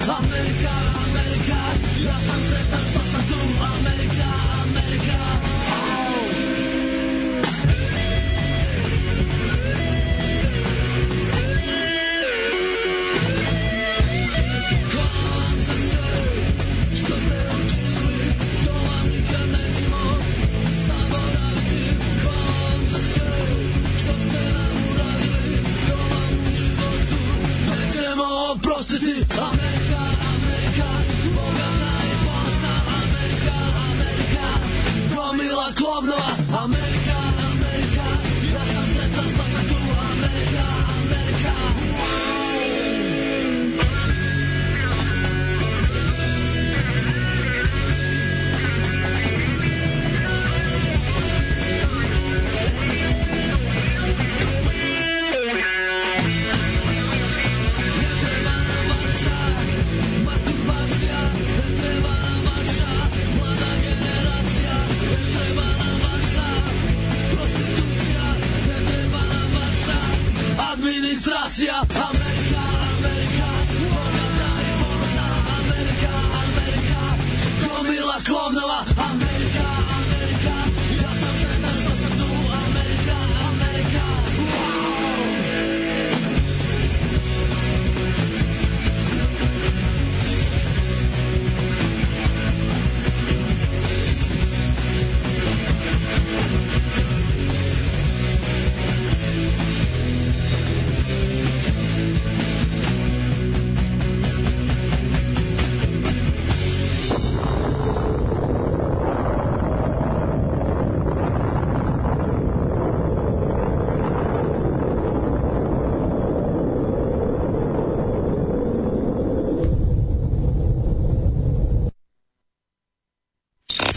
Amerika, Amerika, ja sam sretan što sam tu. Amerika, Amerika, oprostiti. Amerika, Amerika, bogata i ponosna. Amerika, Amerika, gomila klovnova. Amerika, Amerika, ja sam sretan što sam tu. Amerika, Amerika. Administracija. Amerika, Amerika, bogata i ponosna. Amerika, Amerika, gomila klovnova. Amerika, Amerika, ja sam sretan što sam tu. Amerika, Amerika,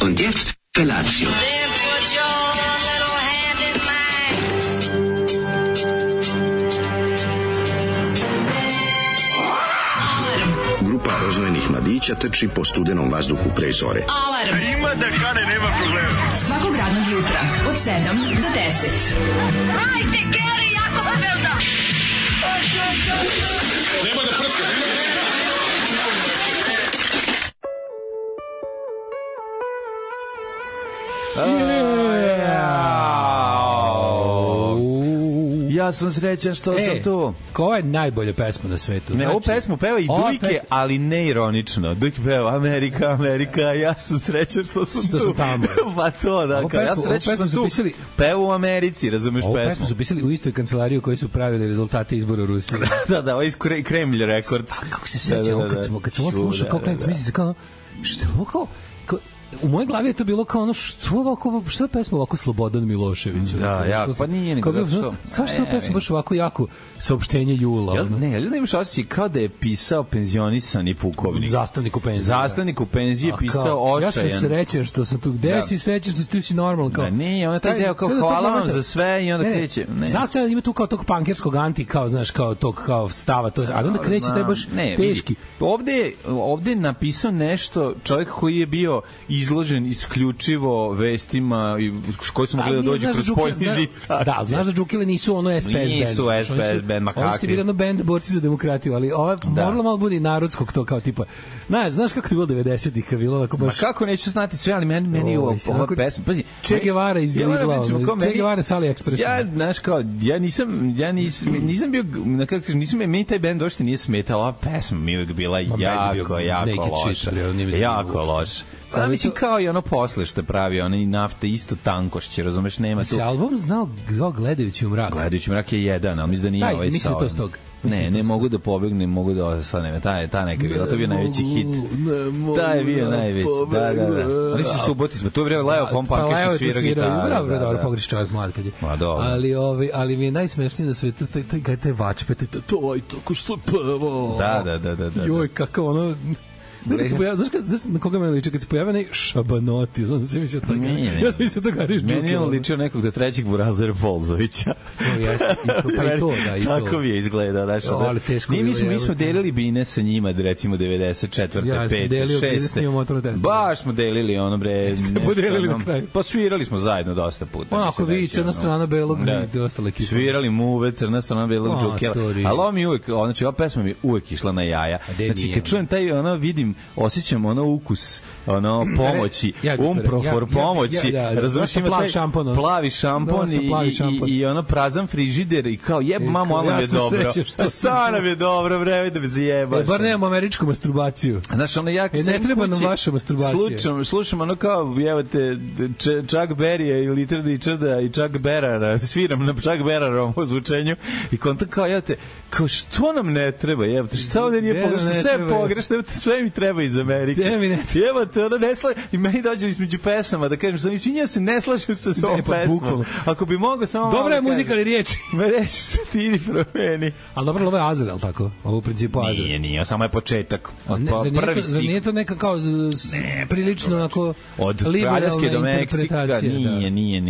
Und jetzt Felatio. Grupa roznojenih mladića trči po studenom vazduhu pre zore. Alarm! Ima da kane, nema problema. Svakog radnog jutra, od 7 do 10. Hajde, Geri, jako se velda! Nema da prska, nema da prska. Ja sam srećan što sam tu. Koja je najbolja pesma na svetu? Ne, ovu pesmu peva i Dujke, ali ne ironično. Dujke peva Amerika, Amerika, ja sam srećan što sam tu. Tamo. Pa to, da, ja sam srećan što sam tu. Peva u Americi, razumeš pesmu? Ovu pesmu su pisali u istoj kancelariji u kojoj su pravili rezultate izbora u Rusiji. Da, ovo je iz Kremlj Records. Kako se sećam, kad sam ovo slušao kao klinac, misli se kao, što je ovo kao, u mojoj glavi je to bilo kao ono, što je pesma ovako Slobodan Milošević? Da, jako, pa nije nego da što. Svašto je pesma baš ovako jako saopštenje jula. Ne, ali nemaš osjećaj kao da je pisao penzionisani pukovnik. Zastavnik u penziji je pisao očajan. Ja sam srećan što sam tu. Gde si srećan što ti si normalan? Kao, ne, ona taj deo kao hvala vam za sve i onda kreće. Znaš se, ima tu kao tog pankerskog anti, kao, znaš, kao tog kao stava, ali onda kreće taj baš teški. Ovde je napisao nešto čovjek koji je bio izložen isključivo vestima koji su mogli da dođu kroz poljni zica. Da, znaš da Džukile nisu ono SPS band. Nisu SPS band, makakvi. Oni su bili ono band borci za demokratiju, ali ovo moralo malo bude narodskog to kao tipa. Znaš kako to bilo 90-ih, kad bilo tako baš. Ma kako neću znati sve, ali meni ova pesma, pazi. Che Guevara iz Ligla, Che Guevara sa AliExpressa. Ja, znaš kao, ja nisam bio, meni taj band uopšte nije smetao, ova pesma mi je bila jako loša. Jako loša. Pa mislim kao i ono posle što je pravio, ono i nafta isto tankošće, razumeš, nema tu. Se album zvao Gledajući u mrak. Gledajući u mrak je jedan, ali mislim da nije ovaj mislim to s tog. Ne mogu da pobegnem, mogu da sad nema, ta neka bila, to je bio najveći hit. Da je bio najveći, da. Oni su Subotica, to je vreo Leo von Parker što svira gitaru. Dobro, pogreši čovjek mlad kad je. Ali mi je najsmešnije da sve taj vačpe, to je tako što je pevao. Da. Joj, kako ono... Znaš na koga me liči? Kad se pojavio neki Šabanoti, znam da se mislio to. Ja sam mislio to Gariš Đukila. Meni je ličio nekog do trećeg Burazera Polzovića. Pa i to, da, i to. Tako mi je izgledao, znaš. Mi smo delili bine sa njima, recimo 94. 5. 6. Baš smo delili ono, bre. Ste podelili na kraju. Pa svirali smo zajedno dosta puta. Onako vi, crna strana belog i ostale ekipa. Svirali Muve, crna strana belog Đukila. Ali ovo mi uvek, znači ova pesma mi uvek išla na jaja. Znači kad čujem taj, ono, vidim, osjećam ono ukus, ono, pomoći, umprofor pomoći, razumiješ, ima taj plavi šampon i ono prazan frižider i kao jeb mamo, ono mi je dobro. Šta nam je dobro, vreme da me zajebaš. Bar nemamo američku masturbaciju. Znaš, ono, ja ne treba nam vaša masturbacija. Slušam ono kao, evo te, Chuck Berry i Little Richarda i Chuck Berrara, sviram na Chuck Berrarovom ozvučenju i kontam kao, evo te, kao što nam ne treba, evo te, šta ovde nije pogrešno, sve je pogrešno, evo te, sve mi treba iz Amerike. Evo te, ono ne slaže, i meni dođe između pesama da kažem, sam izvinjam se, ne slažem se s ovom pesmom. Ako bi mogao samo... Dobra je muzika, ali riječi. Me reći se ti idi promeni. Ali dobro, ovo je Azar, ali tako? Ovo u principu Azar. Nije, samo je početak. Prvi stih. Nije to neka kao prilično onako liberalna interpretacija. Nije.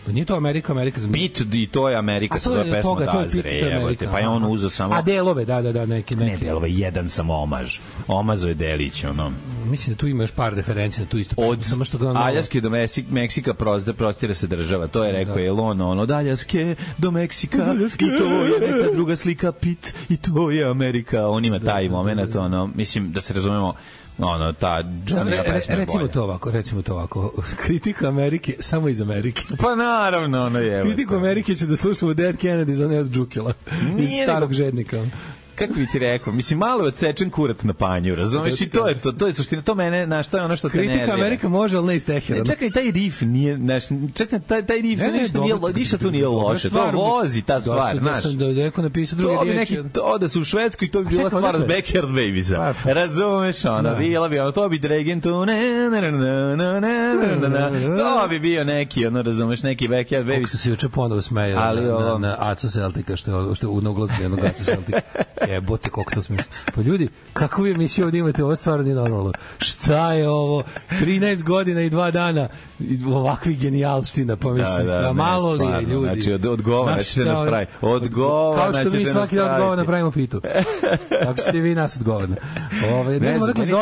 Nije to Amerika. Bit i to je Amerika, sa zove pesma Dazre. Pa je on uzeo samo... A delove, da, neki. Ne, delove, jedan sam omaž. Omazo je delić, ono. Mislim da tu ima još par referenci na tu istu pesmu. Od Aljaske do Meksika prostire se država. To je rekao Elon, ono, od Aljaske do Meksika i to je neka druga slika Pit i to je Amerika. On ima taj moment, ono, mislim da se razumemo, ono, ta Johnny pesma je bolja. Recimo to ovako. Kritika Amerike samo iz Amerike. Pa naravno, ono je. Kritiku Amerike ću da slušamo Dead Kennedy za ne od Đukila. Iz starog žednika. Kako bi ti rekao, mislim, malo je odsečen kurac na panju, razumeš, i to je suština, to mene, znaš, to je ono što te nervira. Kritika Amerika može, ali ne iz Teherana. Čekaj, taj riff nije, znaš, taj riff, ništa tu nije loše, to vozi ta stvar, znaš. Da neko napisao druge riječi. To da su u Švedskoj, to bi bila stvar od Backyard Babiesa, razumeš, ona, bila bi, to bi Dragon to to bi bio neki, ono, razumeš, neki Backyard Babies. Kako se juče ponovo smejao na Aco Celtica, što je u noglasu jednog Aco Celtica. Jebote, koliko to smisla. Pa ljudi, kako vi emisiju ovdje imate, ovo stvarno nije normalno. Šta je ovo? 13 godina i 2 dana ovakvi genijalština, pa mislim, malo li je, ljudi? Znači, odgovor, ćete nas praviti. Kao što mi svaki dan odgovor napravimo pitu. Tako ćete vi nas odgovorno.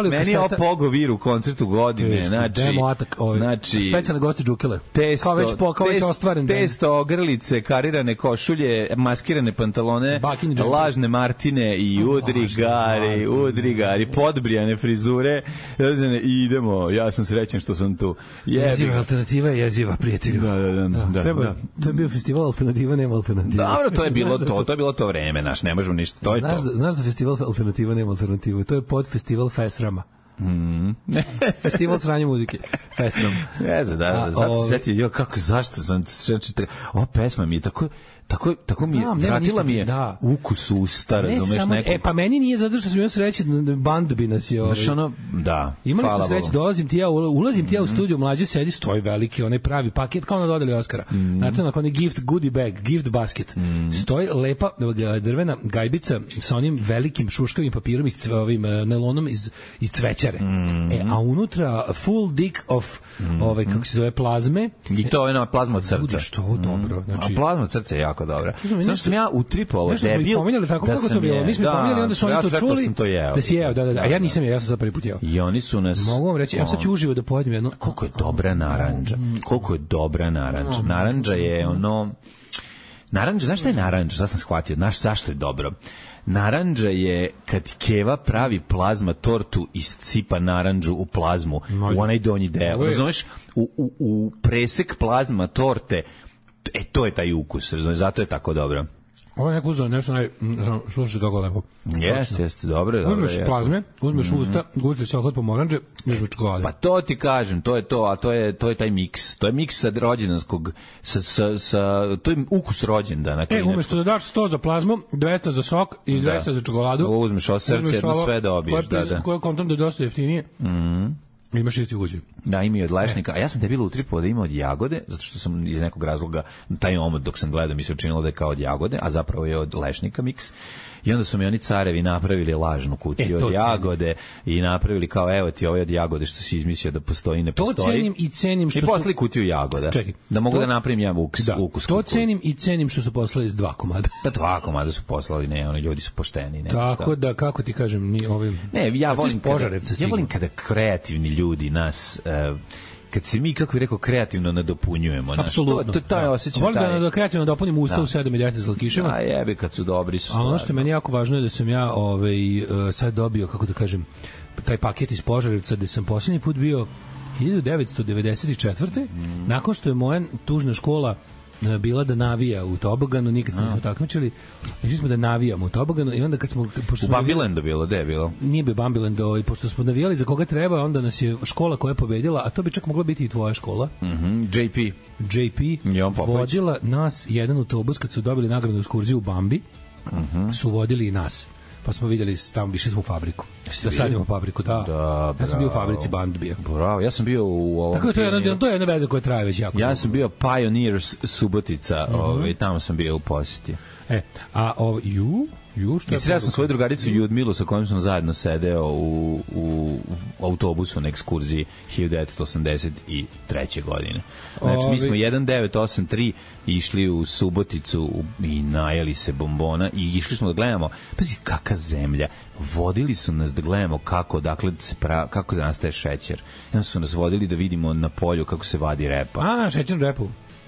Meni je ovo Pogo Vir u koncertu godine, znači... Specijalne goste Đukile. Kao već ostvaren. Testo, ogrlice, karirane košulje, maskirane pantalone, lažne Martine i udrigari, podbrijane frizure, i idemo, ja sam srećen što sam tu. Jeziva alternativa je jeziva, prijatelju. Da. To je bio festival alternativa, nema alternativa. Dobro, to je bilo to vreme, naš, ne možemo ništa, to je to. Znaš za festival alternativa, nema alternativa, to je pod festival Fesrama. Festival sranje muzike Fesram. Ne znam, sad se setio, zašto sam, ova pesma mi je tako mi je, vratila mi je ukus usta, razumeš, neko. Pa meni nije zato što sam imao sreće, band bi nas je znaš, ono, da, imali smo sreće, ulazim ti ja u studiju, mlađe sedi, stoji veliki, onaj pravi paket, kao na dodali Oskara, znate, onako onaj gift goodie bag, gift basket, stoji lepa drvena gajbica sa onim velikim šuškavim papirom, ovim nelonom iz cvećare, a unutra full dick of, kako se zove, plazme, i to je ona plazma od srca. Što ovo dobro, znači, a plazma od srca je jako dobra. Znači sam ja utripovao debil. Nešto smo ih pominjali tako kako to bilo. Mi smo ih pominjali, onda su oni to čuli. Da si jeo, da. A ja nisam jeo, ja sam sad prvi put jeo. I oni su nas... Mogu vam reći, ja sad ću uživo da pojedem jedno... Koliko je dobra naranđa. Naranđa je ono... Naranđa, znaš šta je naranđa? Sad sam shvatio, znaš zašto je dobro? Naranđa je kad Keva pravi plazma tortu i sipa naranđu u plazmu, u onaj donji deo. Razumeš? U presek plazma torte, to je taj ukus, razumiješ, zato je tako dobro. Ovo je neko uzeo nešto slušaj kako lepo. Jeste, dobro. Uzmeš plazme, uzmeš usta, gulite se ohod pomoranđe, uzmeš čokolade. Pa to ti kažem, to je to, a to je taj miks. To je miks sa rođendanskog, to je ukus rođendana. Umesto da daš 100 za plazmu, 200 za sok i 200 za čokoladu. Uzmeš ovo srce, jedno sve dobiješ. Koje kontam da je dosta jeftinije. Imaš isti ugođaj. Da, ima i od lešnika. A ja sam debilo utripao da ima od jagode, zato što sam iz nekog razloga taj omot dok sam gledao mi se učinilo da je kao od jagode, a zapravo je od lešnika miks. I onda su mi oni carevi napravili lažnu kutiju od jagode i napravili kao evo ti ovo je od jagode što si izmislio da postoji, ne postoji. To cenim i cenim što i poslali kutiju jagoda. Čekaj, da mogu da napravim ja ukus. To cenim i cenim što su poslali 2 komada. Pa 2 komada su poslali, ne, oni ljudi su pošteni. Ne, tako da, kako ti kažem, ni ovim... Ne, ja volim kada kreativni ljudi nas... kad se mi, kako bih rekao, kreativno nadopunjujemo. Apsolutno. To je osjećaj. Volim da kreativno dopunim usta u 7 ili 10 slatkiševa. A jebe, kad su dobri su stvari. A ono što je meni jako važno je da sam ja sad dobio, kako da kažem, taj paket iz Požarevca gde sam posljednji put bio 1994. Nakon što je moja tužna škola bila da navija u toboganu, nikad se nismo takmičili. Išli smo da navijamo u toboganu i onda kad smo... U Bambilendu bilo, gde je bilo? Nije bio Bambiland, i pošto smo navijali za koga treba, onda nas je škola koja je pobedila, a to bi čak mogla biti i tvoja škola. JP vodila nas jedan autobus kad su dobili nagradnu ekskurziju u Bambi, su vodili i nas. Pa smo vidjeli, tamo išli smo u fabriku. Da sadimo fabriku, da. Ja sam bio u fabrici Band bio. Bravo, ja sam bio u ovom... Tako to je jedna veza koja traje već jako. Ja sam bio Pioneers Subotica, tamo sam bio u posjeti. I sreo sam svoju drugaricu Ljudmilu sa kojom sam zajedno sedeo u autobusu na ekskurziji 1983. godine. Znači, mi smo 1983 išli u Suboticu i najeli se bombona i išli smo da gledamo, pazi, kakva zemlja. Vodili su nas da gledamo kako nastaje šećer. I onda su nas vodili da vidimo na polju kako se vadi repa.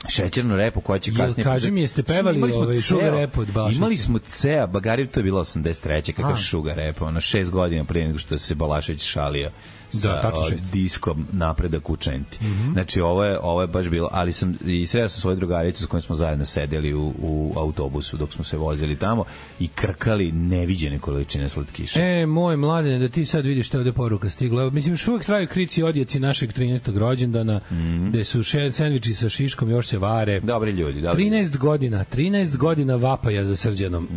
Šećernu repu koja će kasnije... Kaži mi, jeste pevali Sugar Repu od Balaševića? Imali smo ceo, Bagari, to je bilo 83. kakav Sugar Repu, 6 godina prije nego što se Balašević šalio sa diskom Napredak učenti. Znači, ovo je baš bilo, ali sam i sreo sam svoju drugaricu s kojom smo zajedno sedeli u autobusu dok smo se vozili tamo i krkali neviđene količine slatkiša. Moj mladine, da ti sad vidiš šta ovde poruka stigla. Mislim, još uvek traju krici odjeci našeg 13. rođendana, gde su sendviči sa šiškom, još se vare. Dobri ljudi. 13 godina vapaja za Srđanom.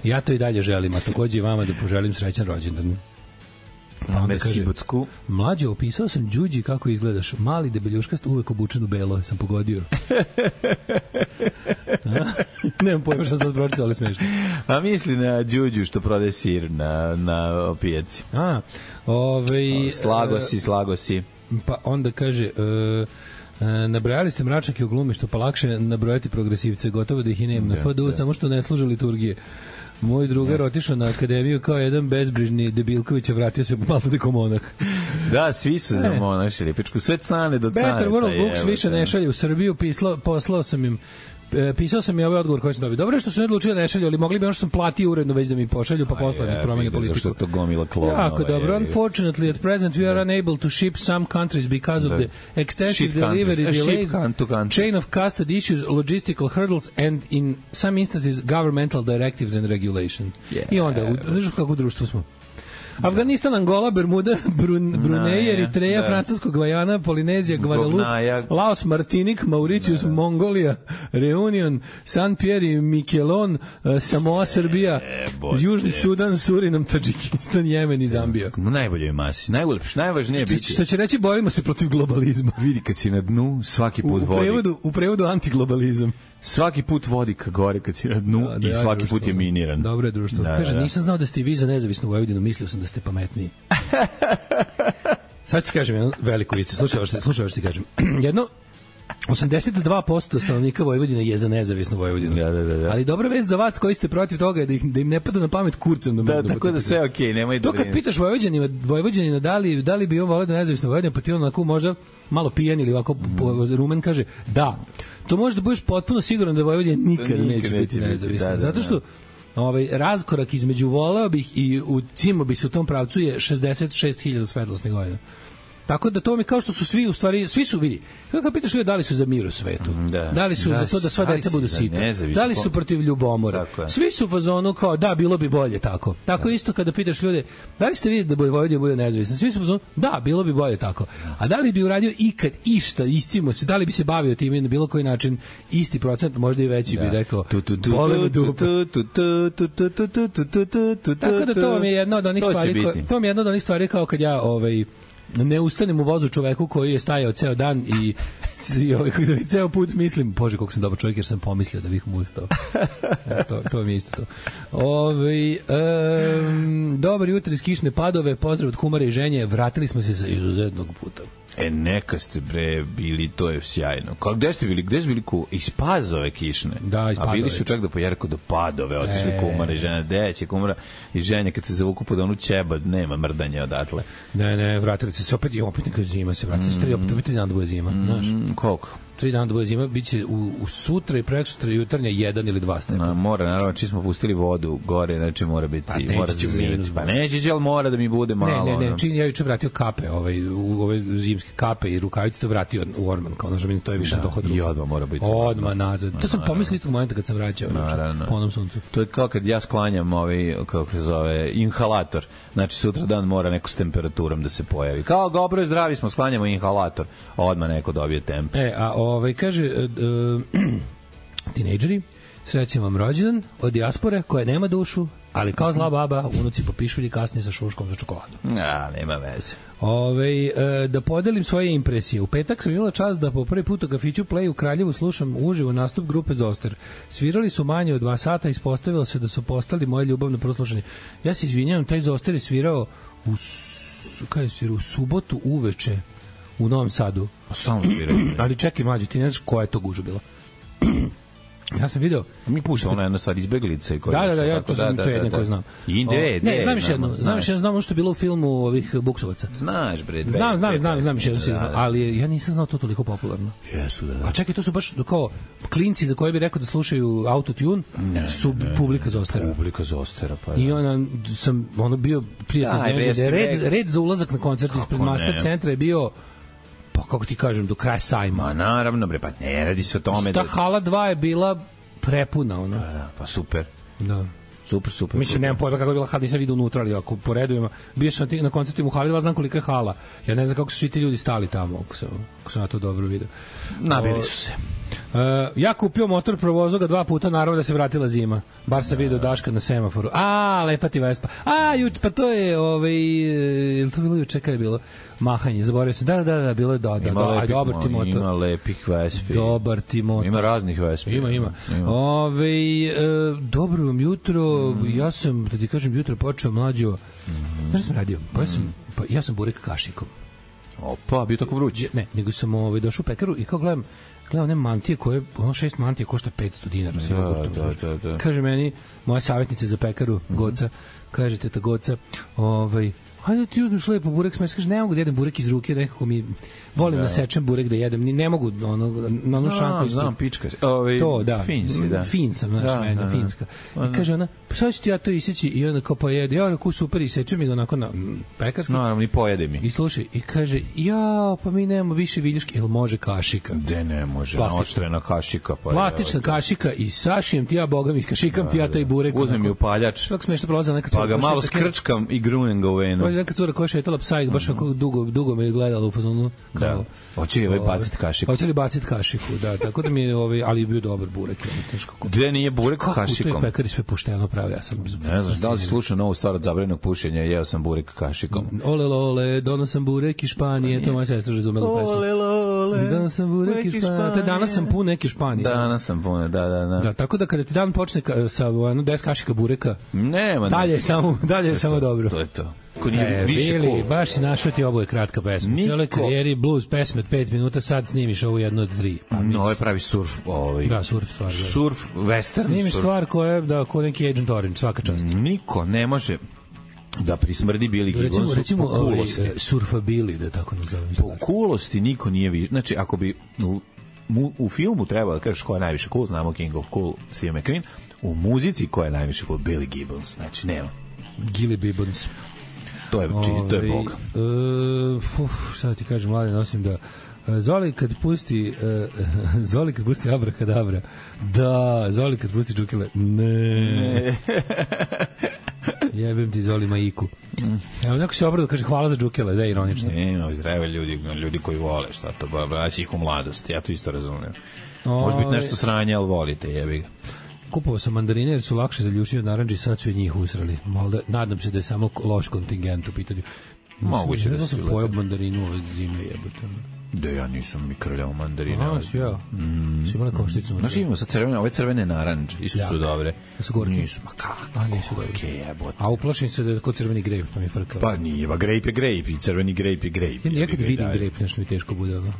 Ja to i dalje želim, a takođe i vama da poželim srećan rođendan. Mlađe, opisao sam Đuđi kako izgledaš. Mali, debeljuškast, uvek obučen u belo. Sam pogodio. Nemam pojma što sam pročitao, ali smešno. A misli na Đuđu što prodaje sir na pijaci. Slago si. Pa onda kaže... nabrojali ste mračake u glumi, što pa lakše nabrojati progresivce, gotovo da ih i nema na FDU, samo što ne služe liturgije. Moj drugar otišao na akademiju kao jedan bezbrižni Debilković, a vratio se malo dekomonah. Da, svi su za monašili, pičku, sve cane do cane. Better World Books više ne šalje u Srbiju, poslao sam im pisao sam i ovaj odgovor koji sam dobio. Dobro je što su ne odlučili da ne šalju, ali mogli bi ono što sam platio uredno već da mi pošalju, pa posle ne promene politiku. Zašto to gomila klona? Jako dobro. Unfortunately, at present we are unable to ship some countries because of the extensive delivery delays, chain of custody issues, logistical hurdles and in some instances governmental directives and regulation. I onda, znaš kako društvo smo? Afganistan, Angola, Bermuda, Brunei, Eritreja, Francusko Gvajana, Polinezija, Guadalupe, Laos, Martinik, Mauritius, Mongolija, Reunion, San Pierre i Miquelon, Samoa, Srbija, Južni Sudan, Surinam, Tadžikistan, Jemen i Zambija. Najbolje je masi, najvažnije je biti. Što će reći, borimo se protiv globalizma. Vidi, kad si na dnu, svaki put vodi. U prevodu antiglobalizam. Svaki put vodi ka gore kad si na dnu i svaki put je miniran. Dobro je društvo. Kaže, nisam znao da ste vi za nezavisnu Vojvodinu, mislio sam da ste pametniji. Sad ti kažem jednu veliku istu, slušaj što ti kažem. Jedno 82% stanovnika Vojvodine je za nezavisnu Vojvodinu. Da. Ali dobra vest za vas koji ste protiv toga je da im ne pada na pamet kurcem. Tako da sve okej, nemoj da. To kad pitaš Vojvođanina da li bi on voleo da nezavisna Vojvodina, pa ti on onako možda malo pijan ili ovako rumen kaže da. To može da budeš potpuno siguran da Vojvodina nikada neće biti nezavisna. Zato što raskorak između voleo bih i u cimo bi se u tom pravcu je 66.000 svetlosnih godina. Tako da to mi kao što su svi u stvari, svi su vidi. Kako pitaš ljudi da li su za mir u svetu? Da li su za to da sva deca budu sita? Da li su protiv ljubomora? Svi su u fazonu kao da bilo bi bolje tako. Tako isto kada pitaš ljude, da li ste vidjeli da Vojvodina bude nezavisna? Svi su u fazonu da bilo bi bolje tako. A da li bi uradio ikad išta, iscimo se, da li bi se bavio time na bilo koji način, isti procent, možda i veći bi rekao. Tako da to vam je jedna od onih stvari, to mi je jedna od onih stvari kao kad ja ne ustanem u vozu čoveku koji je stajao ceo dan i ceo put mislim, bože koliko sam dobar čovjek jer sam pomislio da bih mu ustao. To mi je isto to. Dobar jutro iz kišne padove, pozdrav od kumare i ženje, vratili smo se sa izuzetnog puta. Neka ste bili, to je sjajno. Gde ste bili? Gde su bili iz Pazove kišne? Da, iz Padove. A bili su čak do Padove, otišli kumara i žena. Gde će kumara i ženja kad se zavuku pod onu ćeba, nema mrdanja odatle. Ne, vratili su se opet neka zima se vratili. Opet 3 dana da bude zima. Koliko? 3 dana da bude zima, bit će u sutra i preksutra jutarnja 1 ili 2 stepena. Mora, naravno, či smo pustili vodu gore, znači mora biti... Neće će, ali mora da mi bude malo. Ne, čini ja juče vratio kape, u ove zimske kape i rukavice to vratio u orman, kao nažem, to je više dohod ruka. I odmah mora biti. Odmah nazad. To sam pomislio istog momenta kad sam vraćao po onom suncu. To je kao kad ja sklanjam kako se zove, inhalator. Znači, sutra dan mora neko s temperaturom da se pojavi. Kao dobro je zdravi smo, sklanjamo inhalator. Odmah neko dobije temp. Kaže, tinejdžeri, srećem vam rođendan od dijaspore koja nema dušu, ali kao zla baba, unuci popišulji kasnije sa šuškom za čokoladu. Nema veze. Da podelim svoje impresije. U petak sam imala čast da po prvi put u kafiću Play u Kraljevu slušam uživo nastup grupe Zoster. Svirali su manje od 2 sata i ispostavilo se da su postali moje ljubavno proslušanje. Ja se izvinjavam, taj Zoster je svirao u subotu uveče u Novom Sadu. Stalno sviraju. Ali čekaj, mlađe, ti ne znaš koja je to guža bila. Ja sam video... Mi puštamo ona jedna stvar, Izbeglice. Da, ja to sam to jedne koje znam. Ne, znam još jedno. Znam što je bilo u filmu ovih Buksovaca. Znaš, bre. Znam još jedno, ali ja nisam znao to toliko popularno. Jesu, da. A čekaj, to su baš kao klinci za koje bi rekao da slušaju autotune, su publika Zostera. Publika Zostera, pa da. I ono bio prijatno iznenađen. Red za ulazak na koncert ispred Master centra je bio, pa kako ti kažem, do kraja sajma. Ma naravno, bre, pa ne radi se o tome. Ta hala 2 je bila prepuna, ono. Pa super. Da. Super. Mislim, nemam pojma kako je bila hala, nisam vidio unutra, ali ako poredujemo, bio sam na koncertima u hali 2, znam kolika je hala. Ja ne znam kako su svi ti ljudi stali tamo, ako sam ja to dobro vidio. Nabili su se. Ja kupio motor, provozao ga 2 puta, naravno da se vratila zima. Bar sam vidio Daška na semaforu. Lepa ti Vespa. Pa to je, je li to bilo juče, kada je bilo? Mahanje, zaboravio se. Da, bilo je dobar ti motor. Ima lepih Vespi. Dobar ti motor. Ima raznih Vespi. Ima. Dobro vam jutro. Ja sam, da ti kažem, jutro počeo mlađo. Znaš da sam radio? Ja sam burek kašikom. Opa, bio tako vruć. Ne, nego sam došao u pekaru i kao gledam one mantije koje, 6 mantije košta 500 dinara. Da. Kaže meni, moja savjetnica za pekaru, Goca, kaže teta Goca, hajde ti uzmeš lepo burek smesi, kaže, ne mogu da jedem burek iz ruke, nekako mi volim da sečem burek da jedem, ne mogu na onu šanku. Znam, pička. To, da. Finsi, da. Fin sam, znaš, mena, finska. I kaže ona, pa sad ću ti ja to iseći i onda kao pojede. Ja onako super isečem i onako na pekarski. Naravno, i pojede mi. I slušaj, i kaže, pa mi nemamo više viljuške, jel može kašika? De ne može, oštrena kašika. Plastična kašika i sašijem ti ja, boga mi, kašikam ti ja taj burek. Uzmem mi upaljač. Tako smešno prolazam nekad. Pa ga malo skrčkam i grunem ga u venu. Neka cura koja je šetala psa i baš dugo me je gledala u fazonu. Da. Hoće li baciti kašiku? Hoće li baciti kašiku, da. Tako da mi je, ali je bio dobar burek. Gde nije burek kašikom? Kako to je pekari sve pošteno pravi, ja sam... Ne znaš, da li si slušao novu stvar od zabranjenog pušenja, jeo sam burek kašikom. Ole, donosam burek iz Španije, to moja sestra razumela pesmu. Ole, donosam burek iz Španije. Danas sam pun neke Španije. Danas sam pun, da. Tako da kada ti dan počne sa 10 kašika bureka, nema. Dalje je samo dobro. To je to. Bili, baš si našao ti oboje kratka pesma. Cijele karijeri blues pesme od 5 minuta, sad snimiš ovu jednu od 3. Ovo je pravi surf. Da, surf stvar. Surf, western. Snimiš stvar koja je ko neki Agent Orange, svaka čast. Niko ne može da prismrdi Billy Gibbonsu recimo, po kulosti. Surfabili, da tako nazovem. Po kulosti niko nije više. Znači, ako bi u filmu treba da kažeš ko je najviše cool, znamo King of Cool, Steve McQueen, u muzici ko je najviše cool, Billy Gibbons. Znači, nema. Gilly Gibbons. To je Bog. Sada ti kažem, mlade, nosim da Zoli kad pusti Abrakadabra, da, Zoli kad pusti Džukele, ne. Jebem ti Zoli Majiku. Evo, neko se obrado kaže hvala za Džukele, da je ironično. Ne, zdrave ljudi koji vole, šta to, braći ih u mladosti, ja to isto razumijem. Može biti nešto sranje, ali volite, jebi ga. Kupovao sam mandarine jer su lakše za ljušenje od naranđe i sad su i njih usrali. Nadam se da je samo loš kontingent u pitanju. Moguće da sam pojao mandarinu ove zime jebote. Da ja nisam mi krljao mandarine. Ja. Si imala košticu. Znaš, imamo sad crvene, ove crvene naranđe, isto su dobre. Su gorke? Nisu, ma kako? Nisu gorke, jebote. A uplašim se da je kod crveni grejp, pa mi frkao. Pa nije, ba grejp je grejp i crveni grejp je grejp. Ja nekad vidim grejp, nešto mi teško bude, ono.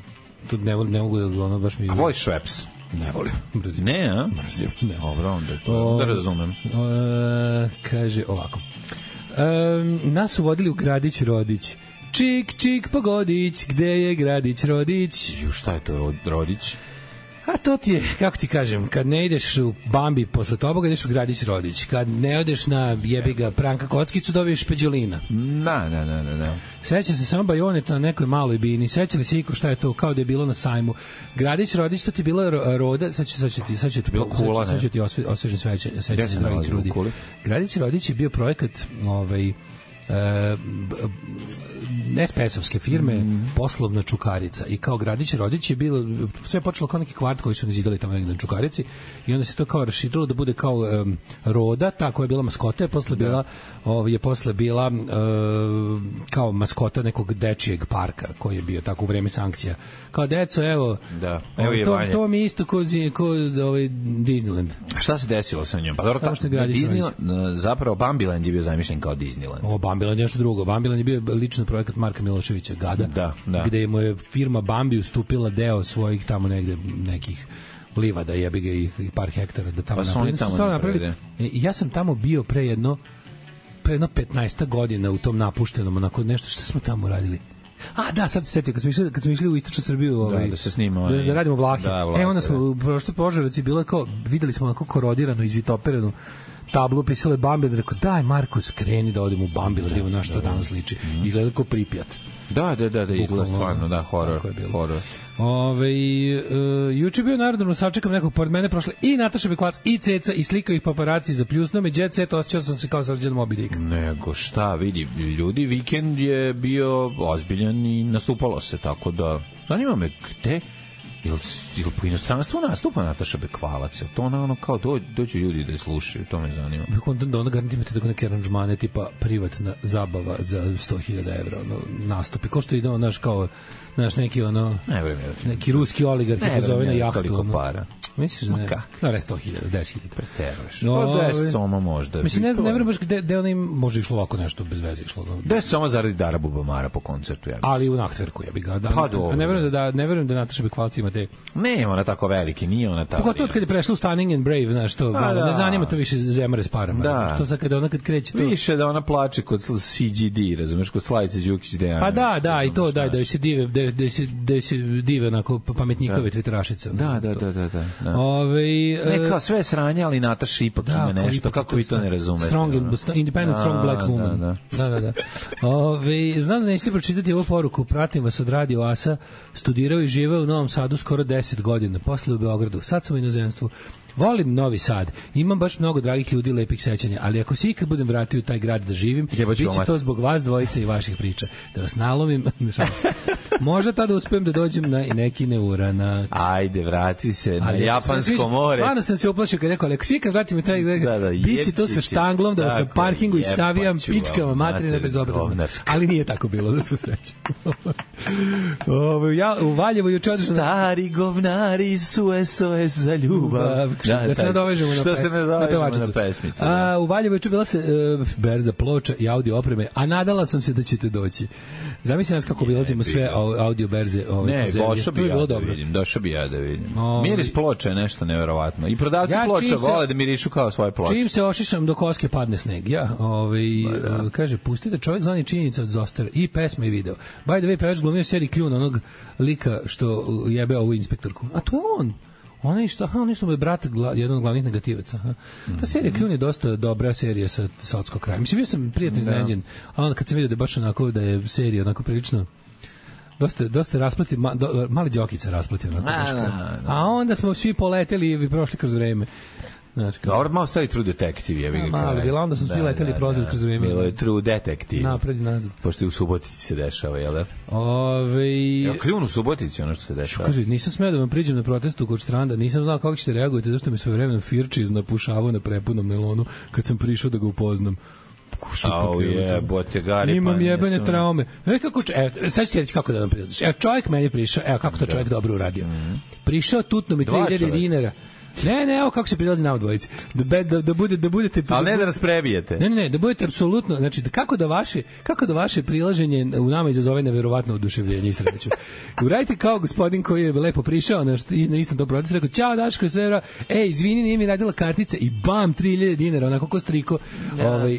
Tu ne mogu da ono baš mi... A voliš Schweppes? Ne volim. Mrzim. Ne, a? Mrzim, ne. Dobro, onda to da razumem. Kaže ovako. Nas su vodili u Gradić Rodić. Čik, čik, pogodić, gde je Gradić Rodić? Šta je to Rodić? A to ti je, kako ti kažem, kad ne ideš u Bambi posle toboga, ideš u Gradić Rodić. Kad ne odeš na jebiga Pranka Kockicu, dobiješ Peđolina. Na. Sećam se samo Bajoneta na nekoj maloj bini. Sećali se iko šta je to, kao da je bilo na sajmu. Gradić Rodić, to ti je bila roda, sad ću ti bilo kula, sad ću ti osvežen sveće se dragi ljudi. Gradić Rodić je bio projekat SPS-ovske firme, poslovna Čukarica, i kao Gradić Rodić je bilo, sve je počelo kao neki kvart koji su nizidali tamo negdje na Čukarici, i onda se to kao raširilo da bude kao roda, ta koja je bila maskota, je posle bila kao maskota nekog dečijeg parka koji je bio tako u vreme sankcija. Kao deco, evo to mi isto ko Disneyland. Šta se desilo sa njom? Pa dobro, zapravo Bambiland je bio zamišljen kao Disneyland. Bambiland je nešto drugo. Bambiland je bio lično projekat Marka Miloševića, Gada, gde mu je firma Bambi ustupila deo svojih tamo negde nekih livada, jebi ga, i par hektara da tamo napravili. Ja sam tamo bio pre jedno 15 godina u tom napuštenom, onako nešto što smo tamo radili. Sad se setio, kad smo išli u istočnu Srbiju, da se snima, da radimo vlake. Onda smo u prošloj Požarevac je bilo kao, videli smo onako korodiranu, izvitoperanu tablu, pisalo je Bambiland, rekao, daj Marko, skreni da odem u Bambiland, evo na što danas liči. Izgleda kao Pripjat. Da, izgleda stvarno, horor. Juče je bio narodno, sačekam nekog pored mene prošle i Nataša Bekvac i Ceca i slikao ih paparaci za pljusno, me Jet Set, osjećao sam se kao Srđan Moby Dick. Nego šta, vidi, ljudi, vikend je bio ozbiljan i nastupalo se, tako da, zanima me, gde? Ili po inostranstvu nastupa Nataša Bekvalac? To ono kao dođu ljudi da je slušaju, to me zanima. Da ona garantimate da neke aranžmane tipa privatna zabava za 100.000 evra nastupi. Ko što ide on, neki ruski oligar koji pozove na jahtu. Koliko para? Misliš da ne? No, 100.000, 10.000. Preteruješ. 10 soma možda. Mislim, ne vrem baš gde ona im može išlo ovako nešto bez veze išlo. 10 soma zaradi Dara Bubamara po koncertu. Ali u Nachtverku, ja bih ga. Ne verujem da Nataša Bekvalac ima te... Ne, ona tako veliki, nije ona tako. Pogotovo kad je prešla u Stunning and Brave, znaš, to ne zanima to više zemare s parama. Da. To sad kada ona kad kreće to... Više da ona plače kod CGD, razumeš, kod Slavice Đukić Dejanović. Pa da, i to da se dive onako pametnjikove tviterašice. Da. Ne kao sve sranje, ali Nataša ipak ima nešto, kako vi to ne razumete. Independent, strong black woman. Da. Znam da nećete pročitati ovu poruku, pratim vas od Radio Asa, studirao i živeo u Novom Sadu skoro 10 godina, posle u Beogradu, sad sam u inozemstvu. Volim Novi Sad, imam baš mnogo dragih ljudi, lepih sećanja, ali ako se ikad budem vratio u taj grad da živim, biće to zbog vas dvojice i vaših priča. Da vas nalomim, možda tada uspijem da dođem na neki neuranak. Ajde, vrati se na Japansko more. Stvarno sam se uplašio kad rekao, ako se ikad vratim u taj grad, biće to sa štanglom, da vas na parkingu i savijam pičkama materine bezobrazne. Ali nije tako bilo, da smo sreći. U Valjevu juče odnosno... Stari govnari su SOS za ljubav. Da se nadovežemo na pesmicu. U Valjevu je bila se berza ploča i audio opreme, a nadala sam se da ćete doći. Zamisli nas kako bilazimo sve audio berze. Ne, došao bi ja da vidim. Miris ploča je nešto neverovatno. I prodavci ploča vole da mirišu kao svoje ploče. Čim se ošišam do koske padne sneg. Kaže, pustite Čovjek zvani činjenica od Zostara i pesma i video. By the way, pevač glumio seriji Kljun, onog lika što jebe ovu inspektorku. A to je on. Ona što mu je brat jedan od glavnih negativaca. Ta serija Kljun je dosta dobra serija sa Sotskog kraja. Mislim, bio sam prijatno iznenađen, a onda kad sam vidio da je baš onako, da je serija onako prilično dosta rasplati, mali Đokica rasplati onako. A onda smo svi poleteli i prošli kroz vreme. Dobro, malo stali True Detective, je vi malo bila, onda smo svi leteli i prolazili kroz vreme. Bilo je True Detective. Napred i nazad. Pošto je u Subotici se dešava, jel da? Kljun u Subotici, ono što se dešava. Kaže, nisam smeo da vam priđem na protestu kod Štranda, nisam znao kako ćete reagujete, zašto mi svojevremeno Firčiz napušavao na prepunom nelonu kad sam prišao da ga upoznam. jebote, Gari. Imam jebene traume. Sad ću ti reći kako da nam prilaziš. Evo, čovjek meni prišao, evo kako to čovjek dobro uradio. Prišao, tutno mi 2000 dinara. Ne, evo kako se prilazi na dvojici. Da budete... Ali ne da nas prebijete. Ne, da budete apsolutno, znači kako da vaše prilaženje u nama izazove neverovatno oduševljenje i sreću. Uradite kao gospodin koji je lepo prišao na istom tom procesu, rekao, ćao Daško, sve izvini, nije mi radila kartica i bam, 3000 dinara, onako ko striko,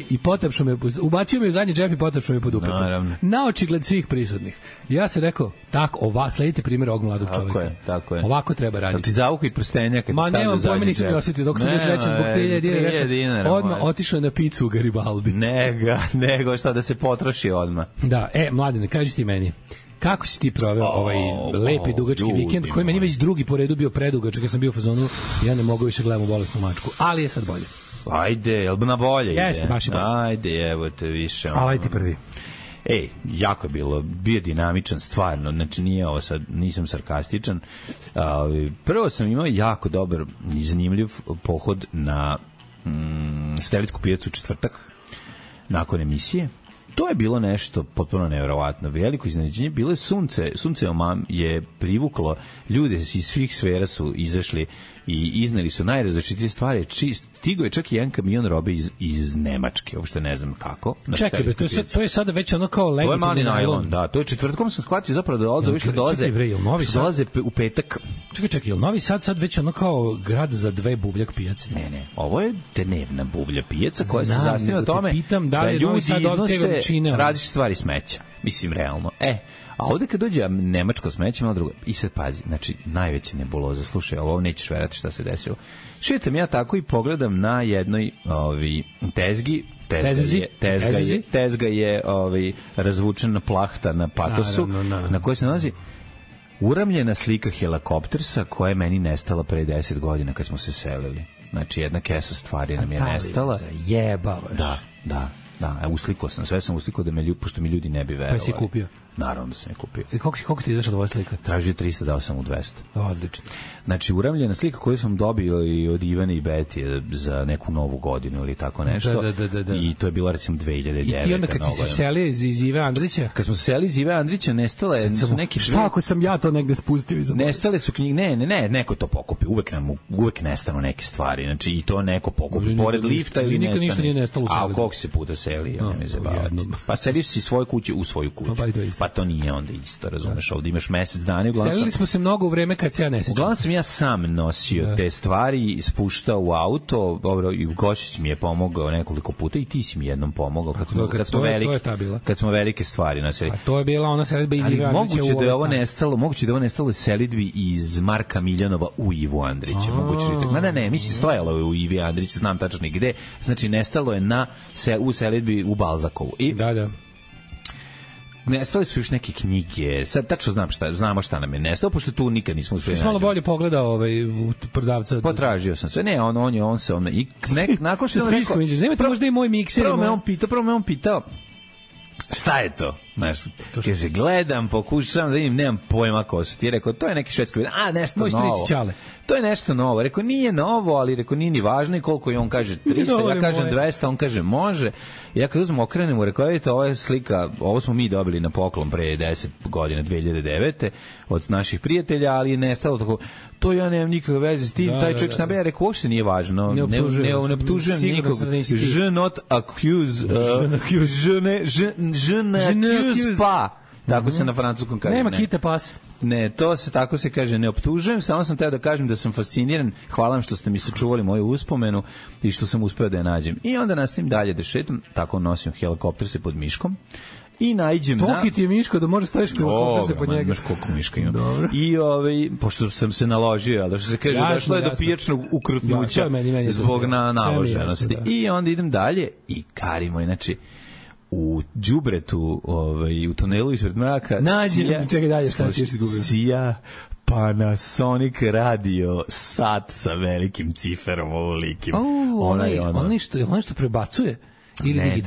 i potapšao me, ubacio me u zadnji džep i potapšao me pod upetom. Na očigled svih prisutnih. Ja sam rekao, tako, sledite primjer ovog mladog čovjeka. Tako je. Ovako treba raditi. Ti zavuku i prstenja kad nemam pojma, nisam ga osjetio, dok sam još reći zbog 3000 dinara, odmah otišao na picu u Garibaldi. Nego šta da se potroši odmah. Da, Mladene, kaži ti meni, kako si ti proveo ovaj lepi dugački vikend, koji meni već drugi po redu bio predugačak, ja sam bio u fazonu, ja ne mogu više gledam u bolesnu mačku, ali je sad bolje. Ajde, jel bi na bolje ide? Jeste, baš je bolje. Ajde, evo te više. Ali ti prvi. Jako je bio dinamičan, stvarno, znači nije ovo sad, nisam sarkastičan. Prvo sam imao jako dobar i zanimljiv pohod na Stelicku pijacu u četvrtak, nakon emisije. To je bilo nešto potpuno nevjerovatno, veliko iznenađenje, bilo je sunce je privuklo, ljude iz svih sfera su izašli i izneli su najrazličitije stvari, stigo je čak i jedan kamion robe iz Nemačke, uopšte ne znam kako. Čekaj, to je sada već ono kao legitimni najlon. To je mali najlon, da, to je četvrtkom sam shvatio zapravo da dolaze u petak. Čekaj, je Novi Sad već ono kao grad za dve buvljak pijace? Ne, ovo je dnevna buvlja pijaca koja se zasniva na tome da ljudi iznose različite stvari smeća. Mislim, realno. A ovde kad dođe nemačko smeće, malo drugo. I sad pazi, znači, najveća nebuloza. Slušaj, ovo nećeš verati šta se desilo. Šetam ja tako i pogledam na jednoj tezgi. Tezga je razvučena plahta na patosu, na kojoj se nalazi uramljena slika helikoptersa koja je meni nestala pre 10 godina kad smo se selili. Znači, jedna kesa stvari nam je nestala. Zajebavaš. Da, uslikao sam, sve sam uslikao pošto mi ljudi ne bi verovali. Pa si kupio? Naravno da sam je kupio. I koliko ti je izašla tvoja slika? Tražio 300, dao sam mu 200. Odlično. Znači, uramljena slika koju sam dobio i od Ivane i Betije za neku novu godinu ili tako nešto. Da. I to je bilo recimo 2009. I ti onda kad si se selio iz Ive Andrića? Kad smo se selili iz Ive Andrića, nestale su neki... Šta ako sam ja to negde spustio iza? Nestale su knjige, ne, neko to pokupi. Uvek nestanu neke stvari. Znači, i to neko pokupi. Pored lifta ili nestane. Ništa nije nestalo u selu. A koliko se puta seli, ja ne zabavati. Pa selio si svoje kuće u svoju kuću. Pa to nije onda isto, razumeš, ovdje imaš mesec dana. Selili smo se mnogo u vreme kad se ja ne sećam. Uglavnom sam ja sam nosio te stvari, spuštao u auto, dobro, i Gošić mi je pomogao nekoliko puta i ti si mi jednom pomogao kad smo velike stvari nosili. A to je bila ona selidba iz Ive Andrića u moguće da ovo nestalo selidbi iz Marka Miljanova u Ivu Andrića. Mada ne, mislim, stojalo je u Ivi Andrića, znam tačno gde, znači nestalo je u selidbi u Balzakovu. Da. Nestale su još neke knjige. Sad tačno znamo šta nam je nestalo, pošto tu nikad nismo uspeli. Što malo bolje pogledao u prodavca. Potražio sam sve. Ne, on se i nakon što sam rekao, nemate možda i moj mikser. Prvo me on pitao šta je to? Znaš, kaže, gledam, pokušam da vidim, nemam pojma ko su ti. Rekao, to je neki švedski, nešto moj novo. To je nešto novo. Rekao, nije novo, ali rekao, nije ni važno. I koliko je on kaže 300, ja kažem 200, on kaže može. I ja kad uzmem okrenemo, rekao, vidite, ovo je slika, ovo smo mi dobili na poklon pre 10 godina, 2009. od naših prijatelja, ali je nestalo tako. To ja nemam nikakve veze s tim, taj čovjek nabeja, rekao, uopšte nije važno. Ne optužujem nikog. Je not accuse, je ne accuse pa. Tako se na francuskom kaže. Nema kite pas. Ne, to se tako se kaže, ne optužujem, samo sam teo da kažem da sam fasciniran, hvala vam što ste mi sačuvali moju uspomenu i što sam uspeo da je nađem. I onda nastavim dalje da šetam, tako nosim helikopter se pod miškom i nađem Toki ti je miško da možeš staviš helikopter se pod njega. Znaš koliko miška ima. I pošto sam se naložio, ali što se kaže, došlo je do pijačnog ukrutnuća zbog naloženosti. I onda idem dalje i karimo, znači, u đubretu, u tunelu ispred mraka čekaj dalje, šta si još izgubio? Sija Panasonic radio sat sa velikim ciferom ovolikim. Ono što prebacuje? Ili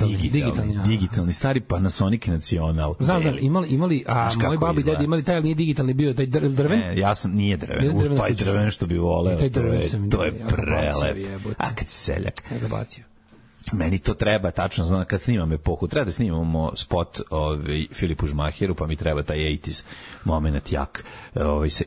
digitalni, stari Panasonic Nacional. Znam, imali, moj babi i deda imali taj, ali nije digitalni bio, taj drven? Ne, nije drven, taj drven što bi voleo, to je prelep. A kad si seljak? Ja ga bacio. meni to treba, tačno znam, kad snimam epohu, treba da snimamo spot Filipu Žmaheru, pa mi treba taj 80s moment jak.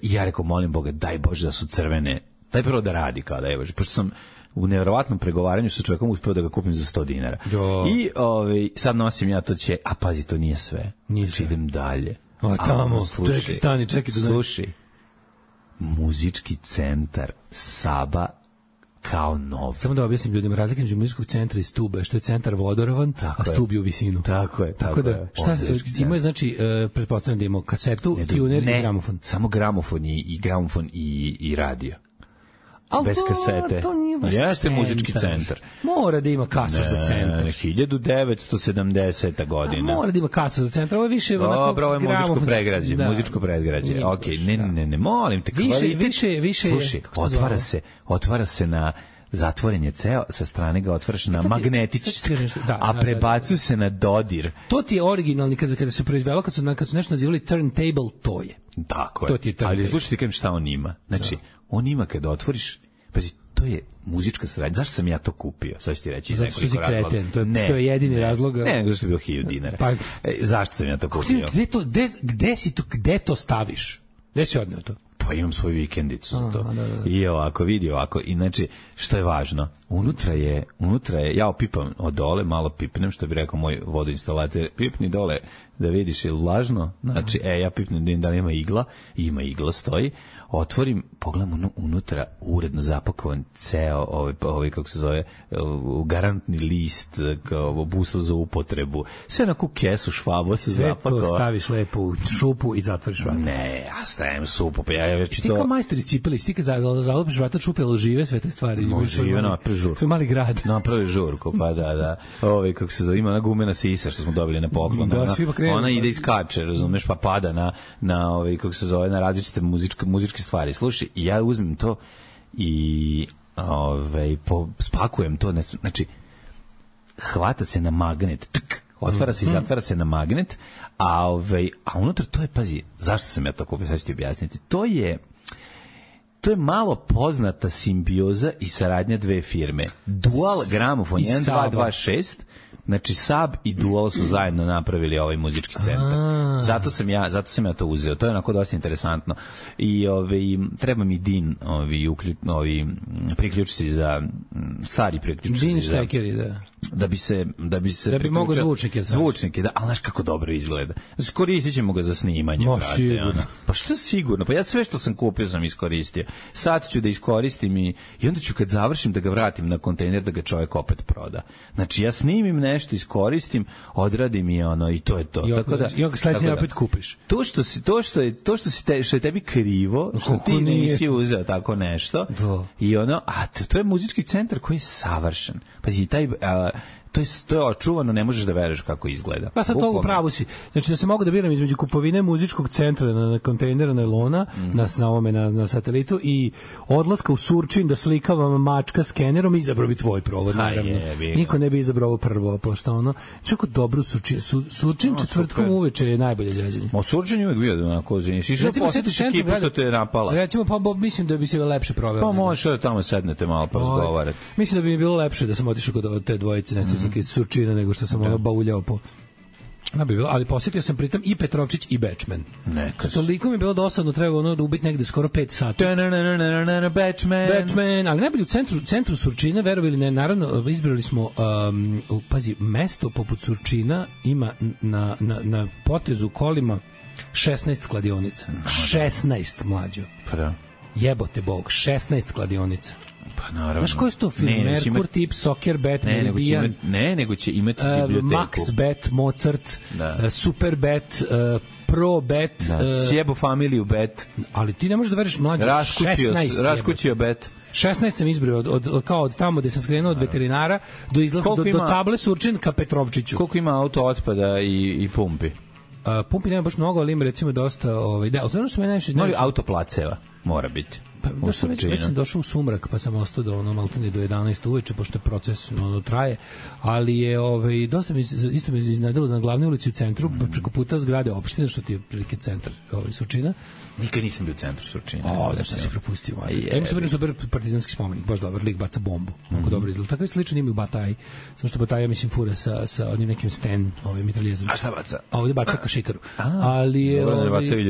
I ja rekao, molim Boga, daj Bože da su crvene, daj prvo da radi kao da je Bože, pošto sam u nevjerovatnom pregovaranju sa čovjekom uspeo da ga kupim za $100. I sad nosim ja to će, a pazi, to nije sve. Znači, idem dalje. Tamo, čekaj. Slušaj, muzički centar Saba kao nov. Samo da objasnim ljudima, razlika između muzičkog centra i stube, što je centar vodorovan, a stub je u visinu. Tako je. Šta imaju, znači, pretpostavljam da imamo kasetu, tuner i gramofon. Samo gramofon i radio. Bez kasete. To nije baš jeste muzički centar. Mora da ima kasu za centar. 1970. godina. Mora da ima kasu za centar. Ovo je više onako... Dobro, ovo je muzičko predgrađe. Ok, ne, molim te. Više... Slušaj, otvara se na... Zatvoren je ceo, sa strane ga otvaraš na magnetić, a prebacuju se na dodir. To ti je originalni, kada se proizvelo, kad su nešto nazivali turntable, to je. Tako je. Ali slušaj ti kažem šta on ima. Znači, on ima kada otvoriš, pazi, to je muzička saradnja. Zašto sam ja to kupio? Sad ću ti reći iz nekoliko razloga. To je jedini razlog. Ne, zašto je bilo $1000. Pa, zašto sam ja to kupio? Gde to staviš? Gde si odneo to? Pa imam svoju vikendicu za to. I ovako, vidi ovako. I znači, što je važno? Unutra je, ja opipam od dole, malo pipnem, što bi rekao moj vodoinstalater, pipni dole da vidiš je vlažno, znači, ja pipnem da li ima igla, ima igla, stoji, otvorim, pogledam unutra, uredno zapakovan ceo, kako se zove, garantni list, kao busto za upotrebu, sve na kesu švabo se zapakovao. Sve to staviš lepo u šupu i zatvoriš vrata. Ne, ja stavim supu, pa ja već to... Ti kao majstori cipeli, ti kad zalopiš vrata šupe, ali žive sve te stvari? Žive, napravi žurku. To je mali grad. Napravi žurku, pa da. Kako se zove, ima ona gumena sisa što smo dobili na poklon. Ona ide i skače, razumeš, pa pada na kako se zove, na različite muzičke stvari. Slušaj, ja uzmem to i spakujem to, znači hvata se na magnet, otvara se i zatvara se na magnet, a unutra to je, pazi, zašto sam ja to kupio, sad ću ti objasniti, to je malo poznata simbioza i saradnja dve firme. Dual Gramofon 1226, znači Sab i Dual su zajedno napravili ovaj muzički centar. Zato sam ja to uzeo. To je onako dosta interesantno. I treba mi DIN, priključici za stari priključici. DIN štekeri, da. Da bi mogao zvučnike, da, ali znaš kako dobro izgleda. Znači, koristit ćemo ga za snimanje. Pa što sigurno? Pa ja sve što sam kupio sam iskoristio. Sad ću da iskoristim i onda ću kad završim da ga vratim na kontejner da ga čovjek opet proda. Znači ja snimim nešto, iskoristim, odradim i i to je to. I onda sledeće opet kupiš. To što je tebi krivo, što ti nisi uzeo tako nešto. I to je muzički centar koji je savršen. Pazi, to je očuvano, ne možeš da veruješ kako izgleda. Pa sad to u pravu si. Znači da se mogu da biram između kupovine muzičkog centra na kontejneru nailona, na satelitu i odlaska u Surčin da slikavam mačka skenerom, izabrao bi tvoj provod, naravno. Niko ne bi izabrao ovo prvo, pošto čako dobro Surčin četvrtkom uveče je najbolje zezanje. Ma Surčin je uvijek bio onako, išao posjetiš ekipu što te je napala. Recimo, pa mislim da bi se lepše proveo. Pa možeš da tamo sednete malo pa razgovarati. Mislim da bi mi bilo lepše da sam otišao kod te dvojice, Surčina, nego što sam bauljao po... Ali posjetio sam pritom i Petrovčić i Bečmen. Toliko mi je bilo dosadno, trebalo da ubiti negde skoro 5 sati. Bečmen, ali najbolje u centru Surčina, verovali ne, naravno, izbrali smo, pazi, mesto poput Surčina ima na potezu kolima 16 kladionica. 16, mlađo. Jebote Bog, 16 kladionica. Pa naravno. Znaš koji je to film? Merkur, Tip, Soccer, Bet, Meridian. Nego će imati biblioteku. Max Bet, Mozart, Super Bet, Pro Bet. Sjebo familiju Bet. Ali ti ne možeš da veriš mlađe. 16. Raskućio Bet. 16 sam izbrio od tamo gde sam skrenuo od veterinara do izlaska do table Surčin ka Petrovčiću. Koliko ima auto otpada i pumpi? Pumpi nema baš mnogo, ali ima recimo dosta... ali što me najviše... Autoplaceva mora biti. Da sam već sam došao u sumrak, pa sam ostao do maltene do 11 uveče, pošto je proces traje, ali je dosta isto me iznenadilo na glavnoj ulici u centru, preko puta zgrade opštine, što ti je prilike centar Surčina. Nikad nisam bio u centru Surčina. Da šta si propustio. Ja sam super partizanski spomenik, baš dobar, lik baca bombu. Mnogo dobro izgleda. Tako je slično ima i u Bataji. Samo što Bataja, mislim, fura sa onim nekim sten, mitraljezerom. A šta baca? A ovdje baca kašikaru. Ali je...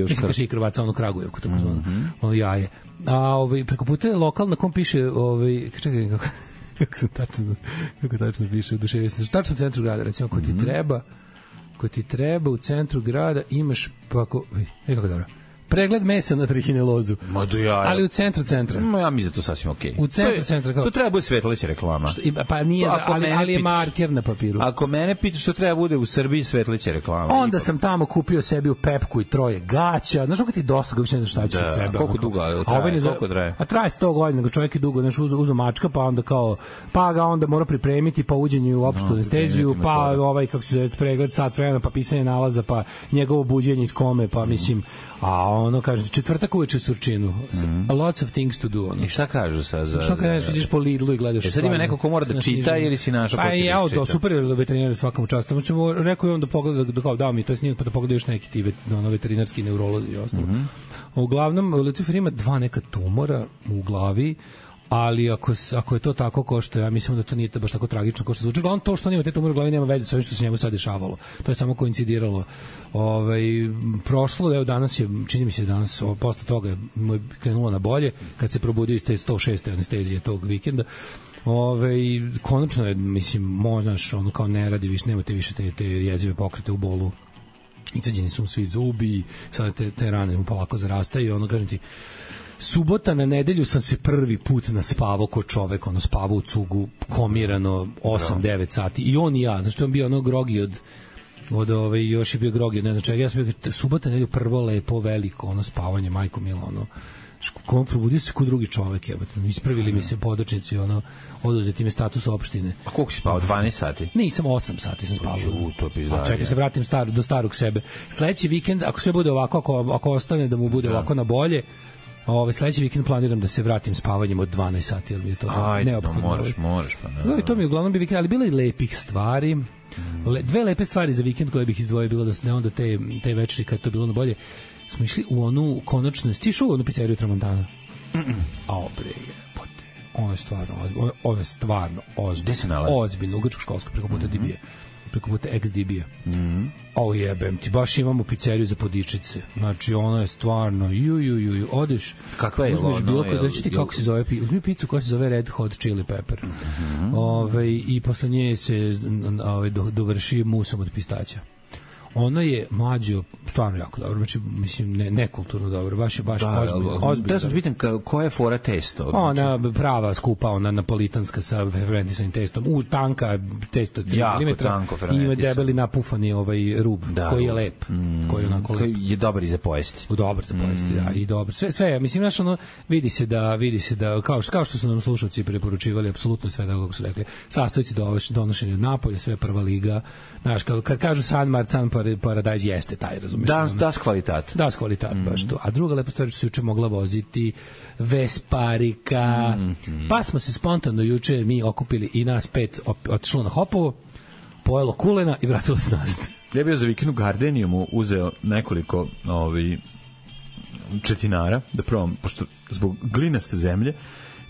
Mislim, kašikaru baca ono Kragujevku, tako zvano. Ono jaje. A preko puta je lokal na kom piše, čekaj, kako tačno piše, tačno u centru grada, recimo, ko ti treba u centru grada, imaš, pa ako, kako dobro, pregled mesa na trihinelozu. Ali u centru centra. Ja mislim da to sasvim okej. U centru centra kao. To treba bude svetleća reklama. Pa nije, ali je marker na papiru. Ako mene pitaš što treba bude u Srbiji svetleća reklama. Onda sam tamo kupio sebi u Pepku i 3 gaća. Znaš kako ti dosta, kako više ne znaš šta će od sebe. Koliko dugo traje? A traje 100 godina, nego čovjek je dugo, znaš, uzo mačka, pa onda kao, pa ga onda mora pripremiti, pa uđenje u opštu anesteziju, pa kako se zove pregled, sat vremena, pa pisanje nalaza, pa njegovo buđenje iz kome, pa mislim, kaže, četvrtak uveče u Surčinu. Lots of things to do. I šta kažu sad za... Šta kažeš, ideš po Lidlu i gledaš... Sad ima neko ko mora da čita ili si našao ko će da čita? Super je veterinar svakom častu. Rekao je on da pogleda, dao mi to snimak, pa da pogleda još neki ti veterinarski neurolozi i ostalo. Uglavnom, Lucifer ima 2 neka tumora u glavi, ali ako je to tako kao što ja mislim da to nije baš tako tragično kao što zvuči. Uglavnom to što on ima te tumore u glavi nema veze sa ovim što se njemu sad dešavalo. To je samo koincidiralo. Prošlo, evo danas je, čini mi se danas, posle toga mu je krenulo na bolje, kad se probudio iz te 106. anestezije tog vikenda. Konačno je, mislim, možnaš, ono kao ne radi više, nemate više te jezive pokrete u bolu. Izvađeni su mu svi zubi, sada te rane mu polako zarastaju i ono, kažem ti, subota na nedelju sam se prvi put naspavao ko čovek, spavao u cugu, komirano 8-9 sati. I on i ja, znači to je bio grogi još je bio grogi, ne znam čega, ja sam bio subota na nedelju prvo lepo, veliko, spavanje, majko milo, probudio se ko drugi čovek, ispravili mi se podočnici, oduzeti mi status opštine. A koliko si spavao, 12 sati? Nisam, 8 sati sam spavao. To je pizdarje. Čekaj, se vratim do starog sebe. Sledeći vikend, ako sve bude ovako, ako ostane da mu bude ovako na bolje, sledeći vikend planiram da se vratim spavanjem od 12 sati, jer mi je to neophodno. Možeš. Pa to mi je uglavnom bi vikend, ali bilo i lepih stvari. 2 lepe stvari za vikend koje bih izdvojio, bilo da ne onda te večeri kad to bilo na bolje. Smo išli u onu konačno, stišu u onu pizzeriju Tramontana. Ono je stvarno ozbiljno. Gde se nalazi? Ozbiljno, u Grčko-školsko, preko puta DB-a. Preko puta ex-DB-a. Jebem ti, baš imamo pizzeriju za podičice. Znači, ono je stvarno, odeš. Kakva je ono? Reći ti kako se zove, uzmi pizzu koja se zove Red Hot Chili Pepper. I posle nje se dovrši musom od pistaća. Ono je mlađo stvarno jako dobro, znači mislim nekulturno dobro, baš ozbiljno. Da sam pitan koja je fora testo? Ona prava skupa, ona napolitanska sa fermentisanim testom, tanka testo 3 mm, ima debeli napufani rub koji je lep, koji je onako lep. Koji je dobar i za pojesti. Dobar za pojesti, da, i dobro. Sve, mislim znaš, vidi se da kao što su nam slušalci preporučivali apsolutno sve da kako su rekli. Sastojci donošenja napolja, sve prva liga. Znaš, kad kažu San Marcan Paradise jeste taj, razumiješ? Das kvalitat. Das kvalitat, baš to. A druga lepa stvar što se juče mogla voziti Vesparika. Pa smo se spontano juče mi okupili i nas 5 otišlo na Hopovo, pojelo kulena i vratilo se nazad. Ja bio za vikend u Gardenijumu, uzeo nekoliko četinara da probam, pošto zbog glinaste zemlje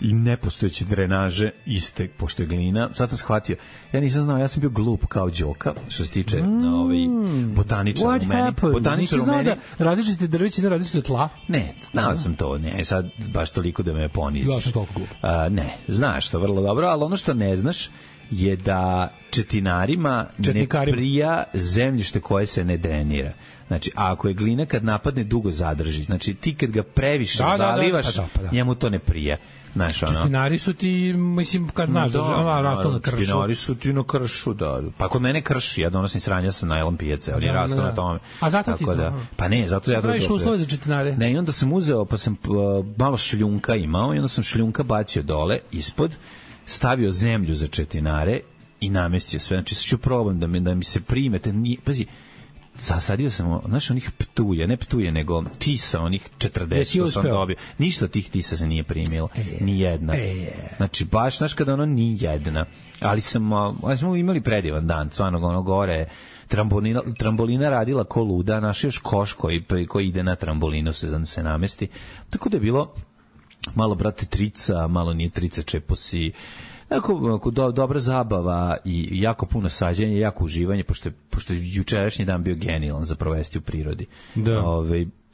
i nepostojeće drenaže iste, pošto je glina. Sad sam shvatio, ja nisam znao, ja sam bio glup kao Đoka, što se tiče botaničara u meni. Botaničar u meni. Da različite drveće, različite tla? Ne, znao sam to, ne, sad baš toliko da me poniziš. Ja sam toliko glup. Ne, znaš to vrlo dobro, ali ono što ne znaš je da četinarima ne prija zemljište koje se ne drenira. Znači, a ako je glina kad napadne dugo zadrži, znači ti kad ga previše zalivaš, njemu to ne prija. Četinari su ti, mislim, kad znaš, rastu na kršu. Četinari su ti na kršu, da. Pa kod mene krši, ja donosim sranja sa najlon pijace, ali rastu na tome. A zato ti to? Pa ne, zato ja to... Praviš uslove za četinare? Ne, i onda sam uzeo, pa sam malo šljunka imao, i onda sam šljunka bacio dole, ispod, stavio zemlju za četinare i namestio sve. Znači, sad ću probam da mi se primete. Pazi, Zasadio sam, znaš, onih ptuje, ne ptuje, nego tisa, onih 40 sam dobio. Ništa od tih tisa se nije primilo. Ni jedna. Znači, baš, znaš, kada ono ni jedna. Ali smo imali predivan dan, stvarno, ono gore, trambolina radila ko luda, naš još koš koji ide na trambolinu se namesti. Tako da je bilo malo, brate, trica, malo nije trica, čeposi, dobra zabava i jako puno sađenja, jako uživanje, pošto je jučerašnji dan bio genijalan za provesti u prirodi. Da.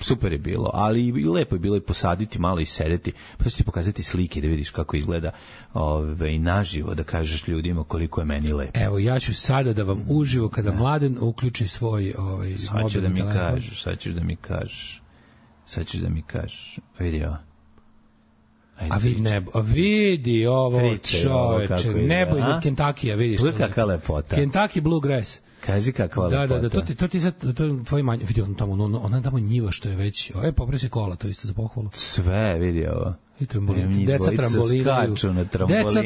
Super je bilo, ali i lepo je bilo i posaditi malo i sedeti, pa ću ti pokazati slike da vidiš kako izgleda naživo, da kažeš ljudima koliko je meni lepo. Evo, ja ću sada da vam uživo, kada Mladen uključi svoj mobilni telefon. Sad ćeš da mi kažeš. Vidi ovo. Vidi ovo, čoveče, nebo iznad Kentakija, vidiš. Gledaj kakva lepota. Kentucky Bluegrass. Kaži kakva lepota. Da, to ti sad, to je tvoj manje, vidi ona tamo njiva što je već, popresi kola, to isto za pohvalu. Sve, vidi ovo. I trambolina. Deca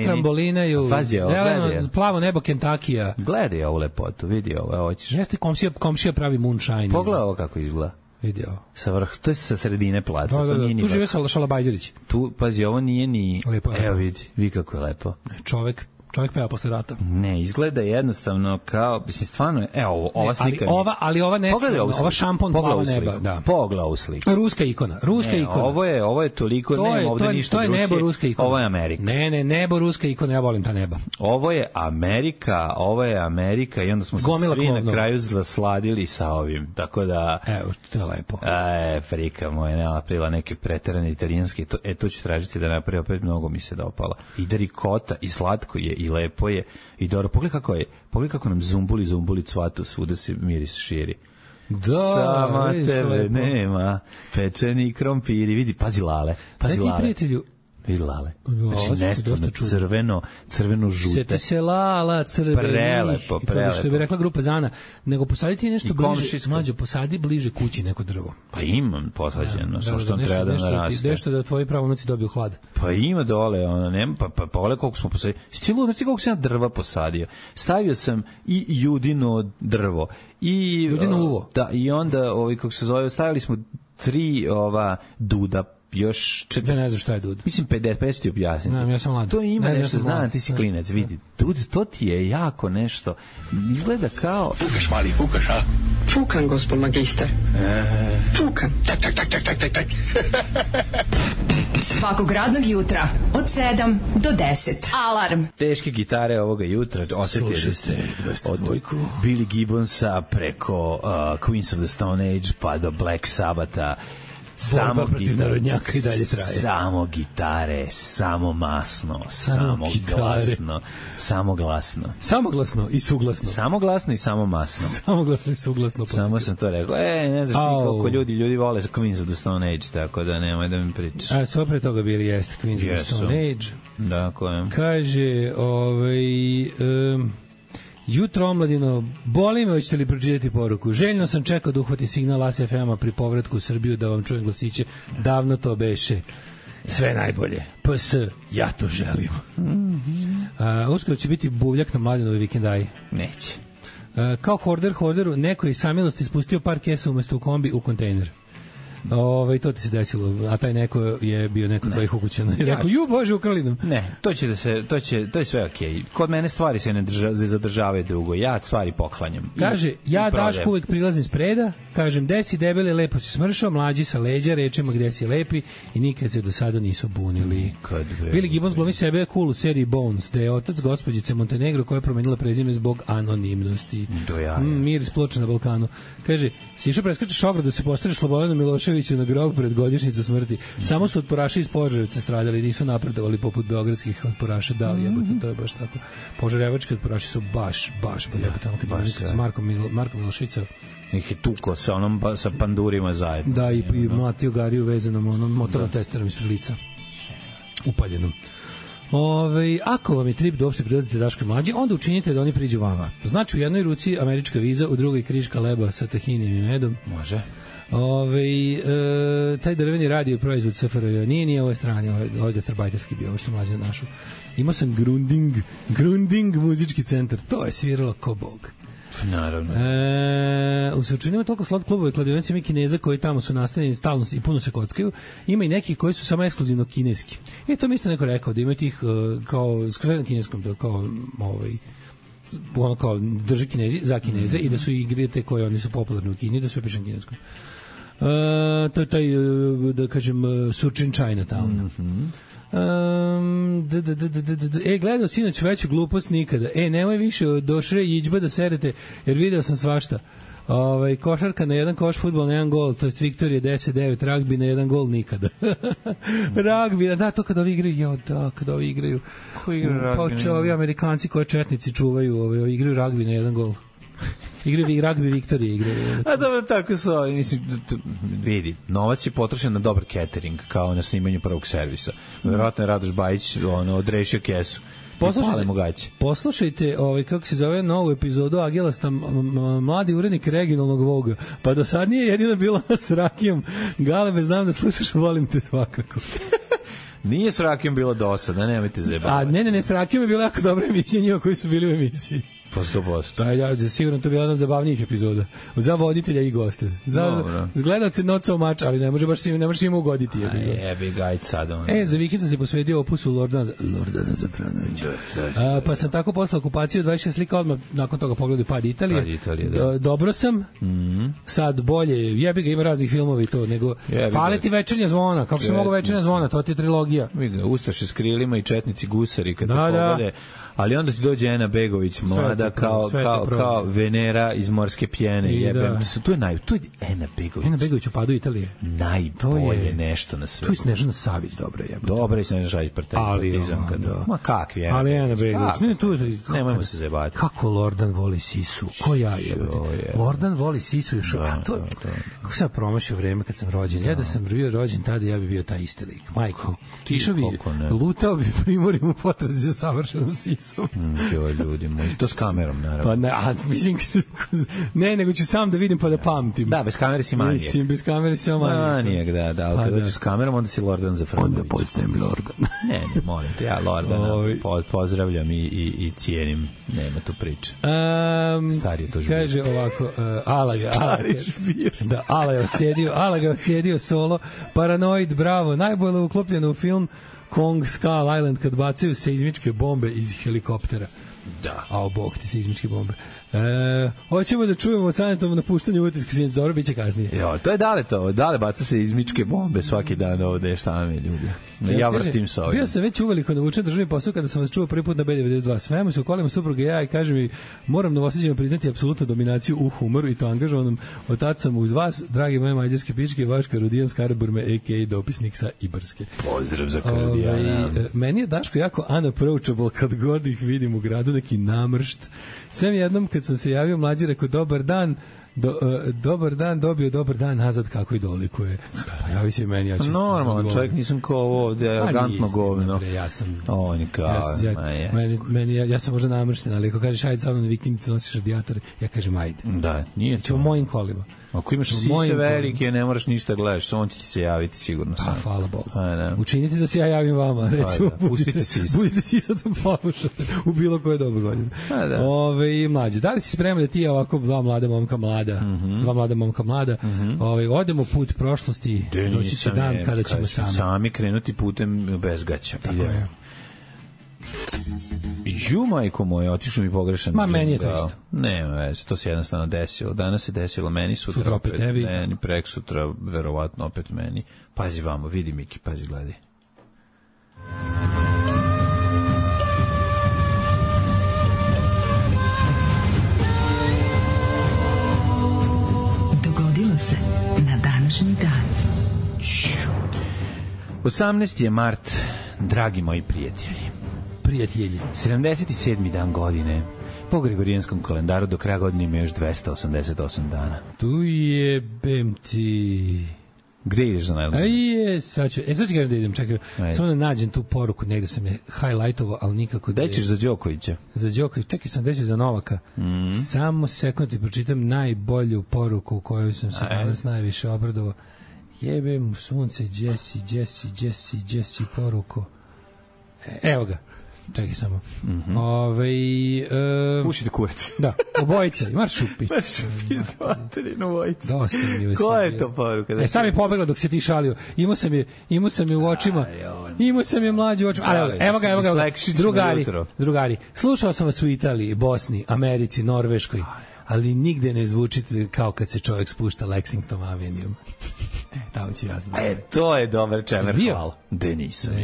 trambolinaju. Zeleno, plavo nebo Kentakija. Gledaj ovu lepotu, vidi ovo. Jeste komšija pravi moonshine. Pogledaj ovo kako izgleda. Video. To je sa sredine placa. Tu žive Šalabajđerić. Tu, pazi, ovo nije ni... Lepo. Evo vidi kako je lepo. Čovek peva posle rata. Ne, izgleda jednostavno kao, mislim, stvarno, ova slika... Ali ova ova šampon plava neba. Da. Pogledaj ovu sliku. Ruska ikona. Ovo je toliko, nema ovde ništa Rusije. To je nebo ruska ikona. Ovo je Amerika. Ne, nebo ruska ikona, ja volim ta neba. Ovo je Amerika i onda smo se svi na kraju zasladili sa ovim, tako da... Evo, to je lepo. Frika moja, ne napravila neke preterane italijanske, to ću tražiti da napravi, opet mnogo mi se dopala. I da rikota, i slatko je, i lepo je, i dobro. Pogledaj kako nam zumbuli cvatu, svuda se miris širi. Da, sama tebe nema, pečeni krompiri, vidi, pazi lale. Prijatelju, vidi lale. Znači, nestvarno crveno žute. Sjeti se lala crvenih. Prelepo. Što bi rekla grupa Zana. Nego posaditi nešto bliže, mlađo, posadi bliže kući neko drvo. Pa imam posađeno, samo što treba da naraste. Nešto da tvoji pravunuci dobiju hlad. Pa ima dole, ona nema, pa pogledaj koliko smo posadili. Stilo, znači koliko sam ja drva posadio. Stavio sam i judino drvo. Judino uvo. Da, i onda, kako se zove, stavili smo 3 duda, još... Ja ne znam šta je dud. Mislim 50 ti objasniti. Ja sam mlad. To ima nešto, znam, ti si klinac, vidi. Dud, to ti je jako nešto. Izgleda kao... Fukaš, mali, fukaš, a? Fukan, gospod magister. Fukan. Tak. Svakog radnog jutra od 7 do 10. Alarm. Teške gitare ovoga jutra osetite od Billy Gibbonsa preko Queens of the Stone Age pa do Black Sabbatha. Samo narodnjaka i dalje traje. Samo gitare, samo masno, samo glasno, samo glasno. Samoglasno i suglasno. Samoglasno i samo masno. Samoglasno i suglasno. Samo sam to rekao. Ne znaš ti koliko ljudi vole Queens of the Stone Age, tako da nemoj da mi pričaš. Sve pre toga bili jeste Queens of the Stone Age. Da, ko je? Kaže, jutro omladino, boli me, hoćete li pročitati poruku? Željno sam čekao da uhvati signal As FM-a pri povratku u Srbiju da vam čujem glasiće. Davno to beše. Sve najbolje. PS, ja to želim. Uskoro će biti buvljak na Mladenovi vikendaji. Neće. Kao horderu, neko je iz samilosti spustio par kesa umesto u kombi u kontejner. To ti se desilo, a taj neko je bio neko tvojih ukućana i rekao, ju bože, ukrali nam. Ne, to je sve okej. Kod mene stvari se ne zadržavaju drugo, ja stvari poklanjam. Kaže, ja Daško uvek prilazim spreda, kažem, gde si debeli, lepo si smršao, mlađi sa leđa, rečemo gde si lepi i nikad se do sada nisu bunili. Billy Gibbons glumi sebe cool u seriji Bones, da je otac gospođice Montenegro koja je promenila prezime zbog anonimnosti. Mir iz Ploča na Balkanu. Kaže, si išao preskačeš ogradu da se postaveš Slobodanu Miloševiću na grob pred godišnjicu smrti. Samo su otporaši iz Požarevca stradali, nisu napredovali poput beogradskih otporaša. Da, jebote, to je baš tako. Požarevački otporaši su baš jebote. Marko Miloševića ih je tuko sa pandurima zajedno. Da, i mlatio gariju vezanom motornom testerom ispred lica. Upaljenom. Ako vam je trip da uopšte prilazite Daško mlađi, onda učinite da oni priđu vama. Znači u jednoj ruci američka viza, u drugoj kriška leba sa tahinijem i medom. Može. Taj drveni radio proizvod SFRJ nije ove strane, ovaj gastarbajterski bio, ovo što mlađe našao. Imao sam Grunding muzički centar, to je sviralo ko bog. Naravno. U Surčinu ima toliko slot klubova i kladionice, ima Kineza koji tamo su nastavljeni stalno i puno se kockaju. Ima i nekih koji su samo ekskluzivno kineski. I to mi isto neko rekao, da ima tih kao skoro na kineskom, kao ono kao drži Kinezi za Kineze i da su igre te koje oni su popularni u Kini, da sve piše na kineskom. To je taj, da kažem, Surčin Chinatown. Gledao sinoć veću glupost nikada. Nemoj više do Šre Iđba da serete, jer video sam svašta. Košarka na jedan koš, fudbal na jedan gol, to je Viktorija 10-9, ragbi na jedan gol nikada. Ragbi, da, to kada ovi igraju, kada ovi igraju. Ko igra ragbi? Pa ovi Amerikanci koje četnici čuvaju, igraju ragbi na jedan gol. Igraju ragbi Viktorije. A dobro, tako su, mislim, vidi, novac je potrošen na dobar catering, kao na snimanju prvog servisa. Vjerojatno je Radoš Bajić odrešio kesu. Poslušajte, kako se zove, novu epizodu Agelasta, mladi urednik regionalnog Voga. Pa do sad nije jedina bila s Rakijom. Galebe, znam da slušaš, volim te svakako. Nije s Rakijom bilo dosadno, nemojte zebati. Ne, s Rakijom je bila jako dobra emisija njima koji su bili u emisiji. Po 100%. Sigurno to je bila jedna od zabavnijih epizoda. Za voditelja i goste. Za gledalce not so much, ali ne može im ugoditi. Jebi gajt sad. Za vikend sam se posvetio opusu Lordana Zafranovića. Pa sam tako posle okupacije 26 slika odmah nakon toga pogledao Pad Italije. Dobro sam. Sad bolje. Jebi ga, ima raznih filmova i to. Nego fale ti Večernja zvona. Kako se mogu Večernja zvona? To ti je trilogija. Ustaše s krilima i četnici gusari kad te poglede. Ali onda ti dođe Ena Begović, mlada kao Venera iz Morske pjene. Jebem. Tu je Ena Begović. Ena Begović u Padu Italije. Najbolje nešto na svetu. Tu je Snežana Savić, dobro je. Dobro je Snežana Savić, partizan. Ma kakvi Ena Begović. Ali Ena Begović. Nemojmo se zebati. Kako Lordan voli Sisu. Ko ja jebati. Lordan voli Sisu još. Kako sam promašio vreme kad sam rođen. Ja da sam bio rođen tada, ja bi bio taj isti lik. Majko. Išao bi, lutao bi primorim u potrazi za savršenom Sisu. Joj, ljudi moji, to s kamerom, naravno. Pa mislim, nego ću sam da vidim pa da pamtim. Da, bez kamere si manijek. Mislim, bez kamere si manijek. Manijek, da, ali kada dođeš s kamerom, onda si Lordan Zafranović. Onda postajem Lordan. Ne, molim te, ja Lordana pozdravljam i cijenim, nema tu priče. Stari je to žbir. Kaže ovako, Ala ga odsjedio solo, Paranoid, bravo, najbolje uklopljeno u film Kong Skull Island kad bacaju seizmičke bombe iz helikoptera. Da. A bog ti seizmičke bombe. Hoćemo da čujemo od Sanetovom napuštanju utiska sjednice. Dobro, bit će kasnije. Jo, to je Dale baca seizmičke bombe svaki dan ovde, šta mi ljudi. Ja vrtim sa ovim. Bio sam već uveliko navučen državni posao kada sam vas čuo prvi put na B92. Svemu se u kolima supruga ja i kaže mi, moram Novosađima priznati apsolutnu dominaciju u humoru i to angažovanom. Od tad sam uz vas, dragi moje mađarske pičke, vaš Karudijan Skaraburme, a.k.a. dopisnik sa Ibarske. Pozdrav za Karudijana. Meni je Daško jako unapproachable kad god ih vidim u gradu, neki namršt. Sve jednom kad sam se javio mlađi, rekao dobar dan, dobar dan, dobio dobar dan nazad, kako i dolikuje. Pa javi se meni, ja ću... Normalan čovjek, nisam kao ovo ovde, arogantno govno. Ja sam... On je kao... Ja sam možda namršten, ali ako kažeš ajde sa mnom na vikendicu, nosiš radijatore, ja kažem ajde. Da, nije to. Ćemo mojim kolima. Ako imaš sise velike, ne moraš ništa gledaš, on će ti se javiti sigurno sam. Hvala Bogu. Učinite da se ja javim vama, recimo. Pustite sise. Budite sisa da poslušate u bilo koje dobu godine. Mlađe, da li si spreman da ti ovako dva mlada momka mlada, odemo put prošlosti, doći će dan kada ćemo sami krenuti putem bez gaća. Majko moja, otišao mi pogrešan. Meni je to isto. Nema veze, to se jednostavno desilo. Danas se desilo meni, sutra opet tebi. Meni, prek sutra, verovatno opet meni. Pazi vamo, vidi Miki, pazi, gledaj. Dogodilo se na današnji dan. 18. je mart, dragi moji prijatelji. 77. dan godine. Po Gregorijanskom kalendaru do kraja godine ima još 288 dana. Tu je BMT. Gde ideš za najlazno? Sad ću kažem da idem, čekaj. Samo da nađem tu poruku, negde sam je highlightovao, ali nikako... Da ćeš za Đokovića? Za Đokovića, čekaj sam deći za Novaka. Samo sekund ti pročitam najbolju poruku koju sam se danas najviše obradovao. Jebem sunce, Jesse poruku. Evo ga. Čekaj samo. Pušite kurac. Da, obojica. Imaš šupi. Materinu obojica. Dosta mi je. Koja je to poruka? Sam je pobegla dok se ti šalio. Imao sam je u očima. Imao sam je mlađe u očima. Evo ga. Drugari. Slušao sam vas u Italiji, Bosni, Americi, Norveškoj, ali nigde ne zvučite kao kad se čovjek spušta Lexington Avenue. Tamo ću ja znati. To je dobar čemer, hvala. De nisam.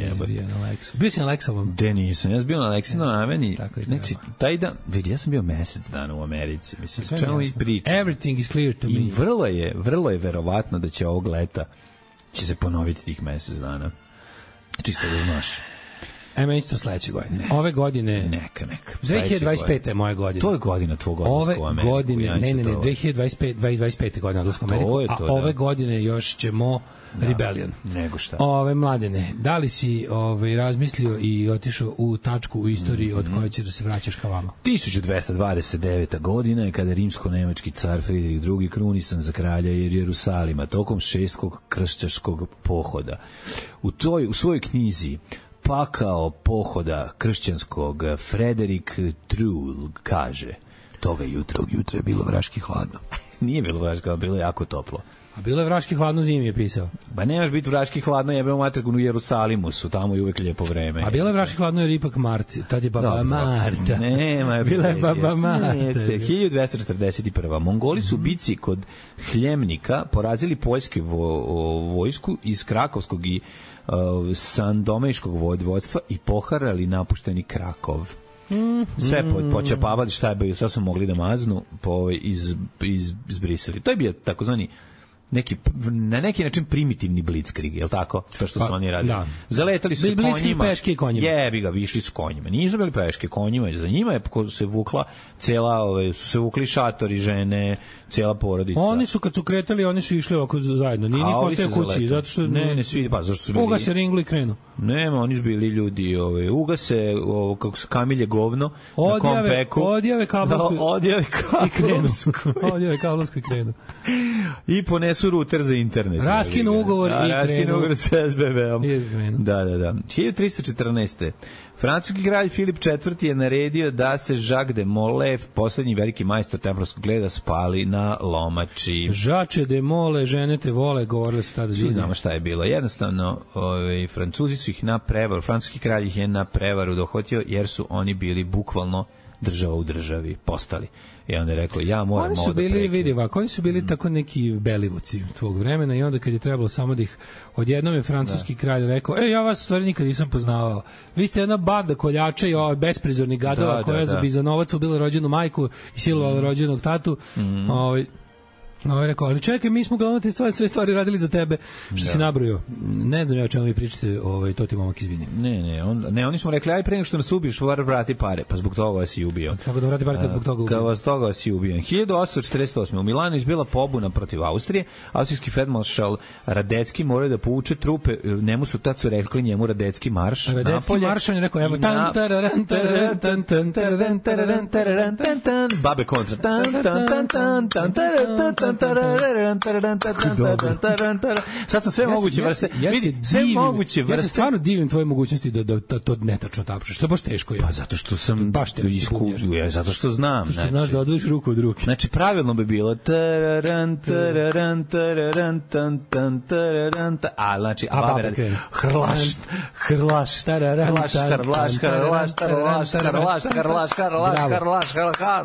Bio si na Lexovom? De nisam, ja sam bio na Lexington Avenue. Znači, taj dan, vidi, ja sam bio mesec dana u Americi. Mislim, čemu mi pričam? Everything is clear to me. I vrlo je verovatno da će ovog leta će se ponoviti tih mesec dana. Čisto da znaš. Meni to sledeće godine. Ove godine... Neka. 2025. je moja godina. To je godina tvog odlaska u Ameriku. Ove godine, ne, 2025. godina odlaska u Ameriku, a ove godine još ćemo Rebellion. Nego šta. Mladene, da li si razmislio i otišao u tačku u istoriji od koje će da se vraćaš ka vama? 1229. godina je kada rimsko-nemački car Friedrich II. Krunisan za kralja Jerusalima tokom 6. kršćanskog pohoda. U svojoj knjizi Pakao pohoda kršćanskog Frederik Trull kaže toga jutra je bilo vraški hladno. Nije bilo vraški hladno, bilo je jako toplo. A bilo je vraški hladno, zimi je pisao. Ba nemaš biti vraški hladno, jebemo materku u Jerusalimu su, tamo je uvek lijepo vreme. A bilo je vraški hladno jer ipak Marci, tad je baba Marta. Nema, bila je baba Marta. 1241. Mongoli su bici kod Hljemnika porazili poljsku vojsku iz Krakovskog i Sandomejškog vodstva i poharali napušteni Krakov. Sve počepavali šta je bilo, šta su mogli da maznu, izbrisali. To je bio takozvani na neki način primitivni blitzkrieg, je li tako? To što su oni radili. Da. Zaletali su konjima. Peške i konjima. Jebi ga, išli su konjima. Nisu bili peške konjima, za njima je se vukla su se vukli šatori, žene, cijela porodica. Oni su kad su kretali, oni su išli ovako zajedno. Nije niko ostaje kući, zato što ne svi, pa zašto su bili. Uga se ringli i krenu. Nema, oni su bili ljudi, ugase, kako se kamilje govno na kompeku. Odjave kablovsku i krenu. I ponesu ruter za internet. Raskinu ugovor i krenu. Raskinu ugovor sa SBB-om. Da. 1314. Francuski kralj Filip IV. Je naredio da se Jacques de Molay, poslednji veliki majstor templarskog reda, spali na lomači. Žače de Mole, žene te vole, govorili su tada. Svi znamo šta je bilo. Jednostavno, Francuzi su ih na prevaru, francuski kralj ih je na prevaru dohvatio, jer su oni bili bukvalno država u državi postali. I onda je rekao, ja moram ovo da prekinem. Oni su bili tako neki Belivuci tvog vremena i onda kad je trebalo samo da ih odjednom je francuski kralj rekao, ja vas stvari nikad nisam poznavao. Vi ste jedna banda koljača i besprizornih gadova koja bi za novac ubila rođenu majku i silovala rođenog tatu. Rekao, ali čekaj, mi smo glavno te sve stvari radili za tebe, što si nabrojio. Ne znam ja o čemu vi pričate, to ti momak izvini. Ne, oni smo rekli, aj pre nego što nas ubiješ, vrati pare, pa zbog toga si ubio. Kako da vrati pare kad zbog toga ubio? Kad toga si ubio. 1848. U Milanu izbila pobuna protiv Austrije, austrijski feldmaršal Radecki morao da povuče trupe, njemu su tad su rekli njemu Radecki marš. Radecki marš, on je rekao, evo, babe kontra, sad sam sve moguće vrste. Sve moguće vrste. Ja se stvarno divim tvoje mogućnosti da to netačno tapšeš. Što baš teško je. Pa zato što sam baš zato što znam. Zato što znaš da odvojiš ruku od ruke. Znači pravilno bi bilo a znači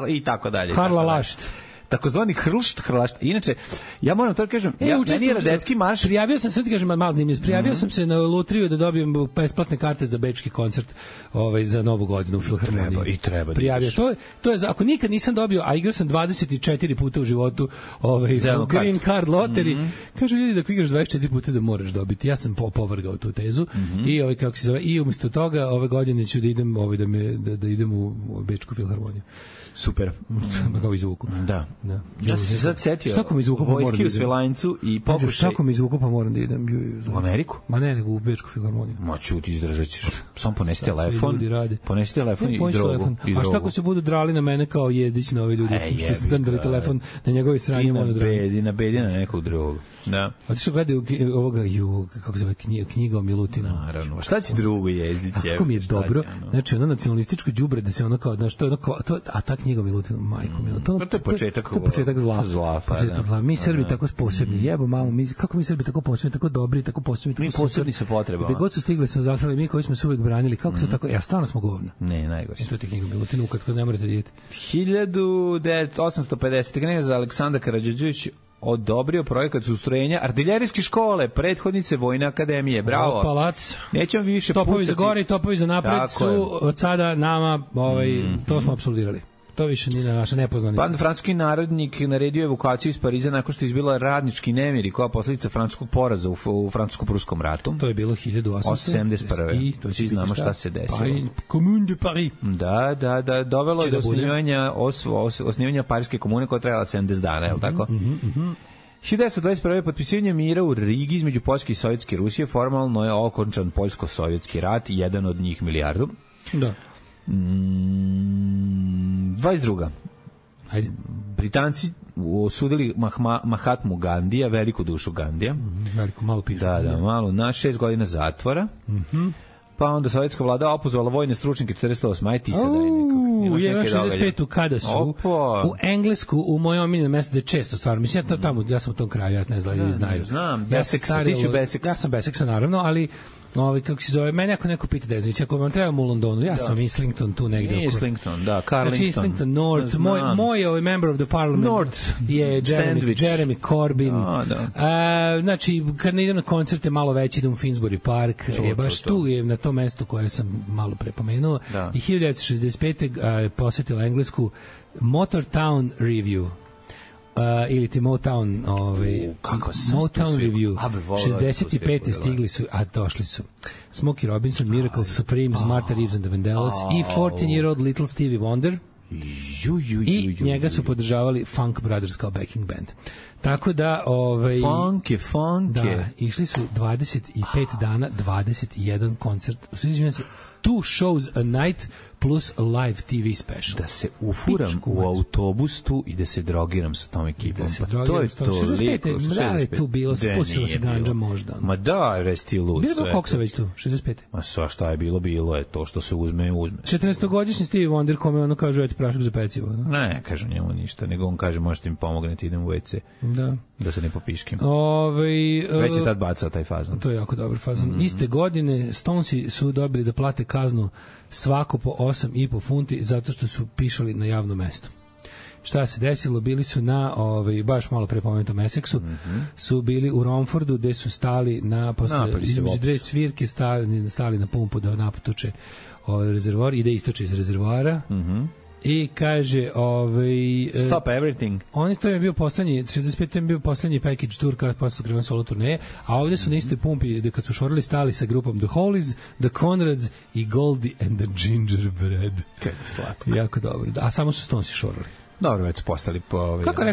i tako dalje. Takozvani hrlašt. Inače, ja moram to kažem, meni je Radecki marš. Prijavio sam se, kažem, malo zanimljivo. Prijavio sam se na lutriju da dobijem besplatne karte za bečki koncert za Novu godinu u Filharmoniji. Treba. Prijavio. To je ako nikad nisam dobio, a igrao sam 24 puta u životu Green Card Lottery. Kažu ljudi da ako igraš 24 puta da moraš dobiti. Ja sam povrgao tu tezu i kako se zove, i umjesto toga ove godine ću da idem da idem u Bečku Filharmoniju. Super. Kao izvuku. Da. Da. Ja sam se sad setio vojski u Svilajncu i pokušaj... Štako mi izvuku pa moram da idem. U Ameriku? Ma ne, nego u Bečku filharmoniju. Ma čuti, izdržat ćeš. Samo ponesi telefon. Ponesi telefon i drogu. A šta ako se budu drali na mene kao Jezdić na ove ljudi? Što su drndali telefon na njegove sranje. I na bedi na nekog drugog. Da. A ti što gledaju ovoga, kako se zove, knjiga o Milutinu. Naravno. Šta će drugo Jezdić? Kako mi je dobro. Znači, ono nacionalističko đubre da se ono kao, znaš, to je ono, a ta knjiga o Milutinu, majko Milutinu. To je početak zla. Mi Srbi tako posebni, jebo mamu, kako mi Srbi tako posebni, tako dobri, tako posebni. Mi posebni sa potrebama. Gde god su stigli smo zaklali, mi koji smo se uvek branili, kako se tako, stvarno smo govna. Ne, najgore. To je knjiga o Milutinu, kad ne morate vidjeti. 1850. knez Aleksandar Karađorđević odobrio projekat ustrojenja artiljerijske škole, prethodnice Vojne akademije. Bravo. Palac. Nećemo više topovi pucati. Za gore i topovi za napred su od sada nama, to smo apsolvirali. To više nije naša nepoznanica. Pa francuski narodnik naredio evokaciju iz Pariza nakon što je izbila radnički nemiri koja posljedica francuskog poraza u francusko-pruskom ratu. To je bilo 1871. I to svi znamo šta se desilo. Commune de Paris. Da, dovelo je do osnivanja Parijske komune koja trajala 70 dana, je li tako? 1921. potpisivanje mira u Rigi između Poljske i Sovjetske Rusije formalno je okončan Poljsko-sovjetski rat, jedan od njih milijardu. Da. 22. Ajde. Britanci osudili Mahatmu Gandija, veliku dušu Gandija. Veliko, malo piše. Da, malo, na 6 godina zatvora. Pa onda sovjetska vlada opozvala vojne stručnjake 48. Aj ti se daj nekako. U 65. kada su u Englesku, u mojom omiljenom mjestu, da je često stvarno, mislim, ja sam u tom kraju, ja ne znaju. Znam, Beseksa, ti ću Beseksa. Ja sam Beseksa, naravno, ali kako se zove, mene ako neko pita Deznić, ako vam trebamo u Londonu, ja sam Islington tu negdje. Nije Islington, da, Carlington. Znači Islington, North, moj member of the parliament North je Jeremy Corbyn. Znači, kad ne idem na koncerte malo veći, idem u Finsbury Park, je baš tu, je na tom mestu koje sam malo prepomenuo. I 1965. posjetila Englesku Motortown Review. Ili ti Motown Motown Review 65. stigli su, a došli su Smokey Robinson, Miracle Supremes, Martha Reeves and the Vandellas i 14-year-old Little Stevie Wonder i njega su podržavali Funk Brothers kao backing band. Tako da Funk da, išli su 25 dana 21 koncert, uzimam se 2 shows a night plus live TV special. Da se ufuram u autobus tu i da se drogiram sa tom ekipom. To je to. 65. Da je tu bilo, spustila se ganđa možda. Ma da, resti lud. Bilo kako se već tu, 65. Ma šta je bilo je to što se uzme. 14-godišnji Stevie Wonder kome ono kaže, eto prašak za pecivo. Ne, kažu njemu ništa, nego on kaže, možete mi pomognete, idem u WC. Da se ne popiškim. Već je tad bacao taj fazon. To je jako dobar fazon. Iste godine Stonesi su dobili da plate kaznu svako po 8,5 funti zato što su pišali na javnom mestu. Šta se desilo? Bili su na baš malo pre pomenutom Essexu, su bili u Romfordu gde su stali na između dve svirke stali na pumpu da napotuče rezervoar i da istoče iz rezervoara. I kaže Stop Everything. To je bio poslednji 65. je bio poslednji package tour kada posle krenuo solo turneje, a ovde su na istoj pumpi kad su šorili stali sa grupom The Hollies, The Conrads i Goldie and the Gingerbread. Kako slatko. Jako dobro. A samo su Stonesi šorili. Dobro, već su postali po kako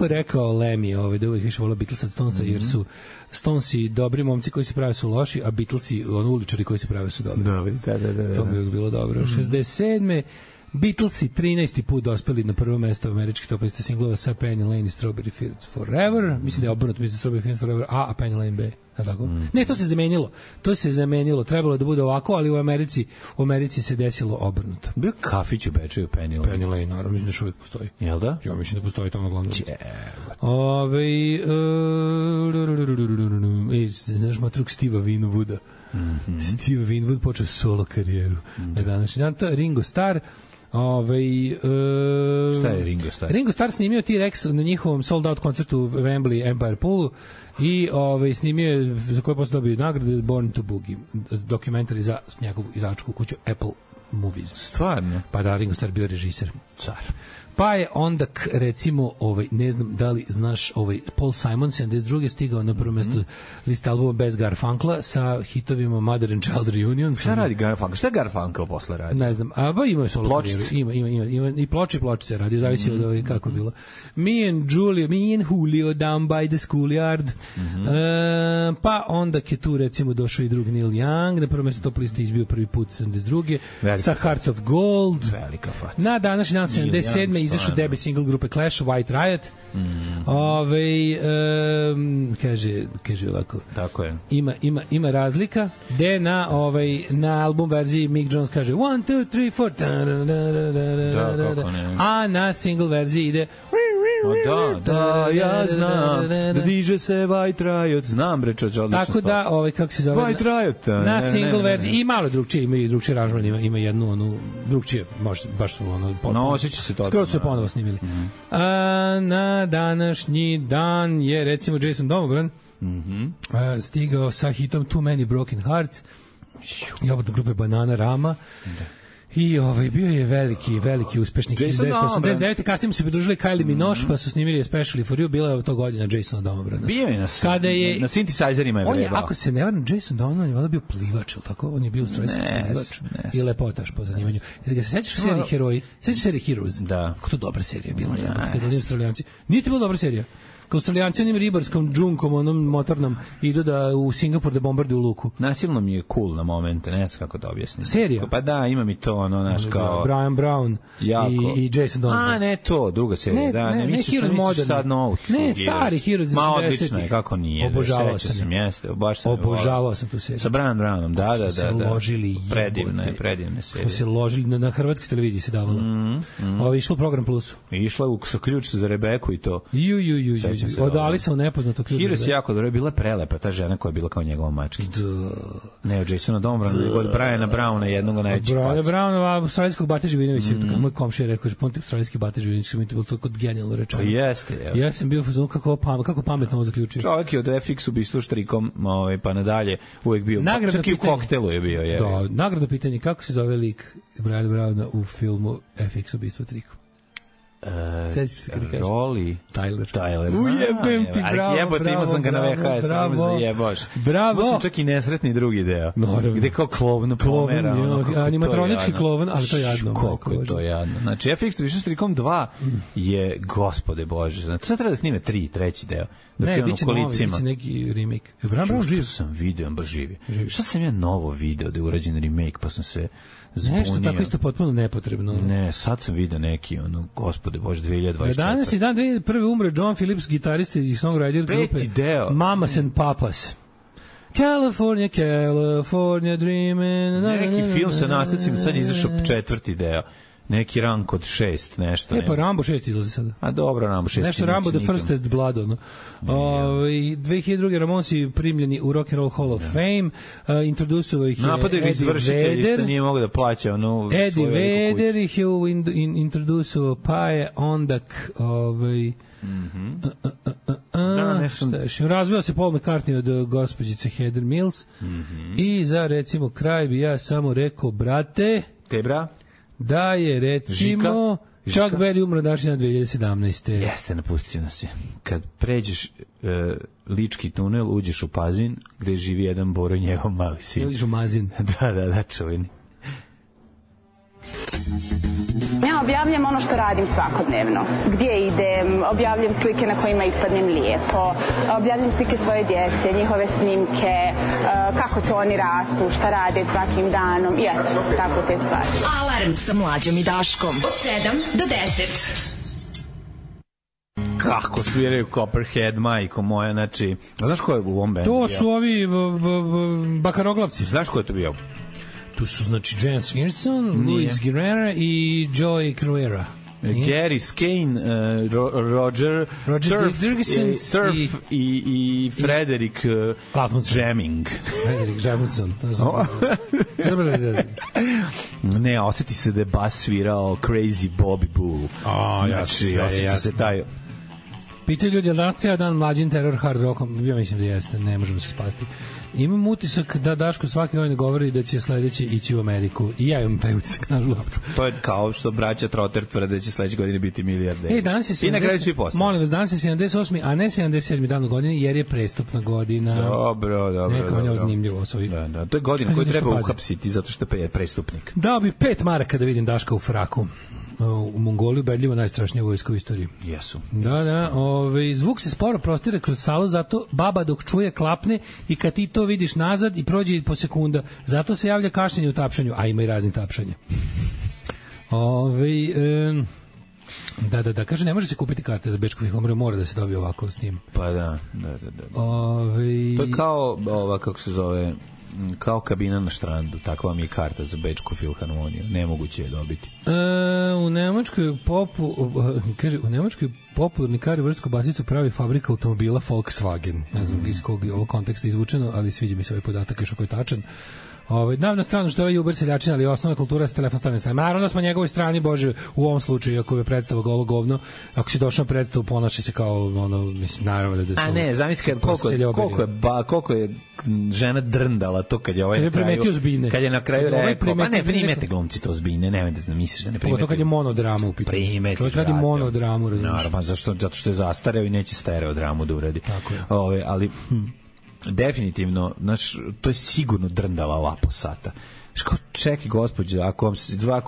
rekao Lemmy, da uvijek više volio Beatlesa od Stonesa, jer su Stonesi dobri momci koji se prave su loši, a Beatlesi uličari koji se prave su dobri. Da. To bi uvijek bilo dobro. 67. Beatlesi 13. put dospeli na prvo mesto američkih top liste singlova sa Penny Lane i Strawberry Fields Forever. Mislim da je obrnuto, Strawberry Fields Forever a Penny Lane B. Tako? Ne, to se zamenilo. Trebalo da bude ovako, ali u Americi se desilo obrnuto. Bio kafić u Bečeju Penny Lane. Penny Lane, naravno, mislim da još uvijek postoji. Jel da? Ja mislim da postoji to na glavnom. Znaš matruk Steva Winwooda. Steve Winwood počeo solo karijeru. Na današnji dan to je Ringo Starr. Šta je Ringo Starr? Ringo Starr snimio T-Rex na njihovom sold out koncertu u Wembley Empire Poolu i snimio je, za koje posle dobio nagrade, Born to Boogie, dokumentari za njegovu izdavačku kuću Apple Movies. Stvarno? Pa da, Ringo Starr bio režiser. Car. Pa je onda, recimo, ne znam da li znaš, Paul Simon 72. stigao na prvo mesto liste albuma bez Garfunkla sa hitovima Mother and Child Reunion. Šta radi Garfunkel? Šta je Garfunkel posle radi? Ne znam, ima solo karijeru. Ima i pločice radi, zavisi od kako je bilo. Me and Julio down by the schoolyard. Pa onda je tu recimo došao i drug Neil Young, na prvo mesto top liste izbio prvi put 72. sa Hearts of Gold. Velika faca. Na današnji dan 77. izašao debut single grupe Clash, White Riot. Kaže ovako. Tako je. Ima razlika gde na album verziji Mick Jones kaže 1, 2, 3, 4 a na single verziji ide Da, ja znam da diže se White Riot, znam bre čoč, odlično. Tako da, kako se zove, White Riot na single verziji i malo drugčije, ima i drugčije aranžman, ima jednu onu drugčije, baš su ono osjeća se to. Skoro su je ponovo snimili. Na današnji dan je recimo Jason Domobran stigao sa hitom Too Many Broken Hearts i od grupe Banana Rama. I bio je veliki uspešnik 1989. Kasnije se pridružili Kylie Minogue, pa su snimili Especially for You, bila je to godina Jasona Domobrana. Bio je na synthesizerima je vrebao. Ako se ne varam, Jason Domobrana je valjda bio plivač, ili tako? On je bio australijski plivač i lepotaš po zanimanju. Kad se sećaš u seriji Heroji, sećaš serije Heroes? Da. Kako to dobra serija bila, kad oni Australijanci. Nije to bila dobra serija? Kao Australijanci onim ribarskom džunkom, onom motornom, idu da u Singapur da bombarduju luku. Nasilno mi je cool na momente, ne znam kako da objasnim. Serija? Pa da, ima mi to, naš kao... Brian Brown i Jason Donovan. Ne to, druga serija. Ne misliš sad novu. Ne, stari Heroes iz 70-ih. Odlično je, kako nije. Obožavao sam. Obožavao sam tu seriju. Sa Brian Brownom, da. Se ložili predivne serije. Smo se ložili, na hrvatskoj televiziji se davalo. Ovo je išlo u Program Plusu. Išlo sa ključ za Rebeku i to. Odali sam u nepoznato ključ. Heroes jako dobro, je bila prelepa ta žena koja je bila kao njegova mačkica. Ne, od Jasona Dombrana, od Briana Browna, jednog od najvećih faca. Briana Browna, australijskog Bate Živinovića, moj komšija rekao, že ponte australijski Bate Živinović, mi je to bilo toliko genijalno rečeno. Jeste. Ja sam bio u fazonu kako pametno ovo zaključio. Čovjek je od FX ubistvu štrikom, pa nadalje, uvek bio, čak i u koktelu je bio. Da, nagradno pitanje, kako se zove lik Briana Browna u filmu FX ubistvo trikom? Roli Tyler. Ujebem ti, bravo. Jebote, imao sam ga na VHS, ali me zajebaš. Bravo. Imao sam čak i nesretni drugi deo. Gde kao klovnu pomera. Animatronički klovan, ali to je jadno. Koliko je to jadno. Znači, FX više strikom 2 je, gospode Bože, znači, sad treba da snime 3. deo. Ne, biće neki remake. Bravo, živ. Što sam video, baš živi. Šta sam ja novo video da je urađen remake, pa sam se zbunio. Nešto tako isto potpuno nepotrebno. Ne, sad sam video neki, gospode Bože, 2024. Danas je dan 2001. umre John Phillips, gitarista i songwriter grupe Mamas and Papas. California dreaming. Neki film sa nastavcima, sad je izašao 4. deo. Neki Rank od 6, nešto. Pa Rambo 6 izlazi sada. A dobro, Rambo 6. Nešto Rambo The First Test Blood, ono. 2002. Ramonsi primljeni u Rock and Roll Hall of Fame. Introducovao ih je Eddie Vedder. Što nije mogo da plaća Eddie Vedder ih je introducovao, pa je ondak razveo se Paul McCartney od gospođice Heather Mills i za recimo kraj bi ja samo rekao, brate, Tebra, da je recimo Chuck Berry umro današnji dan 2017. Jeste, napustio nas je. Kad pređeš Lički tunel, uđeš u Pazin, gde živi jedan Boro i njegov mali sin. Uđeš u Mazin. Da, čuveni. Ja objavljam ono što radim svakodnevno. Gdje idem, objavljam slike na kojima ispadnem lijepo, objavljam slike svoje djece, njihove snimke, kako to oni rastu, šta rade svakim danom i eto, tako te stvari. Alarm sa Mlađom i Daškom od 7 do 10. Kako sviraju Copperhead, majko moja, znači, znaš ko je u ovom bendu? To su ovi bakaroglavci. Znaš ko je to bio? Tu su, znači, Jan Skinson, Luis Guerrera i Joey Cruera. Gary Skane, Roger Turf i Frederick Jamming. Frederick Jamundson. Ne, osjeti se da je bas svirao Crazy Bobby Bull. Znači, osjeća se taj... Pitaju ljudi, da ceo dan mlađin teror hard rockom? Ja mislim da jeste, ne možemo se spasti. Imam utisak da Daško svaki novine govori da će sledeći ići u Ameriku. I ja imam taj utisak, nažalost. To je kao što braća Trotter tvrde da će sledeće godine biti milijarderi. Danas je 70, i na kraju svi postali. Molim vas, danas je 78. a ne 77. dan u godini, jer je prestupna godina. Dobro. Neka vam je zanimljivo. Da, to je godina koju treba uhapsiti zato što je prestupnik. Dao bi 5 maraka da vidim Daška u fraku. U Mongoliji ubedljivo najstrašnija vojska u istoriji. Jesu. Da, zvuk se sporo prostire kroz salu, zato baba dok čuje klapne i kad ti to vidiš nazad i prođe po sekunda. Zato se javlja kašljenje u tapšanju, a ima i raznih tapšanja. Da, kaže, ne može se kupiti karte za Bečku filharmoniju, mora da se dobije ovako s tim. Pa da. To je kao, kako se zove, kao kabina na štrandu, takva vam je karta za Bečku filharmoniju, nemoguće je dobiti. U Nemačkoj popularni kariovrstku basicu pravi fabrika automobila Volkswagen. Ne znam iz kog je ovo konteksta izvučeno, ali sviđa mi se ovaj podatak još ako je tačan. Na stranu što je ovaj Uber seljačina, ali osnovna kultura sa telefon stavljena strane. Naravno da smo na njegovoj strani, Bože, u ovom slučaju, ako je predstava golo govno, ako si došao na predstavu, ponaši se kao, mislim, naravno da su... A ne, zamisli koliko je žena drndala to kad je ovaj na kraju... Zbine. Kad je na kraju rekao, pa ne, primete glumci to Zbine, nemojte da misliš da ne primete. To kad je monodrama u pitanju. Primeti, čovjek radi monodramu, razumiješ. Naravno, zato što je zastareo i neće stereodramu da uradi. Tako je. Ali... definitivno, znači, to je sigurno drndala lapo sata. Čekaj, gospođe, ako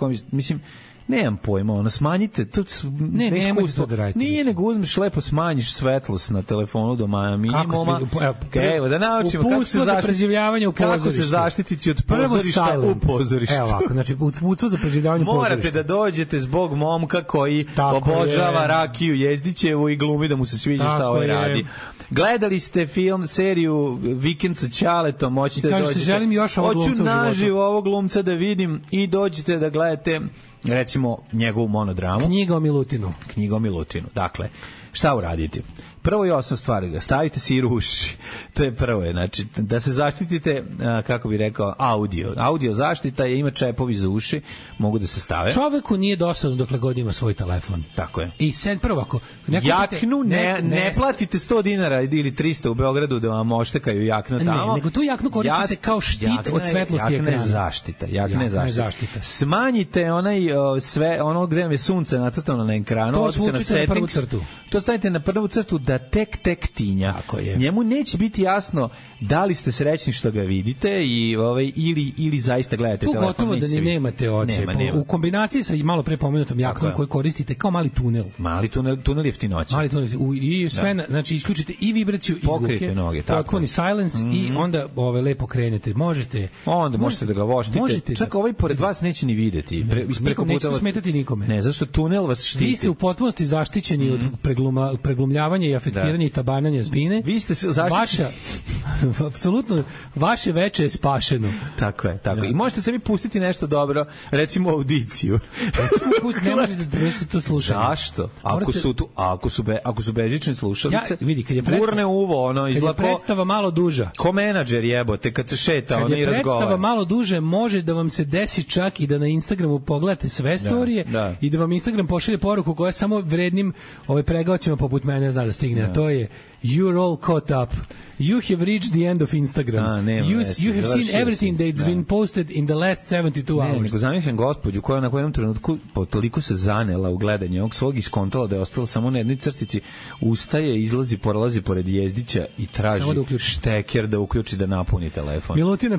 vam, mislim, nemam pojma, smanjite, to nemojte to da radite. Nije, nego uzmeš lepo, smanjiš svetlost na telefonu do minimuma. Evo, da naučimo kako se zaštititi od pozorišta u pozorištu. Evo ovako, znači, uputstvo za preživljavanje u pozorištu. Morate da dođete zbog momka koji obožava Rakiju Jezdićevu i glumi da mu se sviđa šta ovaj radi. Gledali ste seriju Vikend sa Ćaletom, moćete da dođete. Želim još ovog glumca u životu. Hoću naživo ovog glumca da vidim i dođete da gledate, recimo, njegovu monodramu. Knjiga o Milutinu. Dakle, šta uraditi? Prvo i osnovna stvar, stavite siru u uši. To je prvo, znači, da se zaštitite, kako bi rekao, audio zaštita je, ima čepovi za uši, mogu da se stave. Čoveku nije dosadno dokle god ima svoj telefon. Tako je. I sad prvo, ako... Jaknu, ne platite 100 dinara ili 300 u Beogradu da vam oštekaju jaknu tamo. Ne, nego tu jaknu koristite kao štit od svetlosti ekrana. Jakna je zaštita. Smanjite ono gde vam je sunce nacrtano na ekranu. To svučite na prvu crtu. To stavite na prvu crtu da tek tinja. Njemu neće biti jasno da li ste srećni što ga vidite ili zaista gledate telefon. Tu gotovo da ni nemate oči. U kombinaciji sa malo pre pomenutom jaknom koju koristite kao mali tunel. Tunel jeftinoće. I sve, znači isključite i vibraciju i zvuke. Potpuni silence i onda lepo krenete. Možete da ga voštite. Čak ovaj pored vas neće ni videti. Nećete smetati nikome. Ne, zašto tunel vas štiti. Vi ste u potpunosti zaštićeni od preglumljavanja i afektiranja i tabananja zbine. Vi ste zaštićeni. Apsolutno, vaše veče je spašeno. Tako je. I možete se mi pustiti nešto dobro, recimo audiciju. Ne možete da to slušati. Zašto? Ako su bežične slušalice, vidi, gurne uvo, izlako. Kad je predstava malo duža. Ko menadžer jebote, kad se šeta, i razgovara. Kad je predstava malo duže, može da vam se desi čak i da na Instagramu pogledate sve storije i da vam Instagram pošalje poruku koja samo vrednim pregaocima poput mene zna da stigne. A to je you're all caught up. You have reached the end of Instagram. You have seen everything that's been posted in the last 72 hours. Nego zamišljam gospođu koja na jednom trenutku toliko se zanela u gledanje ovog svog iskontala da je ostala samo na jednoj crtici, ustaje, izlazi, prolazi pored Jezdića i traži šteker da uključi da napuni telefon. Milutine,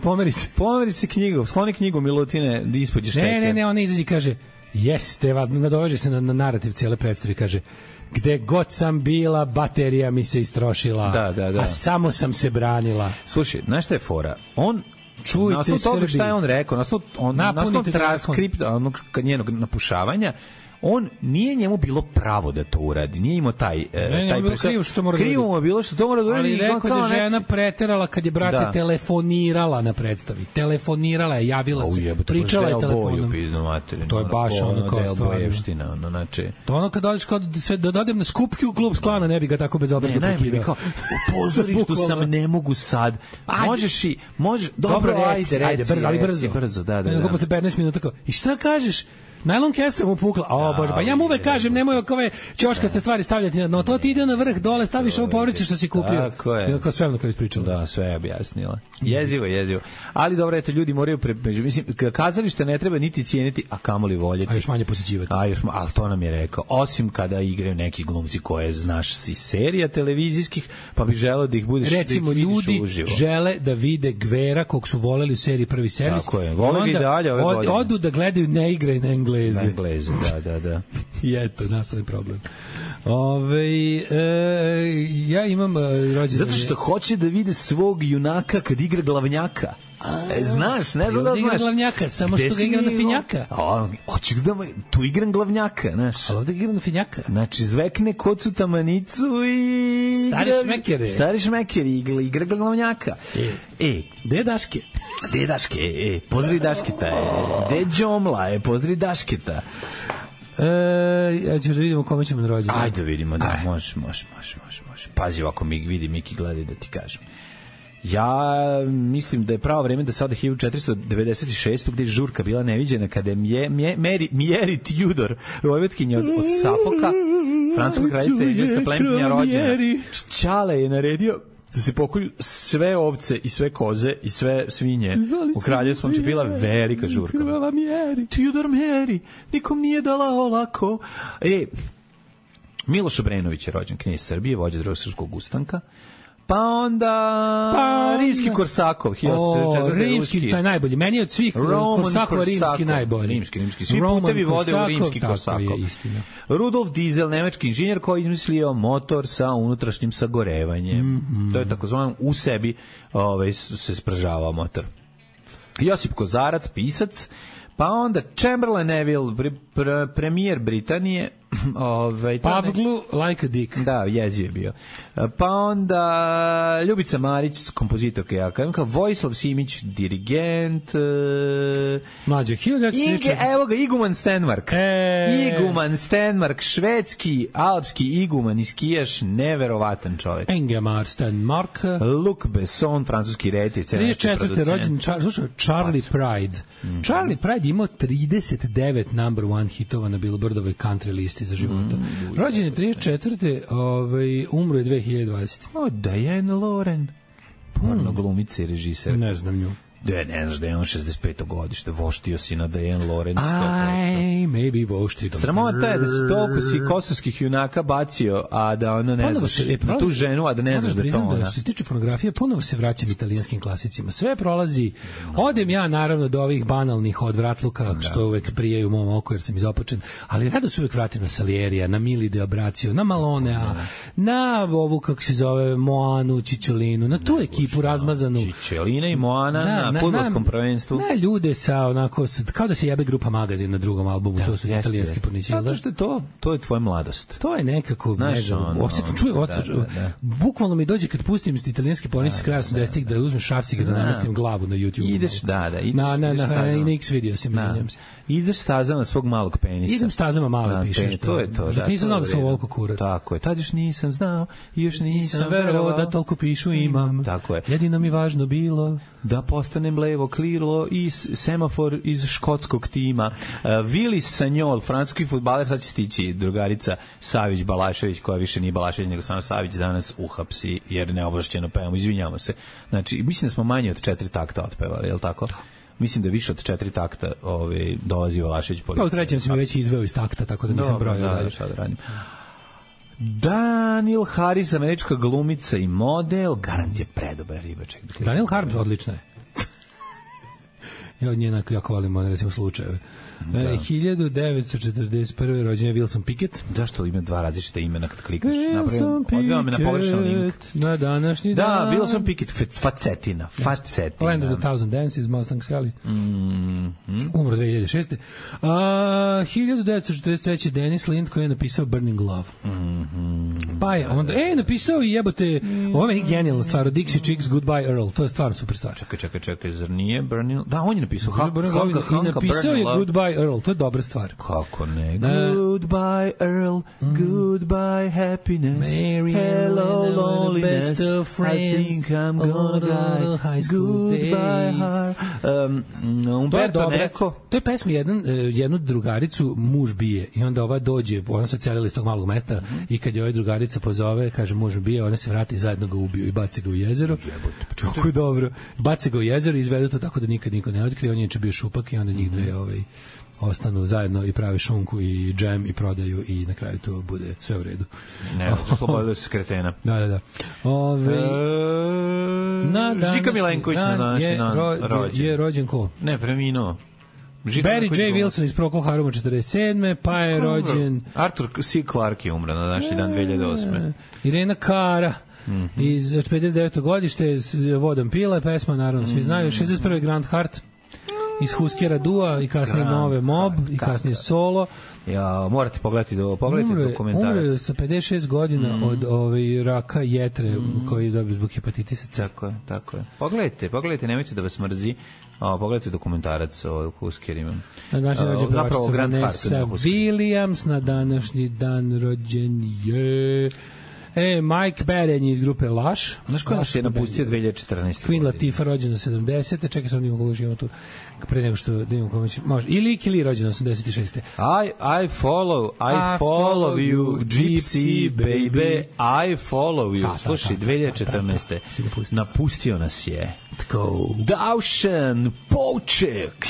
pomeri se knjigu, skloni knjigu Milutine da ispođe šteker. Ne, ona izađe i kaže, nadoveže se na narativ cijele predstave, kaže, gde god sam bila, baterija mi se istrošila, a samo sam se branila. Slušaj, znaš šta je fora? Čujte, na toga šta je on rekao, na osnovu transkripta njenog napušavanja, on nije njemu bilo pravo da to uradi. Nije imao taj krivo mu je bilo što to mora da uradi. Ali rekao da žena preterala kad je brate telefonirala na predstavi. Telefonirala je, javila se, pričala je telefonom. To je baš ono kao stvarno. To ono kad dođeš da dodem na skupki u klub Sklana, ne bi ga tako bezobrazno prekidao. U pozorištu sam, ne mogu sad. Možeš i... Dobro, ajde, ali brzo. Da. Nego posle 15 minuta kao, i šta kažeš? Najlon kesa mu pukla. O, bože, pa ja mu uvek kažem, nemoj ove ćoškaste stvari stavljati na dno. To ti ide na vrh, dole, staviš ovo povrće što si kupio. Tako je. Kao sve na kraju ispričala. Da, sve je objasnila. Jezivo. Ali dobro, eto, ljudi moraju, mislim, kazalište ne treba niti cijeniti, a kamoli voljeti. A još manje posećivati. Ali to nam je rekao. Osim kada igraju neki glumci koje znaš si serija televizijskih, pa bi želeo da ih budeš, recimo, da ih vidiš ljudi uživo. Žele da vide Gvera kog su voleli u seriji Prvi servis. Tako je. Vole ga i dalje ove godine. Odu da gledaju ne igre na Engleze. Na Englezu, da. I eto, nastali problem. Ja imam rođendan. Zato što hoće da vide svog junaka kad igra glavnjaka. Znaš, ne znam da znaš. Igra glavnjaka, samo što ga igra na finjaka. Hoću da tu igram glavnjaka, znaš. Ali ovdje igra na finjaka. Znači, zvekne kocu tamanicu i... Stari šmekere. Igra glavnjaka. Gde je Daške? Pozdravi Dašketa. Gde je Đomla? Pozdravi Dašketa. Ja ću da vidimo kome ćemo na rođendan. Ajde da vidimo, da, može. Pazi, ovako mi vidi Miki, gledaj da ti kažem. Ja mislim da je pravo vreme da se ode 1496. gde je žurka bila neviđena kada je Mjeri Tudor, vojvodkinja od Safoka, francuska kraljica i engleska plemenkinja rođena. Čale je naredio da se pokolju sve ovce i sve koze i sve svinje u kraljevstvu, će bila velika žurka. Krvava Mjeri. Tudor Mjeri, nikom nije dala olako. Miloš Obrenović je rođen, knjez Srbije, vođa Drugog srpskog ustanka. Pa onda rimski Korsakov, 1444. Rimski, to je najbolji. Meni je od svih Korsakova rimski najbolji. Rimski. Svi putevi vode u rimski Korsakov. Tako je, istina. Rudolf Diesel, nemački inženjer koji je izmislio motor sa unutrašnjim sagorevanjem. To je takozvano u sebi se spržavao motor. Josip Kozarac, pisac. Pa onda Chamberlain Neville, premijer Britanije. Pavglu like a dick. Da, jeziv je bio. Pa onda Ljubica Marić, kompozitorka, ja kažem, Vojislav Simić, dirigent. Mlađe, 1934. Evo ga, Iguman Stenmark. Iguman Stenmark, švedski, alpski iguman i skijaš, neverovatan čovjek. Ingemar Stenmark. Luc Besson, francuski retir. 34. rođen Charlie Pride. Charlie Pride imao 39 number one hitova na Billboardovoj country listi za života. Rođen je 34. Umro je 2020. Diane Lauren. Porno glumica i režiser. Ne znam nju. Ne znaš da je on 65. godište, voštio si na Diane Lauren 100%. Maybe voštio. Sramota je da si toliko si kosovskih junaka bacio, a da ono ne znaš na tu ženu, a da ne znaš da je to ona. Što se tiče pornografije, ponovo se vraćam italijanskim klasicima. Sve prolazi. Odem ja naravno do ovih banalnih odvratluka, što uvek prijaju u mom oku jer sam izopačen, ali rado se uvek vratim na Salierija, na Mili de Abracio, na Malonea, na ovu, kako se zove, Moanu, Čičolinu, na tu ekipu razmazanu. Čičolina i Moana na fudbalskom prvenstvu. Na ljude sa onako, kao da se jebe grupa Magazin na drugom albumu, to su italijanski pornići. Zato što to je tvoja mladost. To je nekako, ne znam, bukvalno mi dođe kad pustim italijanski pornići s kraja 80-ih da uzmem šrafciga da namestim glavu na YouTube. Ideš, na X video se menjam se. Ideš stazama svog malog penisa. Idem stazama malo pišeš to. To je to. Nisam znao da sam ovoliko kurat. Tako je. Tad još nisam znao i još nisam verovao da toliko pišu imam. Tako je. Jedino mi važno bilo da postanem levo krilo i semafor iz škotskog tima. Willis Sagnol, francuski fudbaler, sad će stići drugarica Savić Balašević, koja više nije Balašević nego samo Savić, danas uhapsi jer neovlašćeno pevamo, izvinjamo se. Znači, mislim da smo manje od 4 takta otpevali, je li tako? Mislim da više od 4 takta dolazi Balašević policija. Pa u trećem si me već izveo iz takta, tako da nisam brojio. Da, šta da radim. Daniel Harris, američka glumica i model, garant je predobar ribaček. Daniel Harris odlična je. Ja od nje jako volim, recimo, slučajeve. 1941. rođen je Wilson Pickett. Zašto ima dva različita imena kad klikaš? Odveo me na pogrešan link. Na današnji dan. Da, Wilson Pickett, Facetina. Land of the Thousand Dances, Mustang Sally. Umro 2006. 1943. Dennis Lind koji je napisao Burning Love. Pa je onda, napisao i jebote, ovo je genijalna stvar, Dixie Chicks, Goodbye Earl. To je stvarno super stvar. Čekaj, zar nije Burning? Da, on je napisao? I napisao je Goodbye Earl, to je dobra stvar. Kako ne? Goodbye Earl, goodbye happiness, hello loneliness, I think I'm gonna die, goodbye heart. Umberto Eco. To je pesma jednu drugaricu muž bije i onda ova dođe, ona se odselila iz tog malog mesta i kad je ova drugarica pozove, kaže muž bije, ona se vrati i zajedno ga ubiju i baci ga u jezero. Kako je dobro. Baci ga u jezero i izvedu to tako da nikad niko ne otkrije, on je bio šupak i onda njih dve ostanu zajedno i prave šunku i džem i prodaju i na kraju to bude sve u redu. Ne, slobodno se kretena. Da. Žika Milenković na današnji dan rođen. Je rođen ko? Ne, preminuo. Barry J. Wilson iz Procol Haruma 47. Pa je rođen... Arthur C. Clarke je umro na današnji dan 2008. Irena Cara iz 59. godište, Vodom pile, pesma, naravno, svi znaju. 61. Grand Heart iz Huskera Dua i kasnije Nove Mob i kasnije Solo. Ja, morate pogledati dokumentarac. Umre sa 56 godina od raka jetre koji je dobio zbog hepatitisa. Tako je. Pogledajte, nemojte da vas mrzi. Pogledajte dokumentarac o Huskerima. Zapravo Grand Vanessa Williams na današnji dan rođen je... Mike Baden iz grupe Lush. Znaš ko nas je napustio 2014. Queen Latifah rođena 70. Čekaj sam da imam koga živimo tu. Pre nego što da imam koga će... Može. I Licky Lee rođena 86. I follow you, Gypsy baby, I follow you. Slušaj, 2014. Napustio nas je Dušan Poček.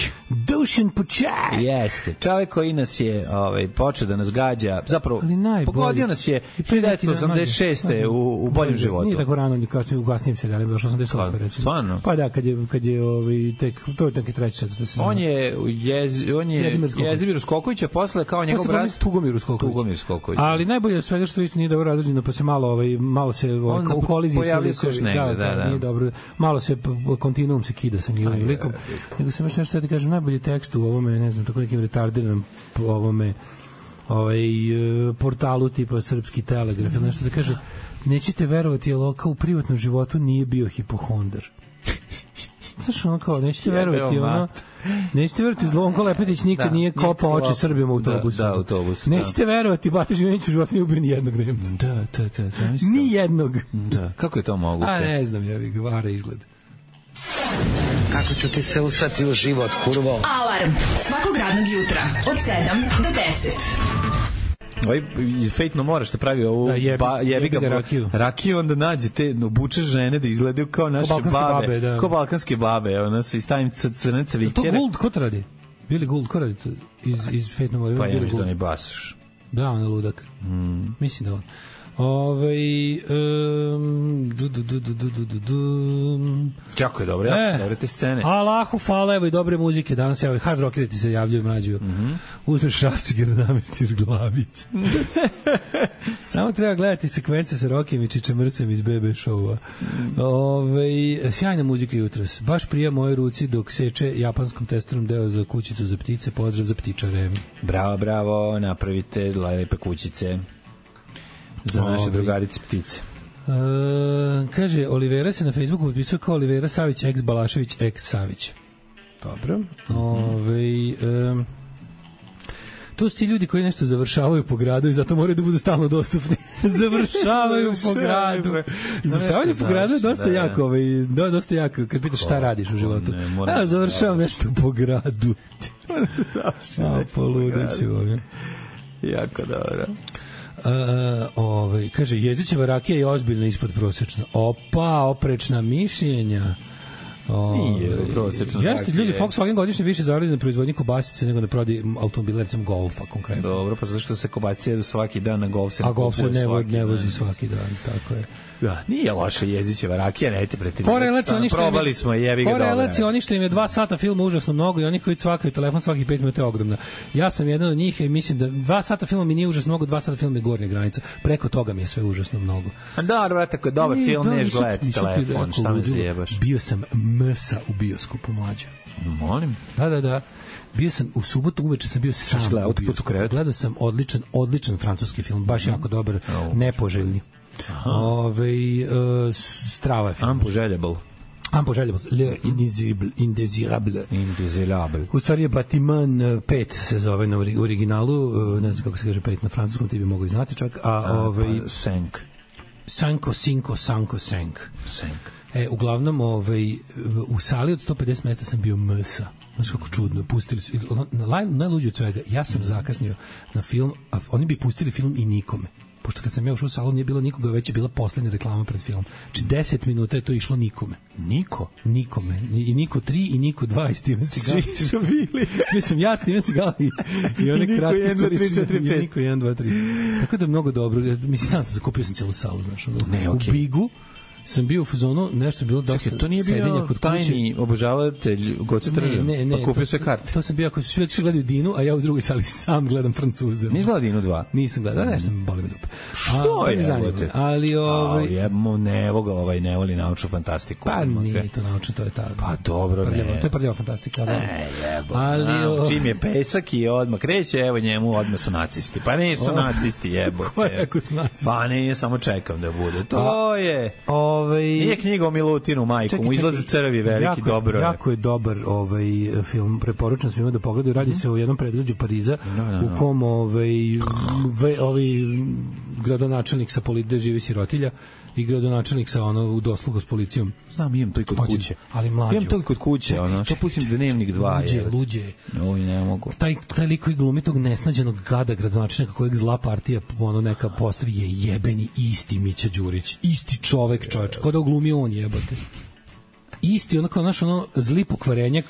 Jeste, čovjek koji nas je počeo da nas gađa, zapravo pogodio nas je 1986. u boljem životu. Nije tako rano, u kasnijem serijalima, došlo 88. recimo. Stvarno? Pa da, kad je tek, to je tek i treći sad. On je Jezimir Skokovića, posle kao njegov brat Tugomir Skoković. Ali najbolje od svega što isto nije dobro razređeno, pa se malo se u koliziji se nije dobro, malo se kontinuum se kida sa njihovim likom. Nego sam još nešto da ti kažem, najbolji tekst u ovome, ne znam, tako nekim retardiranom ovome portalu tipa Srpski telegraf ili nešto da kaže, nećete verovati, je Loka u privatnom životu nije bio hipohondar. Znaš, ono kao, nećete verovati, Zvonko Lepetić nikad nije kopao oči Srbima u autobusu. Da, autobus. Nećete verovati, Bata Živinić u životu nije ubio ni jednog Nemca. Da. Ni jednog. Da, kako je to moguće? A ne znam, vara izgled. Kako ću ti se usrati u život, kurvo? Alarm svakog radnog jutra od 7 do 10. Fejtno moraš da pravi ovu jebiga rakiju, onda nađe te obuče žene da izgledaju kao naše babe, kao balkanske babe, ona se stavim crne cvikere. To Gould, ko to radi? Billy Gould, ko radi to iz Fejtno mora? Pa ja mislim da ne basaš. Da, on je ludak. Mislim da on. Jako je dobro, jako dobre te scene. Allahu hvala, evo i dobre muzike. Danas evo hard rockeri ti se javljaju, mlađu. Uzmeš šrafciger da namestiš glavić. Samo treba gledati sekvence sa Rokijem i Čičemrcem iz BB showa. Sjajna muzika jutros. Baš prija moje ruci dok seče japanskom testerom deo za kućicu za ptice. Pozdrav za ptičare. Bravo, napravite lepe kućice za naše drugarice ptice. Kaže, Olivera se na Facebooku potpisao kao Olivera Savić, ex Balašević, ex Savić. Dobro. To su ti ljudi koji nešto završavaju po gradu i zato moraju da budu stalno dostupni. Završavaju po gradu. Završavanje po gradu je dosta jako, dosta jako. Kad pitaš šta radiš u životu. Završavam nešto po gradu. Poludeću. Jako dobro. Kaže, Jezdićeva rakija je ozbiljno ispod prosječna. Oprečna mišljenja. Nije prosječno. Jeste, ljudi, Volkswagen godišnje više zaradi na proizvodnji kobasice nego na prodaji automobila, recimo Golfa konkretno. Dobro, pa zašto se kobasice jedu svaki dan, na Golf se a Golf se ne vozi svaki dan, tako je. Da, nije loša Jezdićeva rakija, nejte pretjerivati. Probali smo, jebi ga dobro. Korelacija, oni što im je 2 sata filma užasno mnogo i oni koji cvakaju telefon svakih 5 minuta je ogromna. Ja sam jedan od njih i mislim da 2 sata filma mi nije užasno mnogo, 2 sata filma je gornja granica. Preko toga mi je sve užasno mnogo. A da, brate, ako je dobar film, neš gledati telefon, šta me zajebaš? Bio sam msa u bioskopu, mlađe. Molim? Da. Bio sam u subotu uveče, sam bio sam u bioskopu. Gledao sam odličan francuski film, baš jako dobar, nepoželjni. Strava je film. Unpoželjable. Unpoželjavost, Le Indésirable. U stvari je Batiman 5 se zove na originalu, ne znam kako se kaže 5 na francuskom, ti bi mogli znati čak, Sank. Uglavnom, u sali od 150 mesta sam bio msa. Znaš kako čudno, pustili su, najluđe od svega, ja sam zakasnio na film, a oni bi pustili film i nikome. Pošto kad sam ja ušao u salu nije bilo nikoga, već je bila poslednja reklama pred filmom. Znači 10 minuta je to išlo nikome. Nikome. I Niko 3 i Niko 2 i Steven Seagal. Svi su bili. Mislim, ja, Steven Seagal i one kratke storične. I Niko 1, 2, 3. Tako da je mnogo dobro. Mislim, sam zakupio sam cijelu salu, znaš. U Bigu sam bio u fazonu, nešto je bilo dosta to nije bio tajni obožavatelj Goce Trža, pa kupio sve karte. To sam bio, ako su svi otišli gledaju Dinu, a ja u drugoj sali sam gledam Francuze. Nisi gledao Dinu 2? Nisam gledao, nešto sam boli me dupe. Što je? Ali ne voli naučnu fantastiku. Pa nije to naučno, to je ta... Pa dobro, ne. To je prljava fantastika. Ali čim je pesak i odmah kreće, evo njemu odmah su nacisti. Pa nisu nacisti, jebote. Ko je rekao su nacisti? Pa nije, samo čekam da bude. To je... Nije knjiga o Milutinu, majku, mu izlaze crvi veliki, dobro je. Jako je dobar film, preporučam svima da pogledaju, radi se o jednom predgrađu Pariza, u kom gradonačelnik sa gde živi sirotilja i gradonačelnik sa u doslugu s policijom. Znam, imam to i kod kuće. Ali mlađo. Imam to i kod kuće, to pustim Dnevnik 2. Luđe. Oj, ne mogu. Taj lik koji glumi tog nesnađenog gada gradonačelnika kojeg zla partija neka postavi je jebeni isti Mića Đurić. Isti čovek, čoveč. Ko da uglumi on, jebote. Isti zli pokvarenjak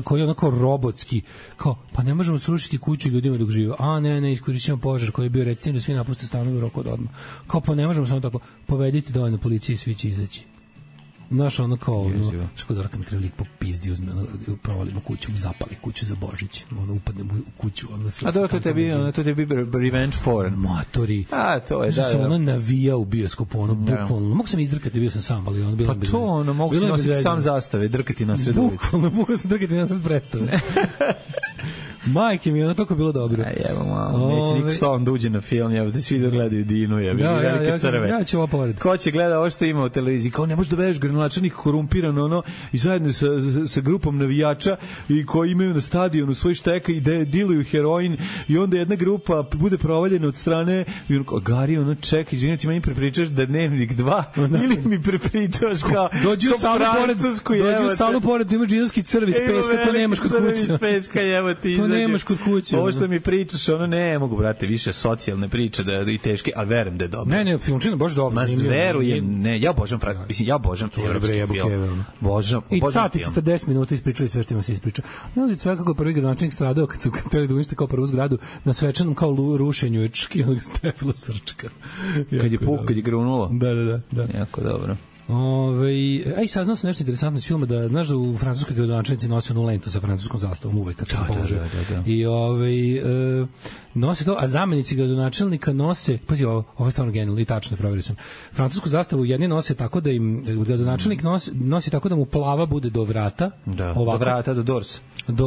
koji je onako robotski, kao, pa ne možemo srušiti kuću ljudima dok žive, ne, iskorišćamo požar koji je bio recimo da svi napuste stanovi u roku od odmah, kao, pa ne možemo samo tako, povedite dovoljno policije i svi će izaći. Znaš, što da na kraju lik popizdi, provalimo kuću, zapali kuću za Božić, upadnemo u kuću. A da, to tebi revenge porn. Matori. A, to je, da. Sam navija u bioskopu, bukvalno. Mogu sam izdrkati, bio sam sam, ali bilo pa to, mogu sam nositi sam zastave, drkati na sred ulici. Bukvalno, mogu sam drkati na sred predstave. Majke mi, ono toliko bilo dobro. Evo malo, neće niko stalno da uđe na film, evo da svi da gledaju Dinu, velike crve. Ja ću ovo povredi. Ko će gleda ovo što ima u televiziji, kao ne možeš da vedeš gradonačelnik korumpiran i zajedno sa grupom navijača i koji imaju na stadionu svoj šteka i diluju heroin i onda jedna grupa bude provaljena od strane Gari, čeka, izvinite, meni prepričaš da Dnevnik 2 ili mi prepričaš kao dođu u salu pored, ima džinovski crv iz peska, to nemaš kod kuće. Nemaš kod kuće. Ovo što mi pričaš, ne mogu, brate, više socijalne priče da i teške, ali verujem da je dobro. Ne, filmčina baš dobro. Ma verujem, ne, ja obožavam film. I sat i 40 minuta ispričali sve što ima se ispriča. Ne, sve kako je prvi gradonačelnik stradao kad su hteli da unište kao prvu zgradu na svečanom kao rušenju je onog strefilo srčka. Kad je grunulo. Da. Jako dobro. Saznao sam nešto interesantno iz filma, da znaš da u francuskoj gradonačelnici nose onu lentu sa francuskom zastavom uvek kad se polože. I nose to, a zamenici gradonačelnika nose, pazi, ovo je stvarno genijalno i tačno, provjerio sam. Francusku zastavu jedni nose tako da im gradonačelnik nosi tako da mu plava bude do vrata, do vrata, do dorsa.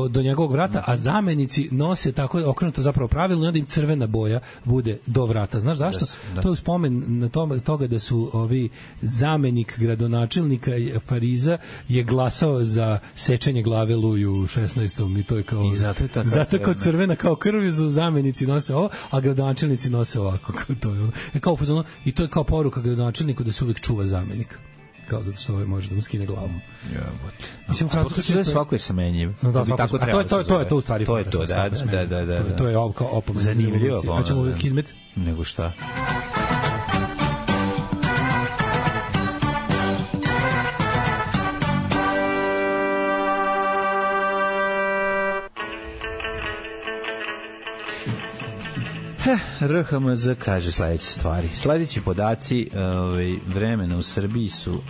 Do njegovog vrata, a zamenici nose tako okrenuto zapravo pravilno i onda im crvena boja bude do vrata. Znaš zašto? To je u spomen na toga da su ovi zamenik gradonačelnika Pariza je glasao za sečenje glave Luju u 16. i to je kao zato kao crvena kao krv, su zamenici nose ovo, a gradonačelnici nose ovako, to je kao fazon, i to je kao poruka gradonačelniku da se uvijek čuva zamenik, kao zato što može da mu skine glavu. Mislim, sve svako je samenjiv. To je to u stvari. To je to, da. To je kao opomena. Zanimljivo. Hoćemo Kidmet? Nego šta? RHMZ kaže sledeće stvari. Sledeći podaci vremena u Srbiji su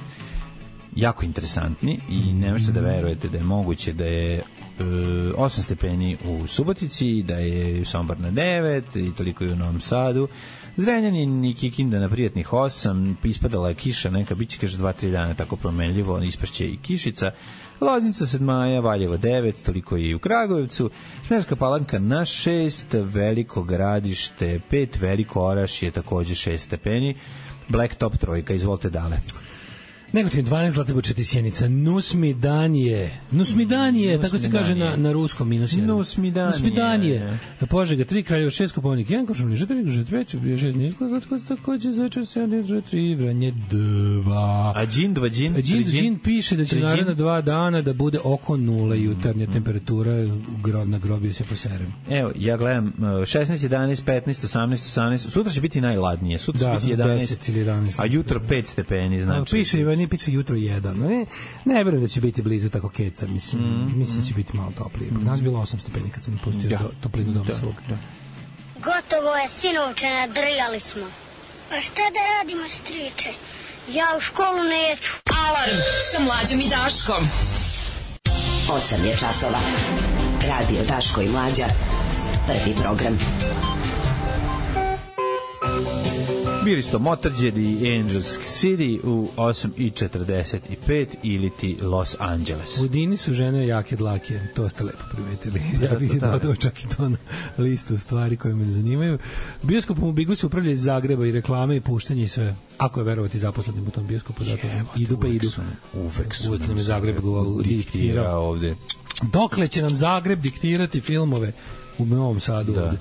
jako interesantni i ne možete da verujete da je moguće da je 8 stepeni u Subotici, da je Sombor na 9 i toliko i u Novom Sadu. Zrenjanin i Kikinda na prijatnih 8, ispadala je kiša, neka biće kaže 2-3 dana tako promenljivo, isprće i kišica. Loznica 7 maja, Valjevo 9, toliko i u Kragujevcu, Smederevska Palanka na 6, Veliko Gradište 5, Veliko Orašje takođe 6 stepeni, Blacktop 3, izvolite dale. Negotin 12, Zlatibor 4, Sjenica, Nusmidanije, tako se kaže na ruskom, -1. Nusmidanije. Požega 3, Kraljevo 6, Koponik 1, Košumlje 4, Gružet 5, Ubrije 6, Nisko, Zlatko, takođe, Zaječar 7, 3, Vranje 2. A Džin piše da će naredna 2 dana da bude oko 0 jutarnja temperatura, na grobiju se poserem. Evo, ja gledam 16, 11, 15, 18, sutra će biti najladnije, sutra će biti 11 ili 11, a jutro 5 stepeni, znači. Nije piše jutro 1. Ne verujem da će biti blizu tako keca, mislim da će biti malo toplije. Nas bilo 8 stepeni kad sam pustio toplinu doma svog. Gotovo je, sinovče, nadrljali smo. Pa šta da radimo, striče? Ja u školu neću. Alarm sa Mlađom i Daškom. 8 je časova. Radio Daško i Mlađa. Prvi program. Bili su to Motörhead i Angels City u 8:45 ili ti Los Angeles. U Dini su žene jake dlake, to ste lepo primetili. Ja bih dodao čak i to na listu stvari koje me zanimaju. Bioskopom u Bigu se upravlja iz Zagreba i reklame i puštanje i sve. Ako je verovati zaposlenim u tom bioskopu, zato idu pa idu. Uvek nam je Zagreb diktirao ovde. Dokle će nam Zagreb diktirati filmove u Novom Sadu ovde?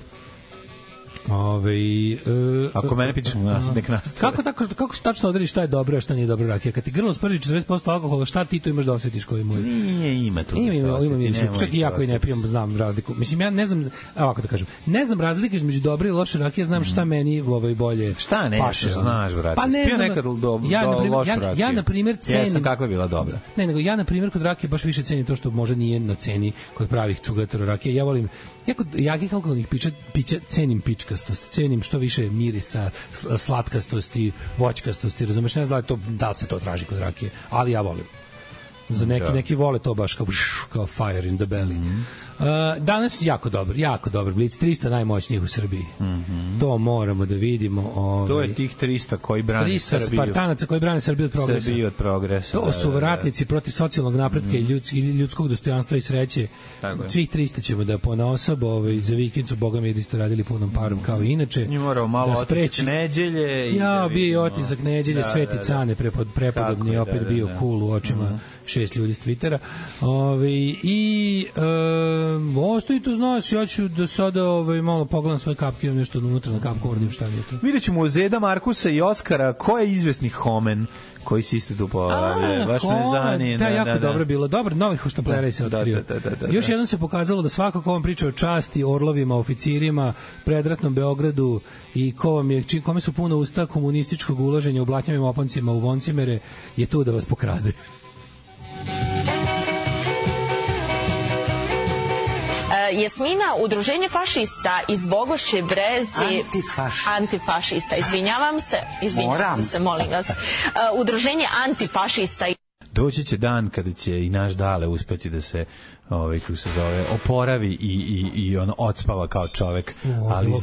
Ako mene pitaš, nek nastave. Kako se tačno odredi šta je dobro, a šta nije dobro rakija? Kad ti grlo sprži 40% alkohola, šta ti to imaš da osjetiš koji moj? Nije, ima tu. Čak i ja koji ne pijem znam razliku. Mislim, ja ne znam, ovako da kažem, ne znam razlike između dobre i loše rakije, znam šta meni bolje. Šta ne znaš, brate? Pa ne znam. Ja na primjer cenim. Jesam, kakva je bila dobra. Ne, nego ja na primjer kod rakije baš više cenim to što možda nije na ceni kod pravih cugatera rakije. Ja volim, kod jakih alkoholnih pića cenim pičkastost, cenim što više mirisa, slatkastosti, voćkastosti, razumeš, ne znam da li se to traži kod rakije, ali ja volim. Za neki vole to baš kao fire in the belly. Danas jako dobar Blic, 300 najmoćnijih u Srbiji. To moramo da vidimo. To je tih 300 koji brane Srbiju. 300 Spartanaca koji brane Srbiju od progresa. To su ratnici protiv socijalnog napretka i ljudskog dostojanstva i sreće. Svih 300 ćemo da ponaosob za vikendu, boga mi je da isto radili punom parom kao i inače. I morao malo otisak neđelje. Ja, bio je otisak neđelje, Sveti Cane prepodobni, opet bio cool u očima 6 ljudi s Twittera. I ostaje to, znaš, ja ću da sada malo pogledam svoje kapke, nešto unutra na kapkovornim, šta mi je to. Vidjet ćemo Zeda, Markusa i Oskara, ko je izvesni Homen koji si isto tu pojavljaju. Baš me zanije. Da, jako dobro bilo. Dobar, novih hoštaplera se otkrio. Još jednom se pokazalo da svako ko vam priča o časti, orlovima, oficirima, predratnom Beogradu i kome su puno usta komunističkog ulaženja u blatnjavim opancima u voncimere, je tu da vas pokrade. Jasmina, udruženje fašista iz Bogošće Brezi... Antifašista, izvinjavam se, molim vas. Udruženje antifašista... Doći će dan kada će i naš Dale uspeti da se kako se zove, oporavi i on odspava kao čovek. Ali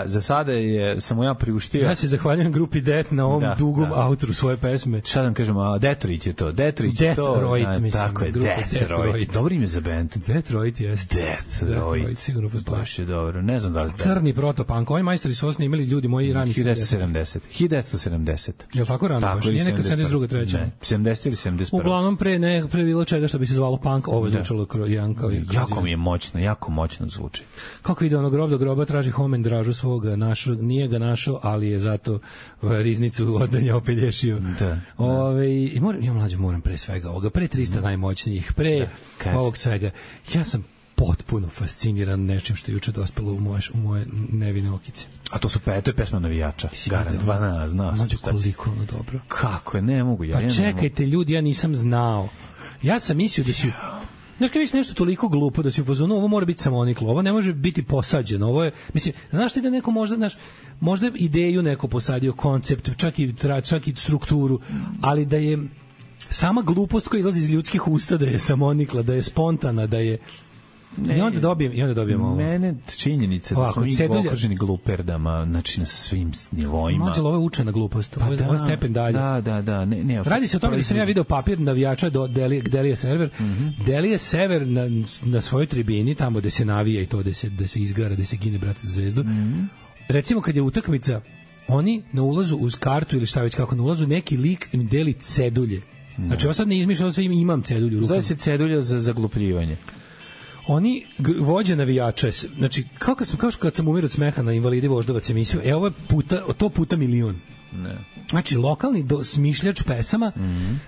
za sada je samo ja priuštio. Ja se zahvaljujem grupi Death na ovom dugom autoru svoje pesme. Šta da vam kažem, Detroit je to. Deathroid, mislim. Tako je, Deathroid. Dobro ime za band. Deathroid jeste. Deathroid. Sigurno postoji. Baš je dobro. Ne znam da li... Crni protopunk. Ovi majstori su snimali ljudi moji rani 1970. Je li tako rano? Nije neka 72. treća? Ne, 70 ili 71. Uglavnom pre bilo čega što bi se zvalo punk, ovo zvučalo jako mi je jako moćno zvuči. Kako ide ono grob do groba, traži Homen dražu svoga, nije ga našao, ali je zato riznicu odanja opelješio. Ja mlađe moram pre svega ovoga, pre 300 najmoćnijih, pre ovog svega. Ja sam potpuno fasciniran nečim što je juče dospelo u moje nevine okice. A to je pesma navijača. Garant, znaš. Mlađe, koliko ono dobro. Kako je, ne mogu. Pa čekajte ljudi, ja nisam znao. Ja sam mislio da si... Znaš, kad viš nešto toliko glupo da si u fazonu, ovo mora biti samoniklo, ovo ne može biti posađeno, ovo je, mislim, znaš ti da neko možda ideju neko posadio, koncept, čak i strukturu, ali da je sama glupost koja izlazi iz ljudskih usta da je samonikla, da je spontana, da je... I onda dobijem ovo. Mene činjenica da smo mi okruženi gluperdama, znači na svim nivoima. Mađelo, ovo je učena glupost, ovo je stepen dalje. Da. Radi se o tome da sam ja video papir navijača do Delije Sever. Delije Sever na svojoj tribini, tamo gde se navija i to, gde se izgara, gde se gine brat za zvezdu. Recimo kad je utakmica oni na ulazu uz kartu ili šta već kako na ulazu, neki lik im deli cedulje. Znači, ovo sad ne izmišljam, ovo sve imam cedulju u rukama. Zove se cedulja za zaglupljivanje. Oni vođe navijača, znači, kao kad sam umirio od smeha na Invalidi Voždovac emisiju, ovo je puta milion. Ne. Znači, lokalni smišljač pesama,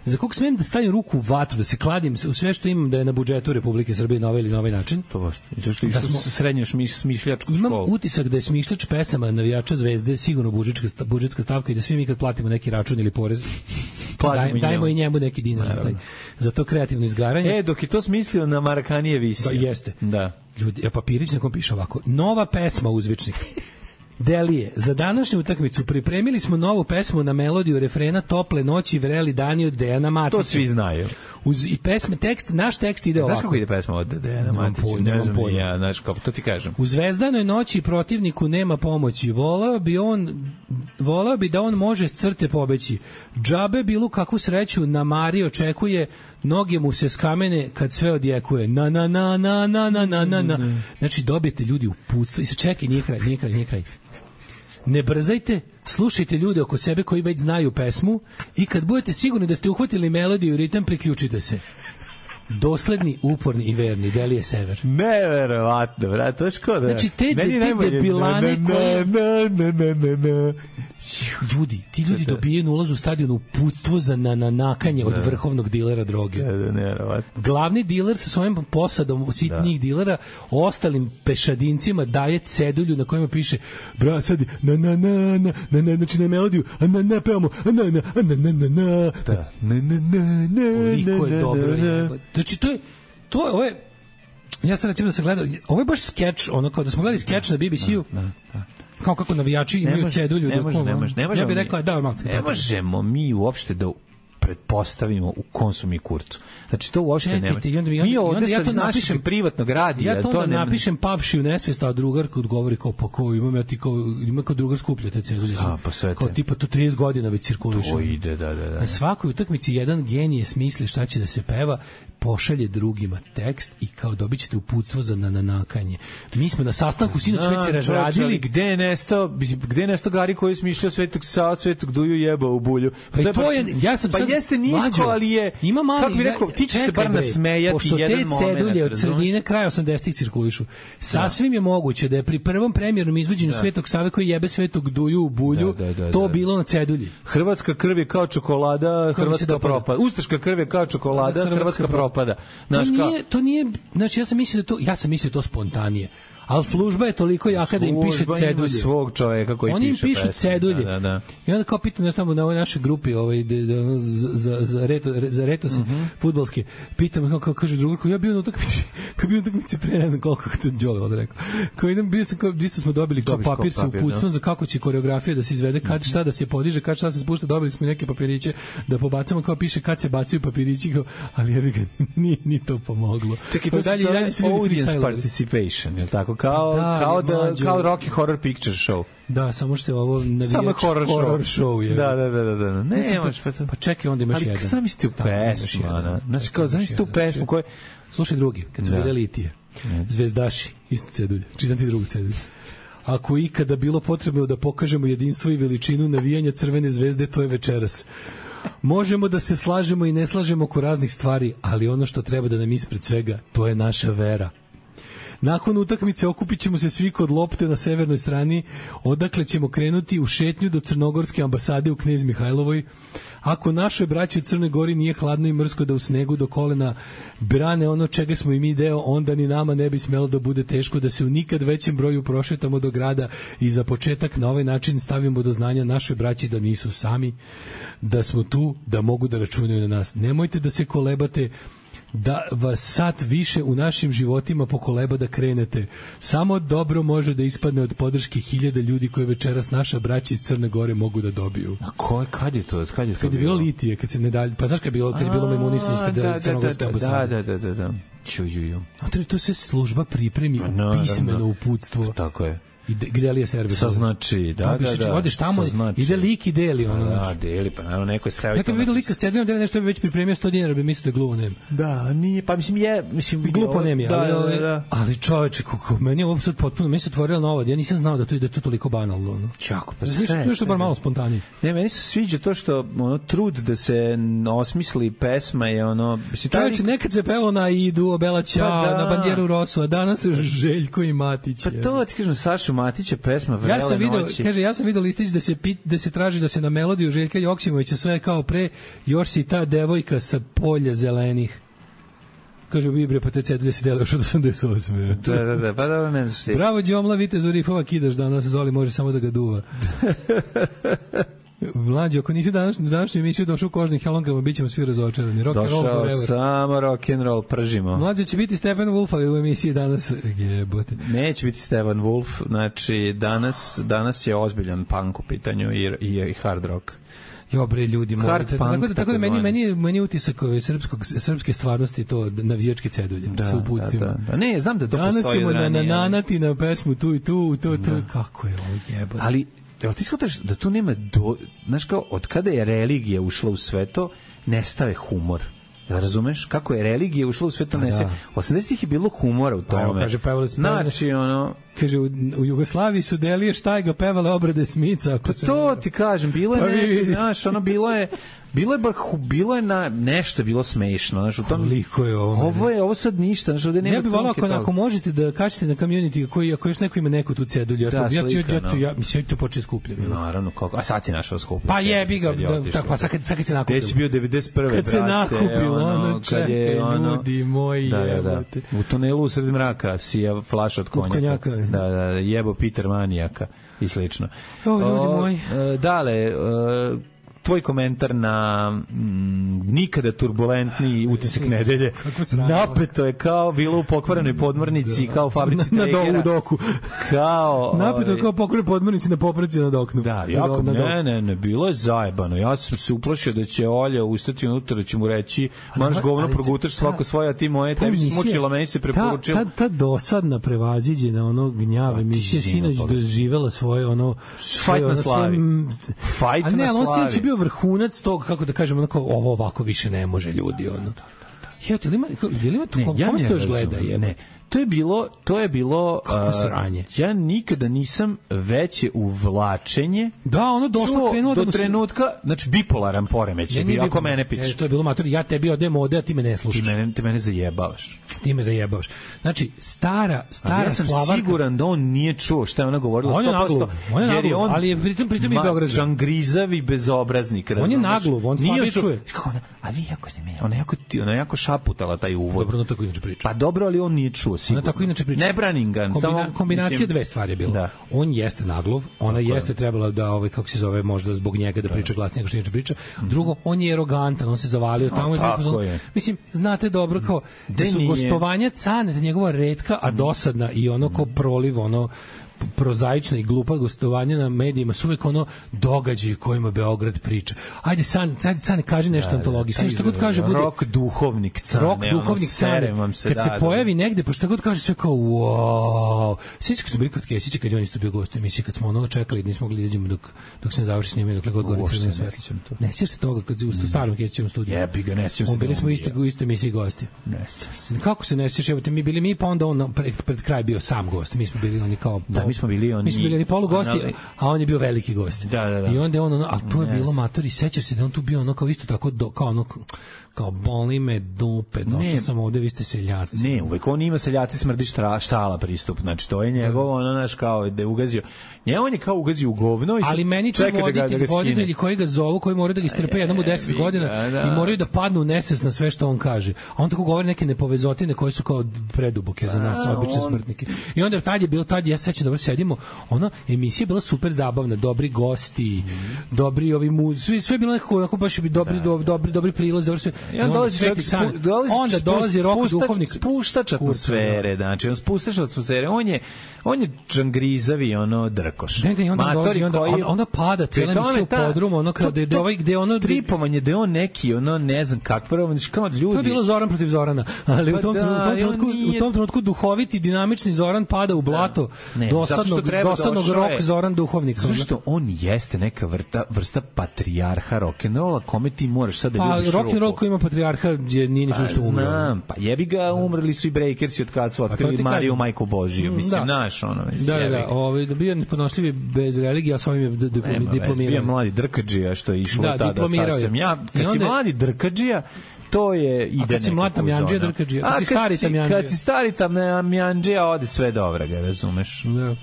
za kog smem da stavim ruku u vatru, da se kladim u sve što imam da je na budžetu Republike Srbije na ovaj ili na ovaj način. To baš. I zašto išao srednju smišljačku školu? Imam utisak da je smišljač pesama navijača Zvezde sigurno budžetska stavka i da svi mi kad platimo neki račun ili porez, dajmo i njemu neki dinar za to kreativno izgaranje. Dok je to smislio na Marakanije visio. Da, jeste. Da. Ljudi, papirić na kom piše ovako: nova pesma uzvičnik. Delije, za današnju utakmicu pripremili smo novu pesmu na melodiju refrena Tople noći, vreli dani od Dejana Matića. To svi znaju. I pesme, naš tekst ide ovako. Znaš kako ide pesma od Dejana Matića? Nemam pojma. Ja, znaš kako, to ti kažem. U zvezdanoj noći protivniku nema pomoći. Voleo bi da on može s crte pobeći. Džabe bilo kakvu sreću na Mari očekuje, noge mu se skamene kad sve odjekuje. Na. Znači, dobijete ljudi uputstvo. I se čekaj, nije kraj. Ne brzajte, slušajte ljude oko sebe koji već znaju pesmu i kad budete sigurni da ste uhvatili melodiju i ritam, priključite se. Dosledni, uporni i verni, Delije Sever. Neverovatno, brate, to škoda. Znači, te debilane koje... Ljudi, ti ljudi dobijaju na ulazu u stadionu uputstvo za nanakanje od vrhovnog dilera droge. Glavni diler sa svojim posadom sitnijih dilera ostalim pešadincima daje cedulju na kojima piše bra, sad znači na melodiju pevamo koliko je dobro. Znači, ovo je ja sam recimo da sam gledao, ovo je baš skeč, ono kao da smo gledali skeč na BBC-u, kao kako navijači imaju cedulju. Ja bih rekao, ne možemo mi uopšte da pretpostavimo u kom su mi kurcu. Znači, to uopšte nema. Mi ovde ja to napišem privatnog radija. Ja to napišem pavši u nesvijest, a drugar kad govori kao, pa ko imam, ja ti kao drugar skuplja te cedulje. Kao tipa to 30 godina već cirkuliše. To ide, da. Na svakoj utakmici jedan genije smisli šta će da se peva, pošalje drugima tekst i kao dobit ćete uputstvo za nanakanje. Mi smo na sastanku sinoć već razradili. Gde je nestao Gari koji je smišljao Svetog Sava, Svetog Duju jebao u bulju? Pa jeste nisko, ali je... Ima mali... Kako bi rekao, ti će se bar nasmejati jedan moment. Pošto te cedulje od sredine kraja 80-ih cirkulišu, sasvim je moguće da je pri prvom premijernom izvođenju Svetog Save koji jebe Svetog Duju u bulju, to bilo na cedulji. Hrvatska krv je kao čokolada, Hrvatska propada. Ustaška krv je kao čokolada, Hrvatska propada. To nije, znači ja sam mislio to spontanije. Ali služba je toliko jaka da im piše cedulje. Služba ima svog čoveka koji oni piše im pišu cedulje. Da. I onda kao pitam tamo na ovoj našoj grupi za retos fudbalske, pitam kao kaže drugar, ja bio na utakmici pre ne znam koliko to Đole onda rekao. Kao idem, bio sam kao, isto smo dobili kao papir sa uputstvom za kako će koreografija da se izvede, kad šta da se podiže, kad šta se spušta, dobili smo neke papiriće da pobacamo, kao piše kad se bacaju papirići, kao, ali ja bih ni to pomoglo. Čekaj, to se audience participation, je tako? Kao Rocky Horror Picture Show. Da, samo što je ovo navijač horror show je. Da. Ne, pa čekaj, onda imaš jedan. Ali sam isti u pesmu, znači kao zamislite u pesmu koje... Slušaj drugi, kad su bile litije, zvezdaši, isto cedulje, čitam ti drugu cedulju. Ako ikada bilo potrebno da pokažemo jedinstvo i veličinu navijanja Crvene zvezde, to je večeras. Možemo da se slažemo i ne slažemo oko raznih stvari, ali ono što treba da nam ispred svega, to je naša vera. Nakon utakmice okupit ćemo se svi kod lopte na severnoj strani, odakle ćemo krenuti u šetnju do Crnogorske ambasade u Knez Mihajlovoj. Ako našoj braći u Crnoj Gori nije hladno i mrsko da u snegu do kolena brane ono čega smo i mi deo, onda ni nama ne bi smelo da bude teško da se u nikad većem broju prošetamo do grada i za početak na ovaj način stavimo do znanja našoj braći da nisu sami, da smo tu, da mogu da računaju na nas. Nemojte da se kolebate, da vas sat više u našim životima pokoleba da krenete. Samo dobro može da ispadne od podrške 1000 ljudi koje večeras naša braća iz Crne Gore mogu da dobiju. A kad je to? Kad je bilo litije, kad se ne dalje, pa znaš kad je bilo Memunisa ispred Crnogorske ambasade. Da. A to je sve služba pripremi pismeno uputstvo. Tako je. gde li je servis. Sa znači, da. Odeš tamo, ide lik i deli ono. Da, deli, pa naravno neko je seo. Neka bi vidio lika s cedinom, da nešto bi već pripremio 100 dinara, bi mislio da je gluvo nem. Da, nije, pa mislim glupo nem je, ali čoveče, kako meni je ovo sad potpuno, meni se otvorilo novo, ja nisam znao da to ide to toliko banalno, ono. Čako, pa sve što bar malo spontanije. Ne, meni se sviđa to što ono trud da se osmisli pesma je ono, čoveče, nekad se pevao na Idu, Bela Ćao, na Bandjeru Rosu, a danas Željko i Matić. Pa to ti kažem, Sašu Matića pesma Vrele noći. Ja sam video listić da se traži da se na melodiju Željka Joksimovića sve kao pre, još si ta devojka sa polja zelenih. Kaže Bibre, pa te cedulje se dele još od 88. Da, pa dobro, ne znaš. Bravo, Đomla, vitez u rifova kidaš danas, Zoli može samo da ga duva. Mlađe, ako nisi današnju emisiju došao u kožnim helonkama, bit ćemo svi razočarani. Došao samo rock'n'roll, pržimo. Mlađe, će biti Stephen Wolf u emisiji danas. Jebote. Neće biti Stephen Wolf, znači danas je ozbiljan punk u pitanju i hard rock. Jo bre, ljudi, tako da meni utisak srpske stvarnosti to navijačke cedulje sa uputstvima. Da. Ne, znam da to danas postoji. Danas ćemo nanati na pesmu tu i tu, kako je ovo jebote. Ali jel ti shvataš da tu nema znaš kao, od kada je religija ušla u sve to, nestave humor. Razumeš? Kako je religija ušla u sve to, nestave. 80-ih je bilo humora u tome. Kaže, pevali smo. Znači, kaže, u Jugoslaviji su Delije Štajga pevale obrade Smica. Pa to ti kažem, bilo je znaš, bilo je na nešto bilo smešno, znači u tom koliko je ovo. Ovo sad ništa, znači ovde nema. Ja bih voleo ako možete da kačite na community koji ako još neko ima neku tu cedulju, ja mislim to počne skupljati. Naravno, kako. A sad si našao skuplje. Pa jebi ga, tako pa sad kad se nakupilo. Gde si bio 91. brate? Kad se nakupilo, kad je ljudi moji. Da. U tunelu u sred mraka sija flaša od konjaka. Da, jebo Peter Manijaka i slično. Ljudi moji. Dale, tvoj komentar na nikada turbulentniji utisak nedelje. Napeto je kao bilo u pokvarenoj podmornici, kao u fabrici Tregera. Na doku. Napeto je kao pokvarenoj podmornici na popravci na doknu. Da, jako, ne, bilo je zajebano. Ja sam se uplašio da će Olja ustati unutra, da će mu reći, marš govno, progutaš svako svoje, a ti moje, tebi se smučila, meni se preporučila. Ta dosadna prevaziđena ono gnjava emisija sinoć doživela svoje ono... Fajt na slavi. Fajt na slavi. Vrhunac tog, kako da kažemo, onako, ovo ovako više ne može ljudi, ono. Je li ima to, kome se to još gleda? Ne, to je bilo kako sranje. Ja nikada nisam veće uvlačenje. Da, ono došlo krenuo do trenutka, znači bipolaran poremećaj bio, ako mene pitaš. To je bilo matori, ja tebi odem ovde, a ti me ne slušaš. Ti mene zajebavaš. Ti me zajebavaš. Znači, stara ja sam Slavanka, siguran da on nije čuo šta je ona govorila 100%. Jer je on, ali je pritom i Beograd. Žangrizavi bezobraznik. On je naglov, on slabije čuje. Kako a vi jako ste meni, ona jako šaputala taj uvod. Dobro, no tako inače priča. Pa dobro, ali on nije čuo sigurno. Ona tako inače priča. Ne branim ga. Kombinacija dve stvari je bila. Da. On jeste naglov, ona jeste trebala da kako se zove, možda zbog njega da priča glasnije nego što inače priča. Drugo, on je arogantan, on se zavalio tamo i mislim, znate dobro kao da su gostovanja Caneta njegova retka, a dosadna i ono ko proliv, ono prozaična i glupa gostovanja na medijima su uvek ono događaji kojima Beograd priča. Ajde Cane, kaži nešto antologiji. Sve što god kaže bude rock duhovnik Cane. Kad se pojavi negde, pa šta god kaže sve kao wow. Sjećaš kad su bili kod Kesića, kad je on isto bio gost u emisiji, kad smo ono čekali, nismo mogli da izađemo dok se ne završi snimanje, dokle god gori crveno svetlo. Ne sjećaš se toga kad u starom Kesićevom studiju? Jebi ga, ne sjećam se. Bili smo u istoj emisiji gosti. Ne sjećam se. Kako se ne sjećaš? Evo te mi bili mi, pa onda on pred kraj bio sam gost. Mi smo bili oni kao mi smo bili polugosti, a on je bio veliki gost. Da. I onda je on, a tu je bilo matori, sećaš se da on tu bio ono kao isto tako, kao boli me dupe, došao sam ovde, vi ste seljaci. Ne, uvek on ima seljaci smrdi štala pristup, znači to je njegovo, ono naš kao da je ugazio. On je kao ugazio u govno i ali meni tu voditelji koji ga zovu, koji moraju da ga istrpe jednom u 10 godina i moraju da padnu u nesvest na sve što on kaže. A on tako govori neke nepovezotine koje su kao preduboke za nas, obične smrtnike. I onda tad ja sećam da sedimo, ono, emisija je bila super zabavna, dobri gosti, dobri ovi sve je bilo nekako baš dobri prilazi, dobro sve. Onda dolazi rock duhovnik, spuštač atmosfere, znači on spuštač atmosfere, on je džangrizavi, ono drkoš. Onda pada cijela emisija u podrumu, ono kao gde ono tripovanje, gde on neki, ono ne znam kakvo, kao ljudi. To je bilo Zoran protiv Zorana, ali u tom trenutku duhoviti, dinamični Zoran pada u blato, dosadnog rock Zoran Duhovnik. Zato što on jeste neka vrsta patrijarha rock'n'rolla, kome ti moraš sad da ljubiš ruku. Rock'n'roll koji ima patrijarha je nije ništa što umro. Znam, pa jebi ga, umrli su i Breakersi od kad su otkrili Mariju Majku Božiju. Mislim, naš ono. Da bio nepodnošljivi bez religije, a s ovim je diplomirao. Bio mladi drkadžija što je išlo tada sasvim. Kad si mladi drkadžija, to je ide. A kad si mlad tamjanđija, drkadžija, kad si stari tamjanđija. Kad si stari tamjanđija, ode sve dobro, ga razumeš. Da.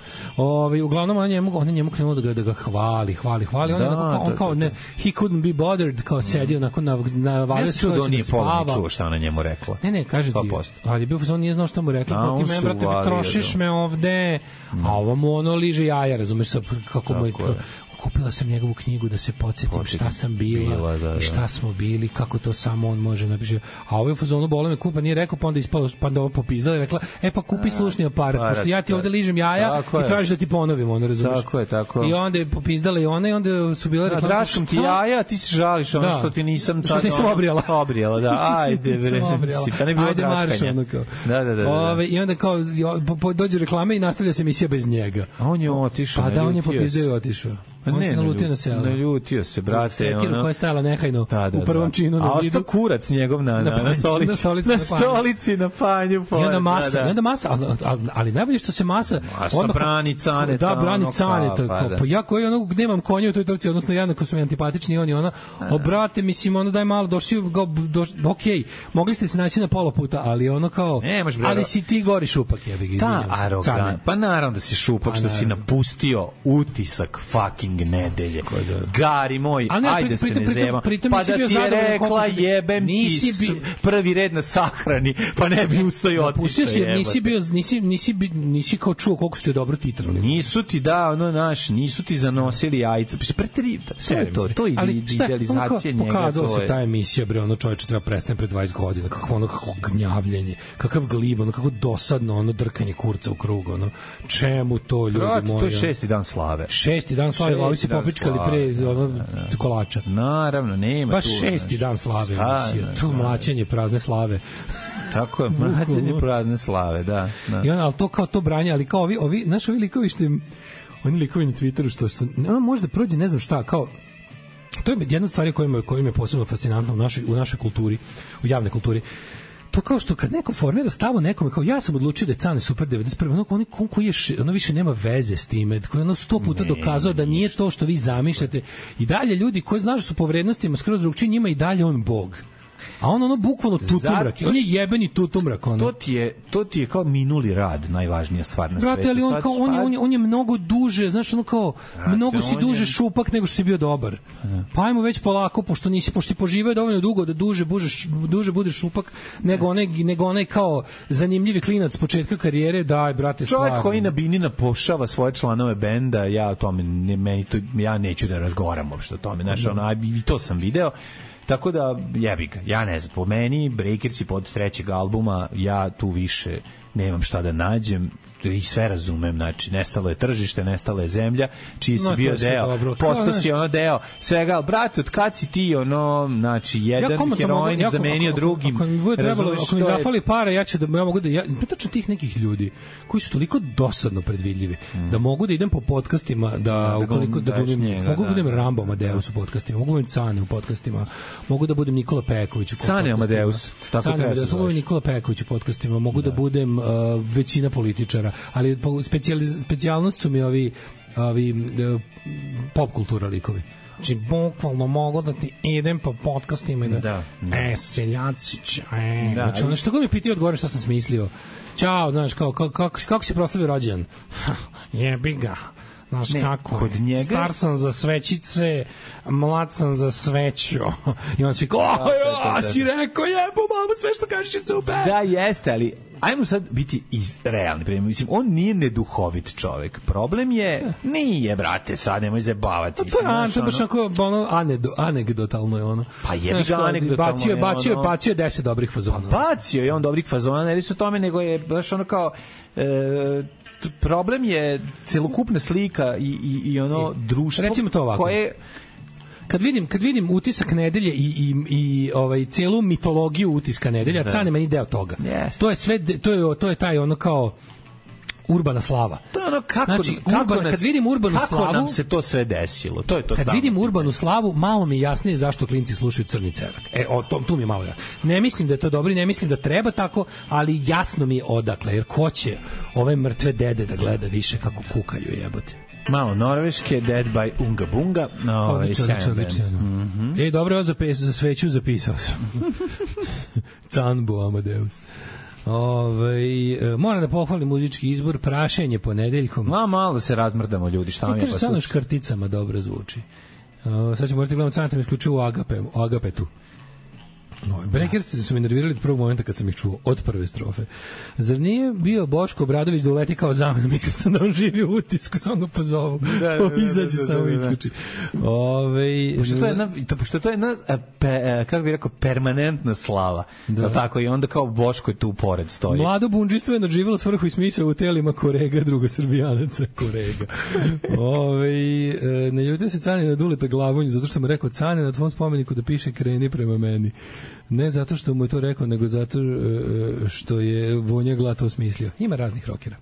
Uglavnom ona njemu krenula da ga hvali. On kao ne, he couldn't be bothered, kao sedio na valjda što on nije polovno čuo šta ona njemu rekla. Ne, kaže ti. Ali bio on nije znao šta mu rekla. Kao ti me, brate, trošiš me ovde. A ovo mu ono liže jaja, razumeš, kako mu je... Kupila sam njegovu knjigu da se podsjetim šta sam bila i šta smo bili, kako to samo on može napiše. A ovaj u fazonu bole me kupa nije rekao, pa onda ispalo, pa da ovo popizdala i rekla, pa kupi slušni aparat, pošto ja ti ovde ližem jaja i tražiš da ti ponovim, ono, razumiješ. Tako je. I onda je popizdala i ona i onda su bile rekla, draškom ti jaja, ti se žališ, ono što ti nisam što nisam obrijala, da, ajde bre, pa ne bilo draškanja. Da. I onda kao dođe reklame i nastavlja se emisija bez njega. A on je otišao. Pa da, on je popizdao i otišao. On se nalutio na selo. Naljutio se, brate. Sekiru koja je stajala nehajno u prvom činu na zidu. A ostao kurac njegov na stolici na panju. I onda masa, ali najbolje što se masa brani Caneta. Da, brani Caneta. Pa ja koji nemam konja u toj trci, odnosno jednako su mi antipatični, on i ona. Brate, mislim, ono daj malo, došli, okej, mogli ste se naći na pola puta, ali ono kao, ali si ti gori šupak, jebi ga, izvinjam se. Ta arogan, pa naravno da si šupak što si napustio utisak fucking nedelje. Gari moj, ajde se ne zema. Pa da ti je rekla jebem ti prvi red na sahrani, pa ne bi ustoji otišao. Nisi kao čuo koliko ste dobro titrali. Nisu ti nisu ti zanosili jajca. To je idealizacija njega. Pokazala se ta emisija, bre, ono čoveče treba prestane pre 20 godina. Kako gnjavljenje, kakav glib, ono kako dosadno, ono drkanje kurca u krug, ono. Čemu to, ljudi moji? To je 6. dan slave. 6. dan slave, ovi se popičkali pre kolača. Naravno, nema baš tu. Baš 6. dan slave emisija. Tu mlaćenje prazne slave. Tako je, mlaćenje prazne slave, da. I ono, ali to kao to branje, ali kao ovi likovi što oni likovi na Twitteru što ono možda prođe ne znam šta, kao to je jedna od stvari koja je posebno fascinantna u našoj kulturi, u javnoj kulturi. To kao što kad neko formira stavu nekome, kao ja sam odlučio da je Cane super 91. Ono više nema veze s time, koji je 100 puta dokazao da nije to što vi zamišljate. I dalje ljudi koji znaš da su po vrednostima skroz drugčiji, njima i dalje on bog. A on bukvalno tutumrak. On je jebeni tutumrak. To ti je kao minuli rad, najvažnija stvar na svetu. Brate, ali on je mnogo duže, znaš, ono kao, mnogo si duže šupak nego što si bio dobar. Pa ajmo već polako, pošto si poživio dovoljno dugo da duže budeš šupak, nego onaj kao zanimljivi klinac s početka karijere, daj, brate, stvarno. Čovjek koji na binina pošava svoje članove benda, ja o tome, ja neću da razgovaram uopšte o tome, znaš, i to sam video. Tako da, jebi ga, ja ne znam, po meni, Breakersi pod 3. albuma, ja tu više nemam šta da nađem, i sve razumem, znači, nestalo je tržište, nestala je zemlja, čiji si bio deo, postao si ono deo svega, ali brate, od kad si ti znači, jedan heroin zamenio drugim, ako mi zafali para, ja mogu da, tačno tih nekih ljudi koji su toliko dosadno predvidljivi, da mogu da idem po podcastima, mogu da budem Rambo Amadeus u podcastima, mogu da budem Cane u podcastima, mogu da budem Nikola Peković u podcastima. Cane Amadeus, tako treba se zove. Nikola Peković u podcastima, mogu da budem većina političara, ali specijalnost su mi ovi pop kultura likovi. Znači, bukvalno mogu da ti idem po podcastima i seljacić, znači, ono što god mi pitaju odgovore šta sam smislio. Ćao, znaš, kako si proslavio rođendan? Jebi ga. Znaš kako, kod njega... star sam za svećice, mlad sam za sveću. I on svi kao, si rekao, jebo, mamo, sve što kažeš je super. Da, jeste, ali ajmo sad biti realni. Mislim, on nije neduhovit čovek. Problem je, nije, brate, sad nemoj zabavati. To je baš ono anegdotalno je ono. Pa jebi ga anegdotalno. Bacio je 10 dobrih fazona. Bacio je on dobrih fazona, ne li su tome, nego je baš ono kao... problem je celokupna slika i ono društvo. Recimo to ovako. Koje... Kad vidim utisak nedelje i celu mitologiju utiska nedelja, Cane meni deo toga. Yes. To je sve, to je taj ono kao urbana slava. To je ono kad vidim urbanu slavu, kako nam se to sve desilo. To je to. Kad vidim urbanu slavu, malo mi jasnije zašto klinci slušaju Crni cerak. Tu mi je malo jasno. Ne mislim da je to dobro, ne mislim da treba tako, ali jasno mi je odakle, jer ko će ove mrtve dede da gleda više kako kukaju, jebote. Malo norveške, Dead by Unga Bunga. Odlično. Dobro, ovo za sveću zapisao sam. Canbo Amadeus. Moram da pohvalim muzički izbor, Prašenje ponedeljkom. Malo se razmrdamo, ljudi, šta vam je pa samo škrticama dobro zvuči. Sad ćemo morati gledati Canatem isključivo u Agapetu. Breakers su me nervirali od prvog momenta kad sam ih čuo, od prve strofe. Zar nije bio Boško Obradović da uleti kao zamena? Mislio sam da on živi u Utisku, samo ga pozovu. Izađe, samo isključi. Pošto to je jedna, kako bih rekao, permanentna slava. Tako, i onda kao Boško je tu pored stoji. Mlado bundžistvo je nadživjelo svrhu i smisao u telima Korega, druga Srbijanaca, Korega. Ne ljutio se Cane na Duleta Glavonju, zato što mu rekao Cane na tvom spomeniku da piše kreni prema meni. Ne zato što mu je to rekao, nego zato što je Vonja Gla to smislio. Ima raznih rokera.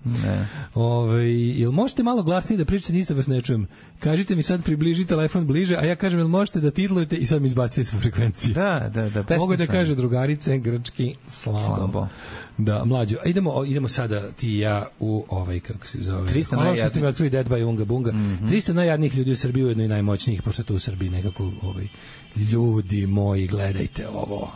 Jel možete malo glasnije da pričate, ništa vas ne čujem. Kažite mi sad, približi telefon bliže, a ja kažem, jel možete da titlujete i sad mi izbacite sve frekvencije. Da. Mogu da kaže drugarice, grčki, slabo. Da, mlađo. Idemo sada ti i ja u kako se zove. 300 najjadnijih. Dead by Unga Bunga. 300 najjadnijih ljudi u Srbiji, ujedno i najmoćnijih, pošto tu u Srbiji nekako ljudi moji, gledajte ovo.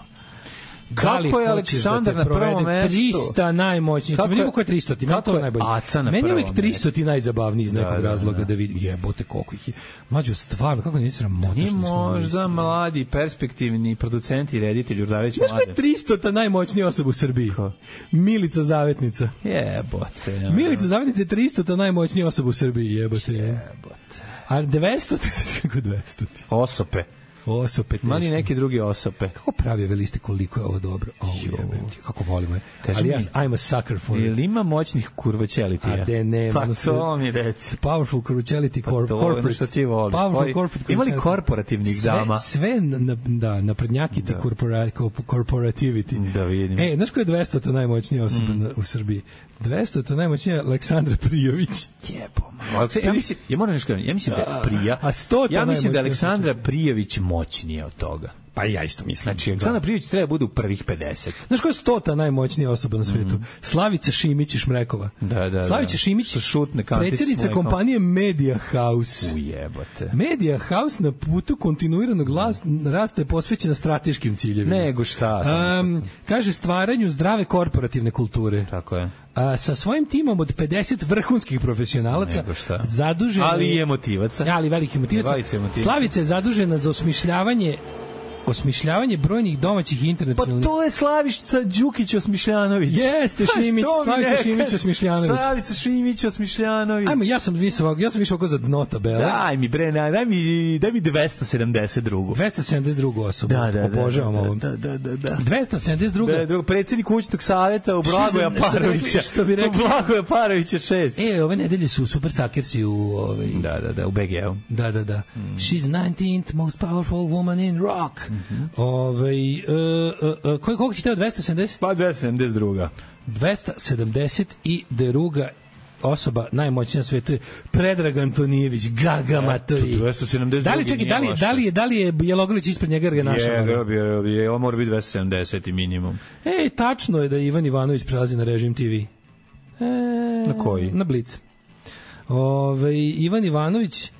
Kako je Aleksandar na prvom mestu? 300 najmoćnijih. Meni je 300 ti, meni to najbolje. Meni je uvijek 300 ti najzabavniji iz nekog razloga da vidim. Jebote koliko ih je. Mlađo, stvarno, kako nisi sramota što nismo možda mladi, perspektivni producenti i reditelji Urdarević Mladen. Znaš ko je 300 ta najmoćnija osoba u Srbiji? Milica Zavetnica. Jebote. Milica Zavetnica je 300 ta najmoćnija osoba u Srbiji. Jebote. A 200 kako 200 ti? Osope. Mali neki drugi osope. Kako pravi ove liste, koliko je ovo dobro. Kako volimo je. Ali I'm a sucker for it. Ili ima moćnih kurvaćelitija? A de ne. Pa to mi reci. Powerful kurvaćeliti corporate. Što ti voli. Powerful corporate. Ima li korporativnih dama? Sve naprednjaki ti corporativity. Da vidim. Znaš ko je 200 ta najmoćnija osoba u Srbiji? 200 ta najmoćnija Aleksandra Prijović. Ja mislim da je Prija. A 100 ja mislim da je Aleksandra Prijović moćnije od toga. Pa ja isto mislim. Znači, Aleksandar Prijović treba bude u prvih 50. Znaš koja je 100 najmoćnija osoba na svetu? Slavica Šimić iz Šmrekova. Slavica Šimić, predsjednica kompanije Media House. Ujebote. Media House na putu kontinuiranog rasta je posvećena strateškim ciljevima. Nego šta? Kaže stvaranju zdrave korporativne kulture. Tako je. Sa svojim timom od 50 vrhunskih profesionalaca zadužen je... Ali i emotivaca. Ali velikih emotivaca. Slavica je zadužena za osmišljavanje brojnih domaćih internacionalnih... Pa to je Slavica Đukić Osmišljanović. Jeste, Šimić, Slavica Šimić Osmišljanović. Slavica Šimić Osmišljanović. Ajmo, ja sam više oko za dno tabele. Daj mi 272. 272. osobu. Obožavam ovo. Da. 272. Predsjednik kućnog savjeta u Blagoja Parovića. Što bi rekao? U Blagoja Parovića 6. Ove nedelje su Super Sakersi u... Da, u BG-u. Da. She's 19th most powerful woman in rock. Koliko će teo 270? Pa 272. 272. osoba najmoćnija na svetu je Predrag Antonijević, Gaga Matori. 272. Da li je Bjelogrlić ispred njega jer ga našao? On mora biti 270 minimum. Tačno je da Ivan Ivanović prelazi na Režim TV. Na koji? Na Blic. Ivan Ivanović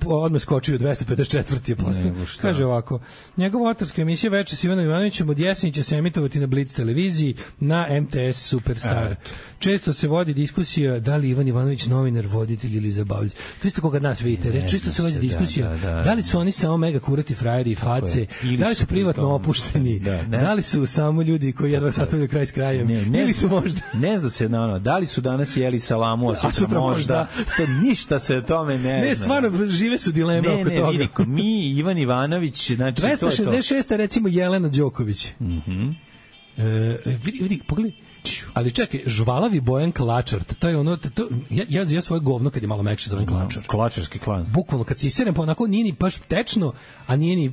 odmah skočio 254. je posle. Kaže ovako, njegova autorska emisija Veče s Ivanom Ivanovićem od jeseni će se emitovati na Blitz televiziji na MTS Superstar. Često se vodi diskusija da li Ivan Ivanović novinar, voditelj ili zabavljač. To isto koga nas vidite. Često se vodi diskusija da li su oni samo mega kurati frajeri i face, da li su privatno opušteni, da li su samo ljudi koji jedva sastavljaju kraj s krajem, ili su možda... Ne zna se, da li su danas jeli salamu, a sutra možda. To ništa se o tome ne zna. Ne, stvarno, žive su dileme oko toga. Vidi, mi, Ivan Ivanović, znači 266. recimo Jelena Đoković. Mhm. Vidi, pogledaj, Ali čekaj, žvalavi Bojan Klačar, to je ono, ja svoje govno kad je malo mekše zovem Klačar. Klačarski klan. Bukvalno, kad se iserem, pa onako nije ni baš tečno, a nije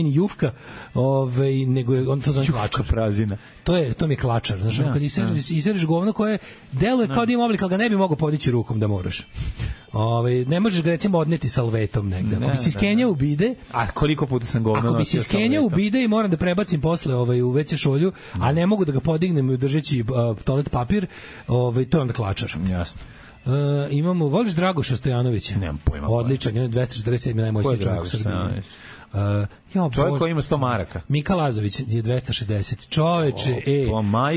ni jufka, nego je on to zove Klačar. Prazina. To mi je Klačar. Znaš, kad isereš govno koje deluje kao da ima oblik, ali ga ne bi mogao podići rukom da moraš. Ne možeš ga recimo odneti salvetom negde. Ako bi se iskenjao u bide... A koliko puta sam govno nosio salvetom? Ako bi se iskenjao u bide i moram da prebacim posle u WC šolju, a ne mogu da ga podignem držeći toalet papir, to je onda Klačar. Jasno. Imamo, voliš Dragoša Stojanovića? Nemam pojma. Odličan, on je 247. najmoćniji čovjek u Srbiji. Čovjek koji ima 100 maraka. Mika Lazović je 260. Čoveče,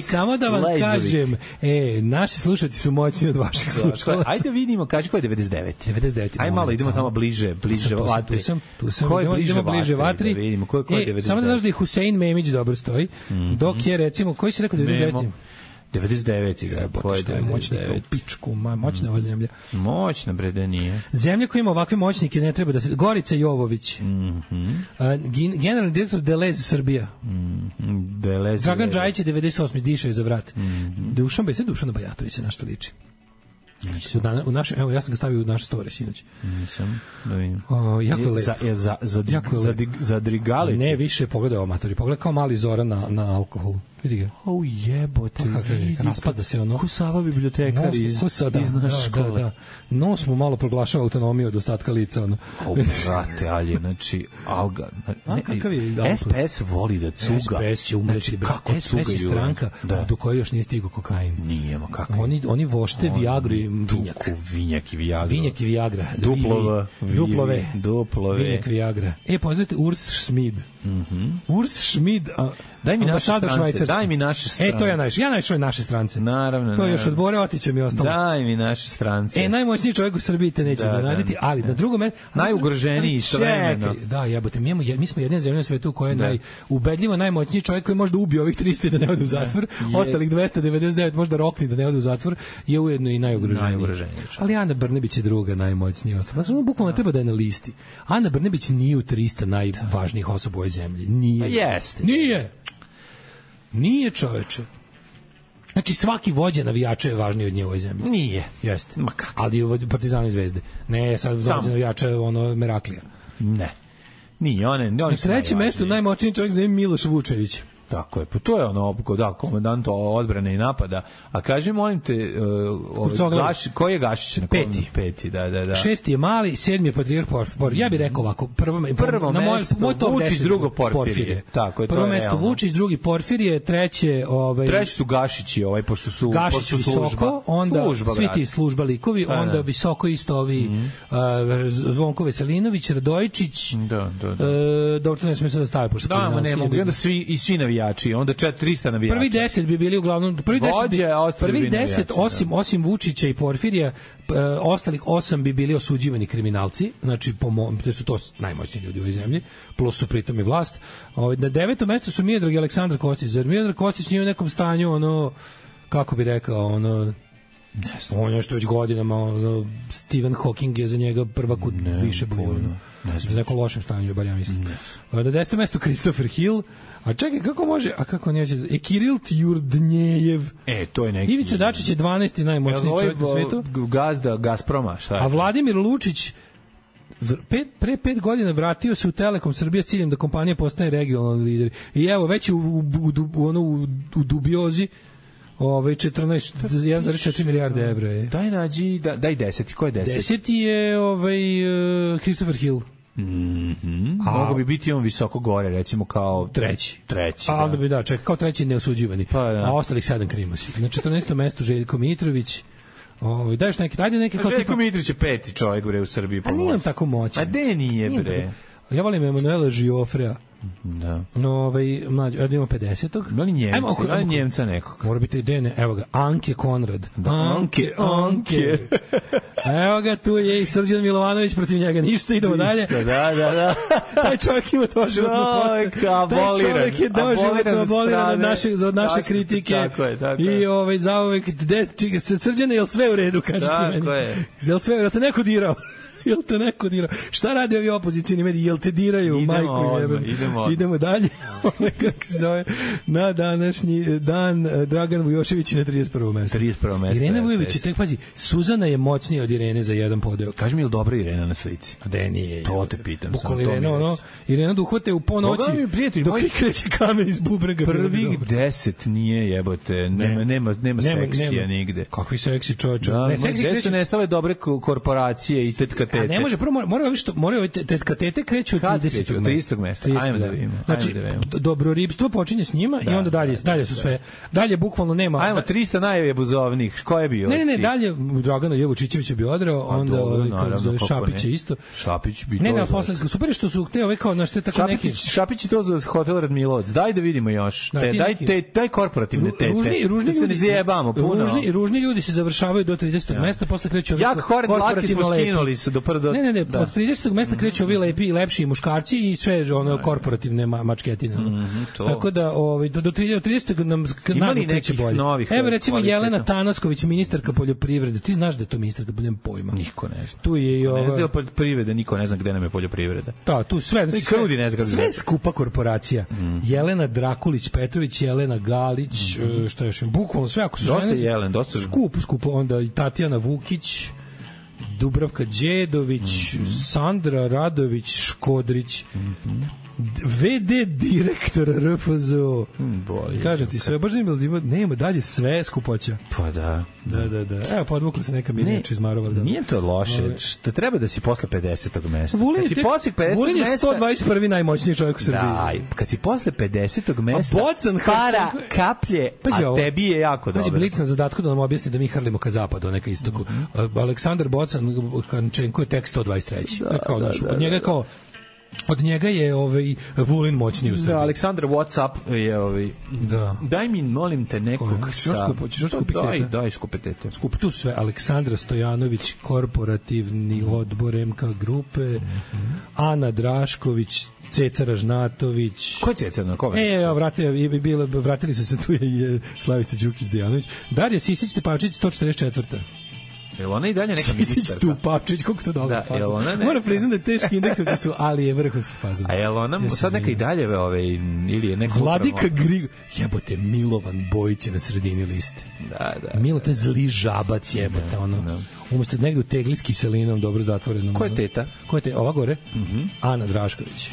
samo da vam kažem, naši slušalci su moćni od vaših slušalaca. Ajde vidimo, kaži ko je 99. 99. Ajde malo, idemo tamo bliže vatri. Tu sam, idemo bliže vatri. Da vidimo ko je 99. Samo da znaš da je Husein Memić dobro stoji, dok je recimo, koji si rekao 99. 99. ga je moćnika u pičku, moćna ova zemlja. Moćna, bre, da nije. Zemlja koja ima ovakve moćnike ne treba da se... Gorica Jovović. Generalni direktor Delez Srbija. Dragan Džajić je 98. dišao je za vrat. Dušan Bajatović je na što liči. Evo, ja sam ga stavio u naš story sinoć. Nisam, da vidim. Jako je lep. Zadrigali? Ne, više, pogledaj ovo, matori. Pogledaj kao mali Zoran na alkoholu. Vidi ga. Jebote. Raspada se ono. Ko Sava bibliotekar iz naše škole. Da. Nos mu malo proglašava autonomiju od ostatka lica. Ono. Brate, ali, znači, Alga. SPS voli da cuga. SPS će umreći. SPS je stranka do koje još nije stigao kokain. Nije, ma kako. Oni vošte Viagru i Vinjak. Vinjak i Viagra. Vinjak i Viagra. Duplove. Vinjak i Viagra. Pozvite Urs Schmid. Urs Schmid, daj mi naše strance. Daj mi naše strance. To ja najviše naše strance. Naravno. To je još od Bore Otića mi ostalo. Daj mi naše strance. Najmoćniji čovjek u Srbiji te neće zanaditi, ali na drugom mestu... Najugroženiji istovremeno. Da, jebote, mi smo jedina zemlja na svetu koja je ubedljivo najmoćniji čovjek koji može da ubije ovih 300 da ne ode u zatvor, ostalih 299 može da rokne da ne ode u zatvor, je ujedno i najugroženiji. Ali Ana Brnabić je druga najmoćnija osoba. Znači, bukvalno treba da je na listi. Ana Brnabić nije u 300 najvažnijih osoba u ovoj zemlji. Nije, čoveče. Znači, svaki vođa navijača je važniji od nje u ovoj zemlji. Nije. Jeste. Ma kako? Ali Partizana i Zvezde. Ne, sad vođa navijača je Meraklija. Ne. Nije, na trećem mestu najmoćniji čovjek zove Miloš Vučević. Tako je, pa to je ono, komandant odbrane i napada. A kaži, molim te, koji je Gašić? Peti, da. Šesti je Mali, 7. je Patrijarh Porfirije. Ja bih rekao ovako, prvo mesto Vučić, drugo Porfirije. Prvo mesto Vučić, drugi Porfirije, treće... Treći su Gašići, pošto su Gašić visoko, onda svi ti služba likovi, onda visoko isto ovi Zvonko Veselinović, Radojičić, dobro, to ne smije se da stave, pošto ne mogu, onda svi navijači, onda 300 navijača. Prvi 10 bi bili uglavnom prvi 10 osim Vučića i Porfirija, ostalih 8 bi bili osuđivani kriminalci, znači to su to najmoćniji ljudi u ovoj zemlji, plus su pritom i vlast. Na 9. mestu su Miodrag i Aleksandar Kostić. Zar Miodrag Kostić nije u nekom stanju, kako bi rekao, on je što već godinama, Stephen Hawking je za njega prvak u više boju. Za nekom lošem stanju, bar ja mislim. Na 10. mestu Christopher Hill. A čekaj, kako može, kako neće, Kiril Tjurdnjejev. To je neki. Ivica Dačić je 12. najmoćniji čovjek u svetu. Gazda Gazproma, šta je? A Vladimir Lučić pre 5 godina vratio se u Telekom Srbije s ciljem da kompanija postane regionalni lider. I evo, već u dubiozi 1,4 milijarde evra je. Daj nađi, daj 10. Ko je 10? 10. je Christopher Hill. Mogu bi biti on visoko gore, recimo kao treći. A onda bi kao treći neosuđivani. A ostalih 7 krimosi. Na 14. mestu Željko Mitrović. Daješ neki, ajde neki kao Željko Mitrović je 5. čovjek bre u Srbiji. A nije on tako moćan. A de nije bre. Ja volim Emanuela Žiofrea. Da. Mlađe, ima 50-og. Da li Njemca nekog? Mora biti idejne. Evo ga, Anke Konrad. Anke. Evo ga, tu je i Srđan Milovanović, protiv njega ništa, idemo dalje. Da. Taj čovjek ima to životno postoje. Taj čovjek je dao životno aboliran od naše kritike. Tako je. I zauvek, Srđane, je li sve u redu, kažete meni? Tako je. Je li sve u redu, te neko dirao? Jel te neko dira? Šta radi ovi opozicijni mediji? Jel te diraju? Majku jebem. Idemo dalje. Kako se zove? Na današnji dan Dragan Vujošević na 31. mesto. 31. mesto. Irena Vujović, tek pazi, Suzana je moćnija od Irene za jedan podeo. Kaži mi, je li dobra Irena na slici? A da nije. To te pitam. Bukvalno Irena, Irena da uhvate u ponoći dok i kreće kamen iz bubrega. Prvih 10 nije jebote, nema seksija nigde. Kakvi seksi čovječe? Ne, gde su nestale dobre korporacije i tetka tete? A ne može, prvo moraju tetka tete kreću od 30. mesta. Ajmo da vidimo. Znači, dobroribstvo počinje s njima i onda dalje su sve. Dalje bukvalno nema. Ajmo 300 najjebuzovnih. Ko je bio? Ne, dalje Dragana Jevučićević je bio odrao, onda Šapić je isto. Šapić bi to. Ne, posle super što su hteo kao na što je tako neki. Šapić je to za hotel Radmilovac. Daj da vidimo još. Daj korporativne tete. Ružni se ne zajebamo puno. Ružni ljudi se završavaju do 30. mesta, posle kreću ovi korporativni skinuli se do prvo. Ne, od 30. mesta kreću ovi lepi i lepši muškarci i sve ono korporativne mačketine. Tako da do 30. nam naglo kreće bolje. Evo recimo Jelena Tanasković, ministarka poljoprivrede. Ti znaš da je to ministarka, nema pojma. Niko ne zna. Tu je i ne zna poljoprivrede, niko ne zna gde nam je poljoprivreda. Da, tu sve, znači sve skupa korporacija. Jelena Drakulić Petrović, Jelena Galić, šta još, bukvalno sve, ako su dosta Jelen, dosta skupo, onda i Tatjana Vukić, Dubravka Đedović, Sandra Radović Škodrić, VD direktor RFZO. Kažem ti sve, baš nema dalje sve skupoća. Pa da. Evo, podvukla se neka Mirjač iz Marovarda. Nije to loše, što treba da si posle 50. mesta. Vulin je 121. najmoćniji čovjek u Srbiji. Da, kad si posle 50. mesta, para kaplje, a tebi je jako dobro. Pazi, Blic na zadatku da nam objasni da mi hrlimo ka zapadu, a ne ka istoku. Aleksandar Bocan Hančenko je tek 123. Od njega je Vulin moćniji u Srbiji. Da, Aleksandar WhatsApp je Da. Daj mi, molim te, nekog sa... Daj skupetete. Skup tu sve. Aleksandra Stojanović, korporativni odbor MK grupe, Ana Drašković, Ceca Ražnatović. Ko je Ceca? Na koga? Vratili su se, tu je Slavica Đukić-Dejanović. Darija Sisić-Tepavčić, 144. Jel ona i dalje neka ministarka? Tupačić, koliko to dobro fazon. Moram priznam da je teški indeksovi su, ali je vrhunski fazon. A jel ona sad neka i dalje ili je neko... Vladika Grigo... Jebote, Milovan Bojić je na sredini liste. Da. Milo, te zli žabac jebote, umesto negde u tegli s kiselinom, dobro zatvorenom. Ko je teta? Ova gore? Ana Drašković.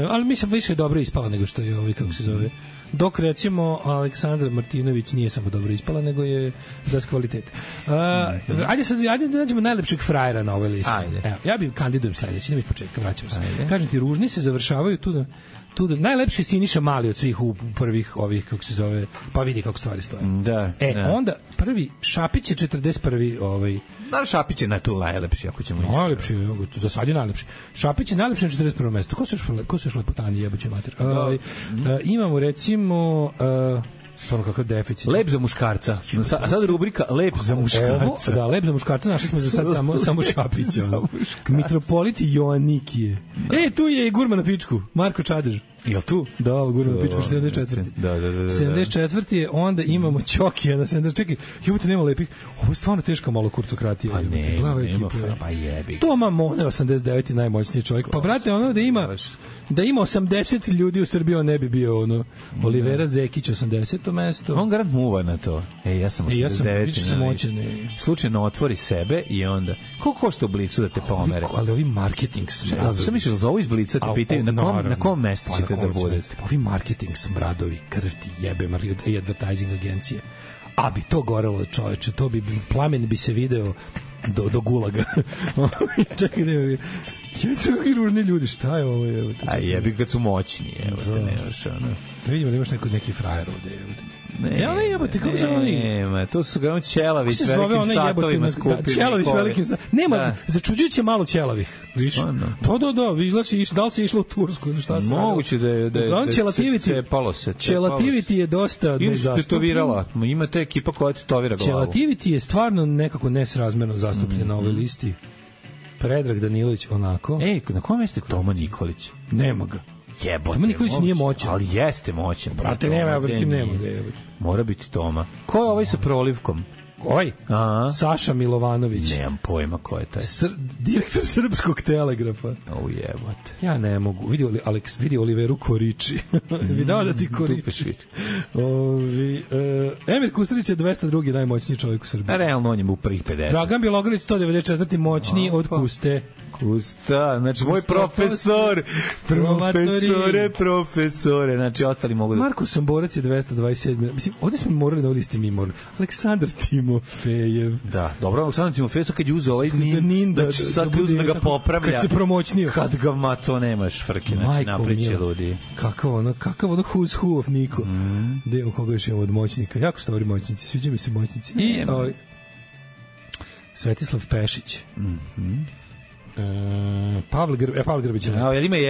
Ali mislim, više je dobro ispala nego što je kako se zove... Dok recimo Aleksandra Martinović nije samo dobro ispala, nego je bez kvalitete. Ajde da nađemo najlepšeg frajera na ovoj listi. Evo, ja bih kandidujem sledeći, idem iz početka, vraćamo se. Kažem ti, ružni se završavaju tu da najlepši je Siniša Mali od svih u prvih ovih, kako se zove, pa vidi kako stvari stoje. Onda prvi Šapić je 41. Da, Šapić je na tu najlepši, ako ćemo ići. Najlepši, za sad je najlepši. Šapić je najlepši na 41. mesto. Ko su još lepotani, jeboće mater? Imamo recimo... Stvarno kakav deficit. Lep za muškarca. A sad rubrika Lep za muškarca. Da, Lep za muškarca, našli smo za sad samo Šapića. Mitropolit Joannikije. Tu je i gurma na pičku, Marko Čadež. Jel tu? Da, gurma na pičku, 74. Da. 74. je, onda imamo Ćokija na 70. Čekaj, jebote, nema lepih. Ovo je stvarno teška malo kurtokratija. Pa nema, pa jebi. Toma Mone, 89. najmoćniji čovjek. Pa brate, da ima 80 ljudi u Srbiji, on ne bi bio Olivera Zekić 80. mesto. On garant muva na to. Ja sam 89. Slučajno otvori sebe i onda koliko košta u Blicu da te pomere? Ali ovi marketing smradovi. Sam mišljeno za ovo iz Blica te pitaju na kom mestu ćete da budete? Ovi marketing smradovi, krv ti jebe, i advertising agencije. A bi to gorelo, čoveče, plamen bi se video do gulaga. Čekaj, i ružni ljudi, šta je ovo? A jebi kad su moćni, nemaš ono. Da vidimo da imaš neki frajer ovde. Nema, to su ga Ćelavić velikim satovima skupili. Ćelavić velikim satovima. Nema, začuđujuće malo Ćelavih. Viš? Da, da li si išla u Tursku ili šta se radilo? Moguće da je cepalo se. Ćelativiti je dosta nezastupljen. Ili su tetovirala. Ima te ekipa koja tetovira glavu. Ćelativiti je stvarno nekako nesrazmerno zastupljen na ovoj listi. Predrag Danilović, onako. Na kom mjestu je Toma Nikolić? Nema ga. Jebote. Toma Nikolić nije moćan. Ali jeste moćan. Brate, nema ga, jebote. Mora biti Toma. Ko je ovaj sa prolivkom? Saša Milovanović. Nemam pojma ko je taj. Direktor Srpskog telegrafa. Jebote. Ja ne mogu. Vidi Oliveru Koriči. Vidao da ti Koriči. Emir Kusturić je 202. najmoćniji čovjek u Srbiji. Realno on je u prvih 50. Dragan Bjelogrlić 194. moćniji od Kuste. Kusta, znači moj profesore, znači ostali mogu da... Marko Somborac je 227. Mislim, ovdje smo morali na ovdje ste mi morali. Aleksandar Timofejev. Da, dobro, Aleksandar Timofejev sad kad je uzeo ovaj nin, da sad uzeo da ga popravlja. Kad se promoćnio. Kad ga, ma to nemaš frke, znači napriče ljudi. Kakav ono who's who of Niko. Gde u koga još je od moćnika. Jako su dobri moćnici, sviđa mi se moćnici. I Svetislav Pešić. Pavle Grbović je lep.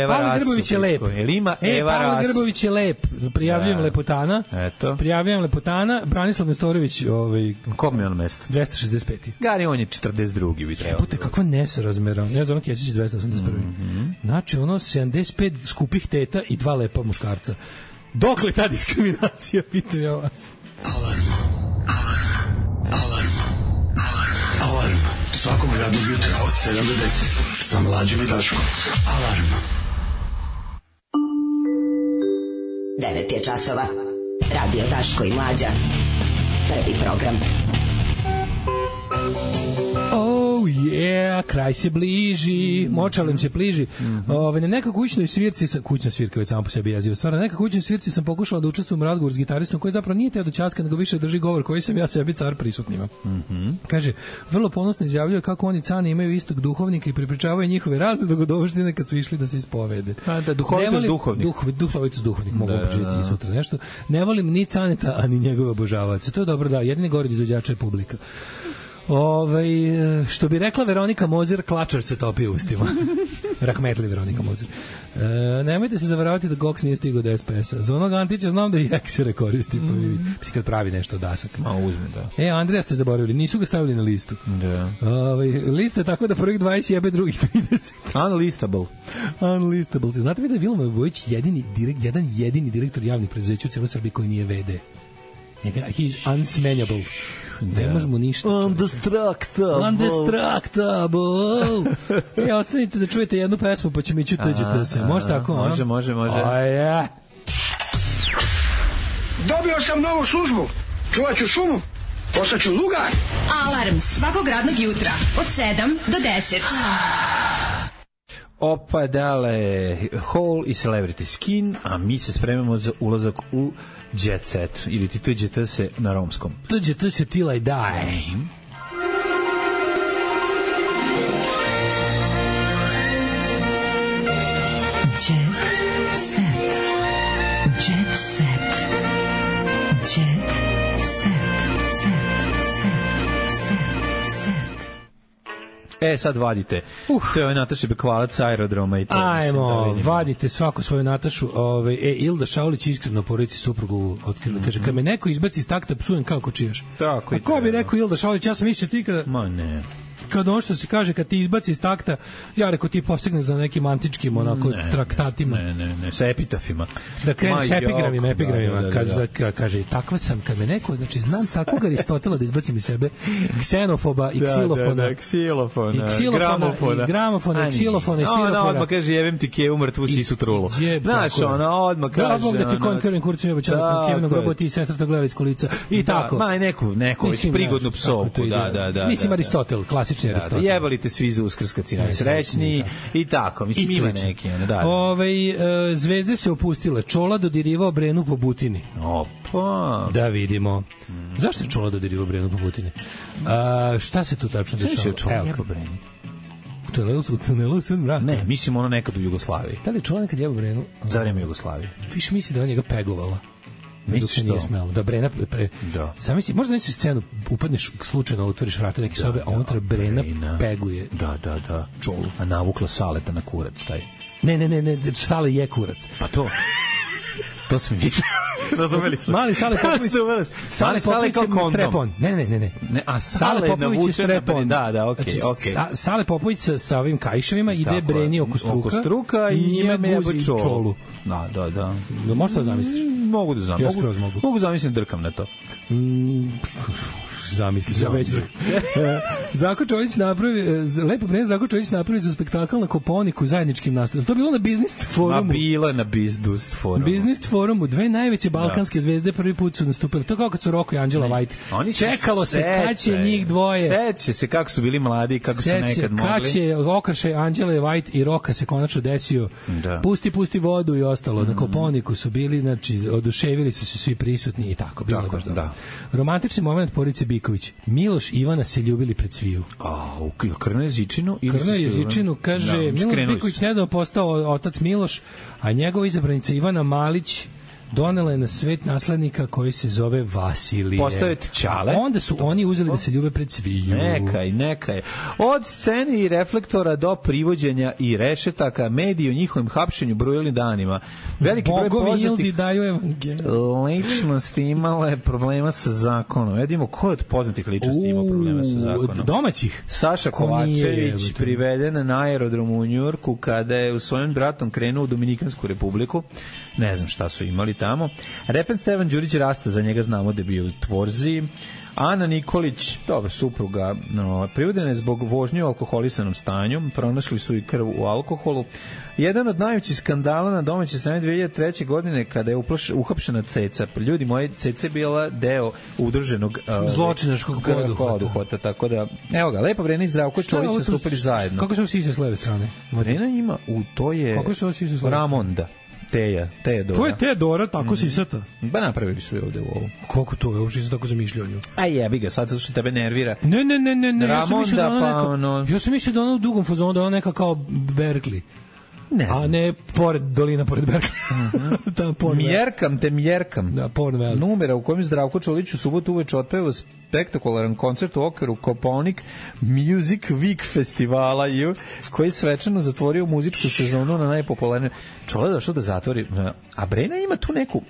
Pavle Grbović je lep. Pavle Grbović je lep. Prijavljujem Lepotana. Prijavljujem Lepotana. Branislav Nestorović, kom je on mesto? 265. Gari, on je 42. bi trebao. Jebote, kako nesarazmeran. Ja znam Kesić 281. Znači, ono 75 skupih teta i 2 lepa muškarca. Dokle ta diskriminacija, pitam ja vas. Alarm. Svakog radnog jutra od 7 do 10 sa Mlađim i Daškom. Alarm. 9 je časova. Radio Daško i Mlađa. Prvi program. Oh yeah, kraj se bliži, močalem se bliži. Na nekoj kućnoj svirci, kućna svirka već samo po sebi jeziva stvar, na nekoj kućnoj svirci sam pokušala da učestvujem u razgovor s gitaristom koji zapravo nije teo da ćaska, nego više drži govor koji sam ja sebi car prisutnima. Kaže, vrlo ponosno izjavljuje kako oni cani imaju istog duhovnika i prepričavaju njihove razne dogodovštine kad su išli da se ispovede. Da, duhovitost duhovnik. Duhovitost duhovnik, mogu proživjeti i sutra nešto. Ne volim ni Caneta, a ni njegove obožavaoce. To je dobro, da, jedini gore izvođača je publika. Što bi rekla Veronika Mozer, klačar se topi u ustima. Rahmetli Veronika Mozer. Nemojte se zavaravati da Gox nije stigao do SPS-a. Za onog Antića znam da i eksere koristi. Mislim, kad pravi nešto dasak. Ma uzme, da. Andreja ste zaboravili. Nisu ga stavili na listu. Da. Lista je tako da prvih 20 jebe, drugih 30. Unlistable. Znate vi da je Vilma Bojić jedan jedini direktor javnih preduzeća u cijeloj Srbiji koji nije VD? He's unsmenjable. Ne možemo ništa. Undestructible. Ostanite da čujete jednu pesmu pa ćemo ići u TGT se. Može tako? Može. Dobio sam novu službu. Čuvat ću šumu. Postaću lugar. Alarm svakog radnog jutra od 7 do 10. Opa, dale, Hole i Celebrity Skin, a mi se spremamo za ulazak u Jet Set, ili ti TGT se na romskom. TGT se till I die. Sad vadite sve ove Nataše Bekvalac sa aerodroma i to. Ajmo, vadite svako svoju Natašu. Ilda Šaulić iskreno porodici suprugu otkrila. Kaže, kad me neko izbaci iz takta, psujem kao kočijaš. Tako. A ko bi rekao Ilda Šaulić? Ja sam mislio ti kada... Ma ne. Kad ono što se kaže, kad ti izbaci iz takta, ja rekao ti postigne za nekim antičkim traktatima. Ne, sa epitafima. Da krene s epigramima. Kad kaže, takva sam, kad me neko, znači znam takvog Aristotela da izbacim iz sebe, ksenofoba i ksilofona. Gramofona, ksilofona i stilofona. Odmah kaže, jevem ti kevu mrtvu sisu trulu. Znaš, odmah kaže. Da, Bog da ti konkurim kurcu je obećala Kevinu grobo ti sestra to gledali iz kolica. I tako. Ma, neko već prigodnu psovku. Da. Mislim, Aristotel, klasični Aristotel. Jebalite svi za Uskrs kad si najsrećniji i tako. Mislim, ima neki. Zvezde se opustile. Čola dodirivao Brenu po Butini. Opa. Da vidimo. Zašto je Čola dodirivao Brenu po Butini? Šta se tu tačno dešava? Šta je Čola po Breni? U tunelu Svet mraka. Ne, mislim ono nekad u Jugoslaviji. Da li je Čola nekad jebao Brenu? Za vreme Jugoslavije. Više misli da je on njega pegovala. Misliš nije smelo. Da Brena Sam misli, možda misliš scenu, upadneš slučajno, otvoriš vrata neke sobe, a unutra Brena peguje. Da. Čolu. A navukla Saleta na kurac taj. Ne, Sale je kurac. Pa to smo mislili. Razumeli smo. Mali Sale Popović. Sale kao kondom. Strepon. Ne. A Sale Popović je strepon. Da, okej. Sale Popović sa ovim kajševima ide Breni oko struka i njime guzi čolu. Da. Možeš to zamisliš? Mogu da zamislim. Mogu zamislim, drkam na to. zamisli za već. Zdravko Čolić napravi, lepo vreme Zdravko Čolić napravi za spektakl na Kopaoniku zajedničkim nastupom. To je bilo na Business forumu. Ma bilo je na Business forumu. Business forumu, dve najveće balkanske zvezde prvi put su nastupili. To kao kad su Roko i Anđela White. Oni čekalo se kad će njih dvoje. Seća se kako su bili mladi, kako su nekad mogli. Kad će okršaj Anđele White i Roka se konačno desio. Da. Pusti vodu i ostalo. Na Kopaoniku su bili, znači, oduševili su se svi prisutni i tako. Bilo baš dobro. Romantični moment porodice Biković. Miloš i Ivana se ljubili pred sviju. U Krno Jezičinu? Krno Jezičinu, kaže, Miloš Biković nedavno postao otac Miloš, a njegova izabranica Ivana Malić donela je na svet naslednika koji se zove Vasilije. Postaviti Ćale. Onda su oni uzeli da se ljube pred sviju. Nekaj. Od scene i reflektora do privođenja i rešetaka, mediji o njihovim hapšenju brojili danima. Veliki broj poznatih ličnosti imala je problema sa zakonom. Vidimo ko je od poznatih ličnosti imao problema sa zakonom. Domaćih? Saša Kovačević priveden na aerodromu u Njujorku kada je u svojim bratom krenuo u Dominikansku republiku. Ne znam šta su imali tamo. Repen Stevan Đurić Rasta, za njega znamo da je bio u Tvorziji. Ana Nikolić, dobro, supruga, privedena je zbog vožnje u alkoholisanom stanju. Pronašli su i krv u alkoholu. Jedan od najvećih skandala na domaćoj strani 2003. godine kada je uhapšena Ceca. Ljudi moji, Ceca je bila deo udruženog zločinačkog poduhvata. Tako da, evo ga, Lepa Vrena i Zdravko Čolić su stupili zajedno. Kako su sise s leve strane? Vrena ima, to je Ramonda. Teja Dora. To je Teja Dora, tako sisata? Ba napravili su je ovde u ovu. Koliko to je, uopšte se tako zamišljao nju. A jebi ga, sad što tebe nervira. Ne. Ramonda, ja sam mislio da ona u dugom fazonu, da ona neka kao Berkeley. Ne znam. A ne dolina pored Berkeley. Mjerkam. Da, Pornvel. Numera u kojem Zdravko Čolić u subotu uveče otpeva spektakularan koncert u okviru Kopaonik Music Week festivala koji je svečano zatvorio muzičku sezonu na najpopularnije. Čole je došao da zatvori. A Brena ima tu neku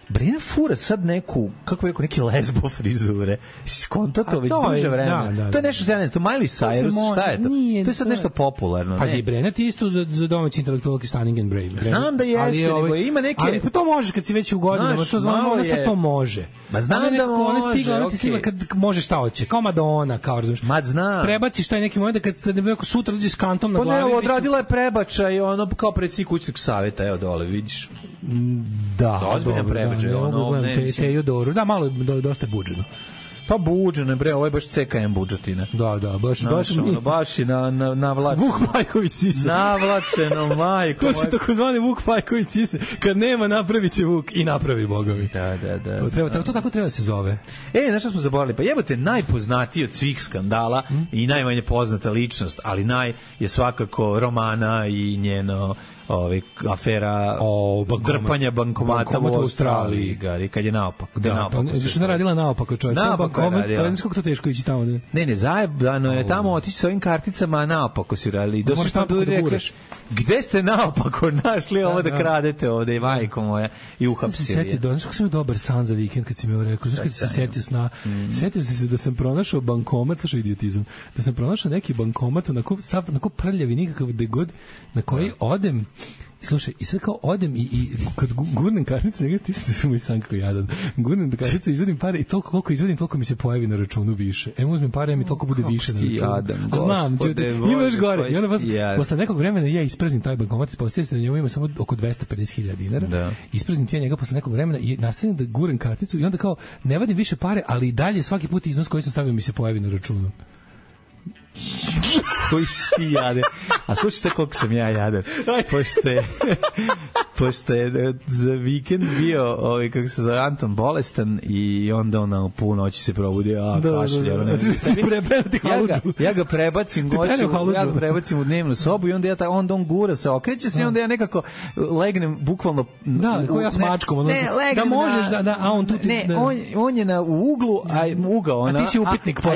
Brena fura sad neku, kako bih rekao, neki lesbo frizure. Skonto to već duže vremena. To je nešto, ja ne znam, to Miley Cyrus, šta je to? To je sad nešto popularno. Pa i Brena ti isto za domaći intelektualki Stunning and Brave. Znam da jeste, nego ima neke... Ali to može kad si već u godinama, to znamo, ona sad to može. Ma znam da može, ona ti stigla kad može šta hoće, kao Madonna, kao razumiješ. Ma znam. Prebaciš taj neki moment da kad se neko sutra uđe s kantom na glavi. Pa ne, odradila je prebačaj, ono kao predsjednik kućnog savjeta, evo dole, vidiš. Da, ozbiljan prebačaj. Teodoru, da, malo dosta buđeno. Pa buđeno, bre, ovo je baš CKM budžetina. Da, baš i navlačeno. Vuk Pajković sise. Navlačeno, majko. To su takozvani Vuk Pajković sise. Kad nema, napravit će Vuk i napravi bogovi. Da. To tako treba se zove. Znaš što smo zaboravili? Pa jebote, najpoznatiji od svih skandala i najmanje poznata ličnost, ali je svakako Romana i njeno afera drpanja bankomata u Australiji, kad je naopako. Što je radila naopako, čovječ? Bankomat, to teško ići tamo. Ne, zajebano je tamo otići s ovim karticama, a naopako si radili. Možeš naopako da guraš. Gde ste naopako našli ovo da kradete ovde, majko moja, i uhapsili je. Znaš kako sam dobar san za vikend kad si mi ovo rekao? Znaš kad si se setio sna? Setio si se da sam pronašao bankomat, slušao idiotizam, da sam pronašao neki bankomat onako prljavi nikakav gde god, na koji odem. Slušaj, i sad kao odem i kad gurnem karticu, ti ste moj san kao jadan. Gurnem karticu, izvodim pare i toliko koliko izvodim, toliko mi se pojavi na računu više. Uzmem pare, mi toliko bude više na računu. Znam, ima još gore. I onda posle nekog vremena ja ispraznim taj bankomat, ispostavljam se da njemu ima samo oko 250.000 dinara. Ispraznim ti njega posle nekog vremena i nastavim da gurem karticu i onda kao ne vadim više pare, ali i dalje svaki put iznos koji sam stavio mi se pojavi na računu. Koji si ti jadan. A slušaj se koliko sam ja jadan. Pošto je za vikend bio kako se zove Anton bolestan i onda on punu noći se probudi, kašlja. Ja ga prebacim u dnevnu sobu i onda on gura se, okreće se i onda ja nekako legnem bukvalno kao ja s mačkom. Da možeš a on tu on je u uglu, ugao, a ti si upitnik. A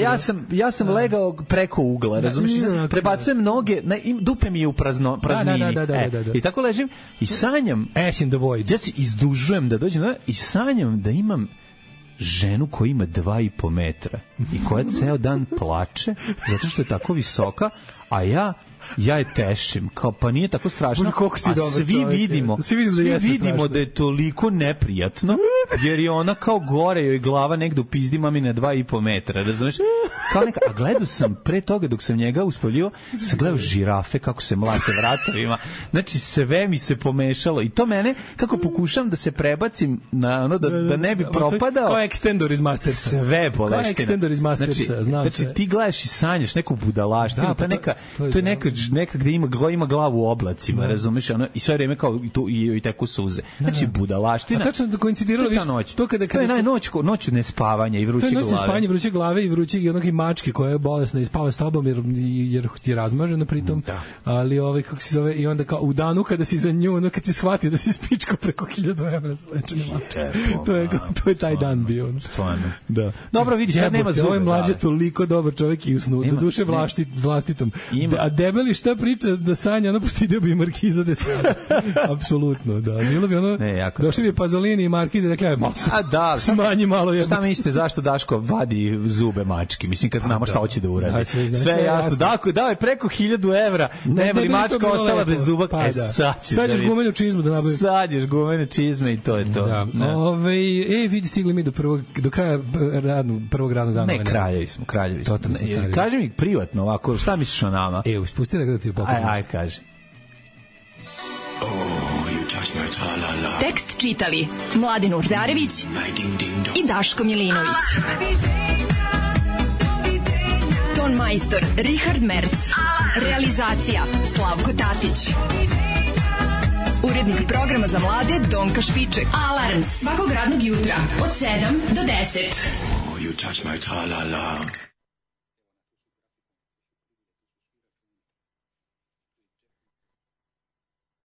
ja sam legao preko ugla, razumiješ? Prebacujem noge, dupe mi je u praznini. I tako ležim i sanjam. Ash in the void. Ja se izdužujem da dođem i sanjam da imam ženu koja ima 2,5 metra i koja ceo dan plače zato što je tako visoka, a ja je tešim, kao pa nije tako strašno, a svi vidimo da je toliko neprijatno, jer je ona kao gore, joj glava negde u pizdi mamine 2,5 metra, razumeš? Kao neka, a gledao sam pre toga dok sam njega uspavljivao, sam gledao žirafe kako se mlate vratovima, znači sve mi se pomešalo i to mene, kako pokušam da se prebacim na ono, da ne bi propadao. Kao Extendor iz Mastersa. Sve boleština. Kao Extendor iz Mastersa, znači ti gledaš i sanjaš neku budalaštinu, to je neka gde ima glavu u oblacima, razumeš, ono, i sve vreme kao i teku suze. Znači budalaština. A tačno da koincidiralo to kada je noć nespavanja i vruće glave. To je noć nespavanja, vruće glave i vruće i onog mačke koja je bolesna i spava s tobom jer ti je razmažena pritom. Ali kako se zove, i onda kao u danu kada si za nju, ono kad si shvatio da si spičko preko 1000 evra za lečenje mačke. To je taj dan bio. Stvarno. Da. Dobro, vidi, sad nema zube. Ovo je mlađe toliko dobar čovjek i usnu, do duše vlastitom. A debeli šta priča da sanja, ono postidio bi Markiza de Sade. Apsolutno, da. Bilo bi ono, došli bi Pazolini i Markiza i rekli, smanji malo. Šta mislite, zašto Daško vadi zube mački? Mislim, kad znamo šta hoće da uradi. Sve je jasno. Dao je preko 1000 evra, ne bi mačka ostala bez zuba. Sad ješ gumenu čizmu da nabavim. Sad ješ gumenu čizme i to je to. Vidi, stigli mi do kraja prvog radnog dana. Ne, kraljevi smo. Kaži mi privatno ovako, šta misliš o nama? Spusti da ti pokažem. Ajde, kaži. Tekst čitali Mladen Urdarević i Daško Milinović. Ton majstor Richard Merc. Realizacija Slavko Tatić. Urednik programa za mlade Donka Špiček. Alarms svakog radnog jutra od 7 do 10. You touch my tra-la-la.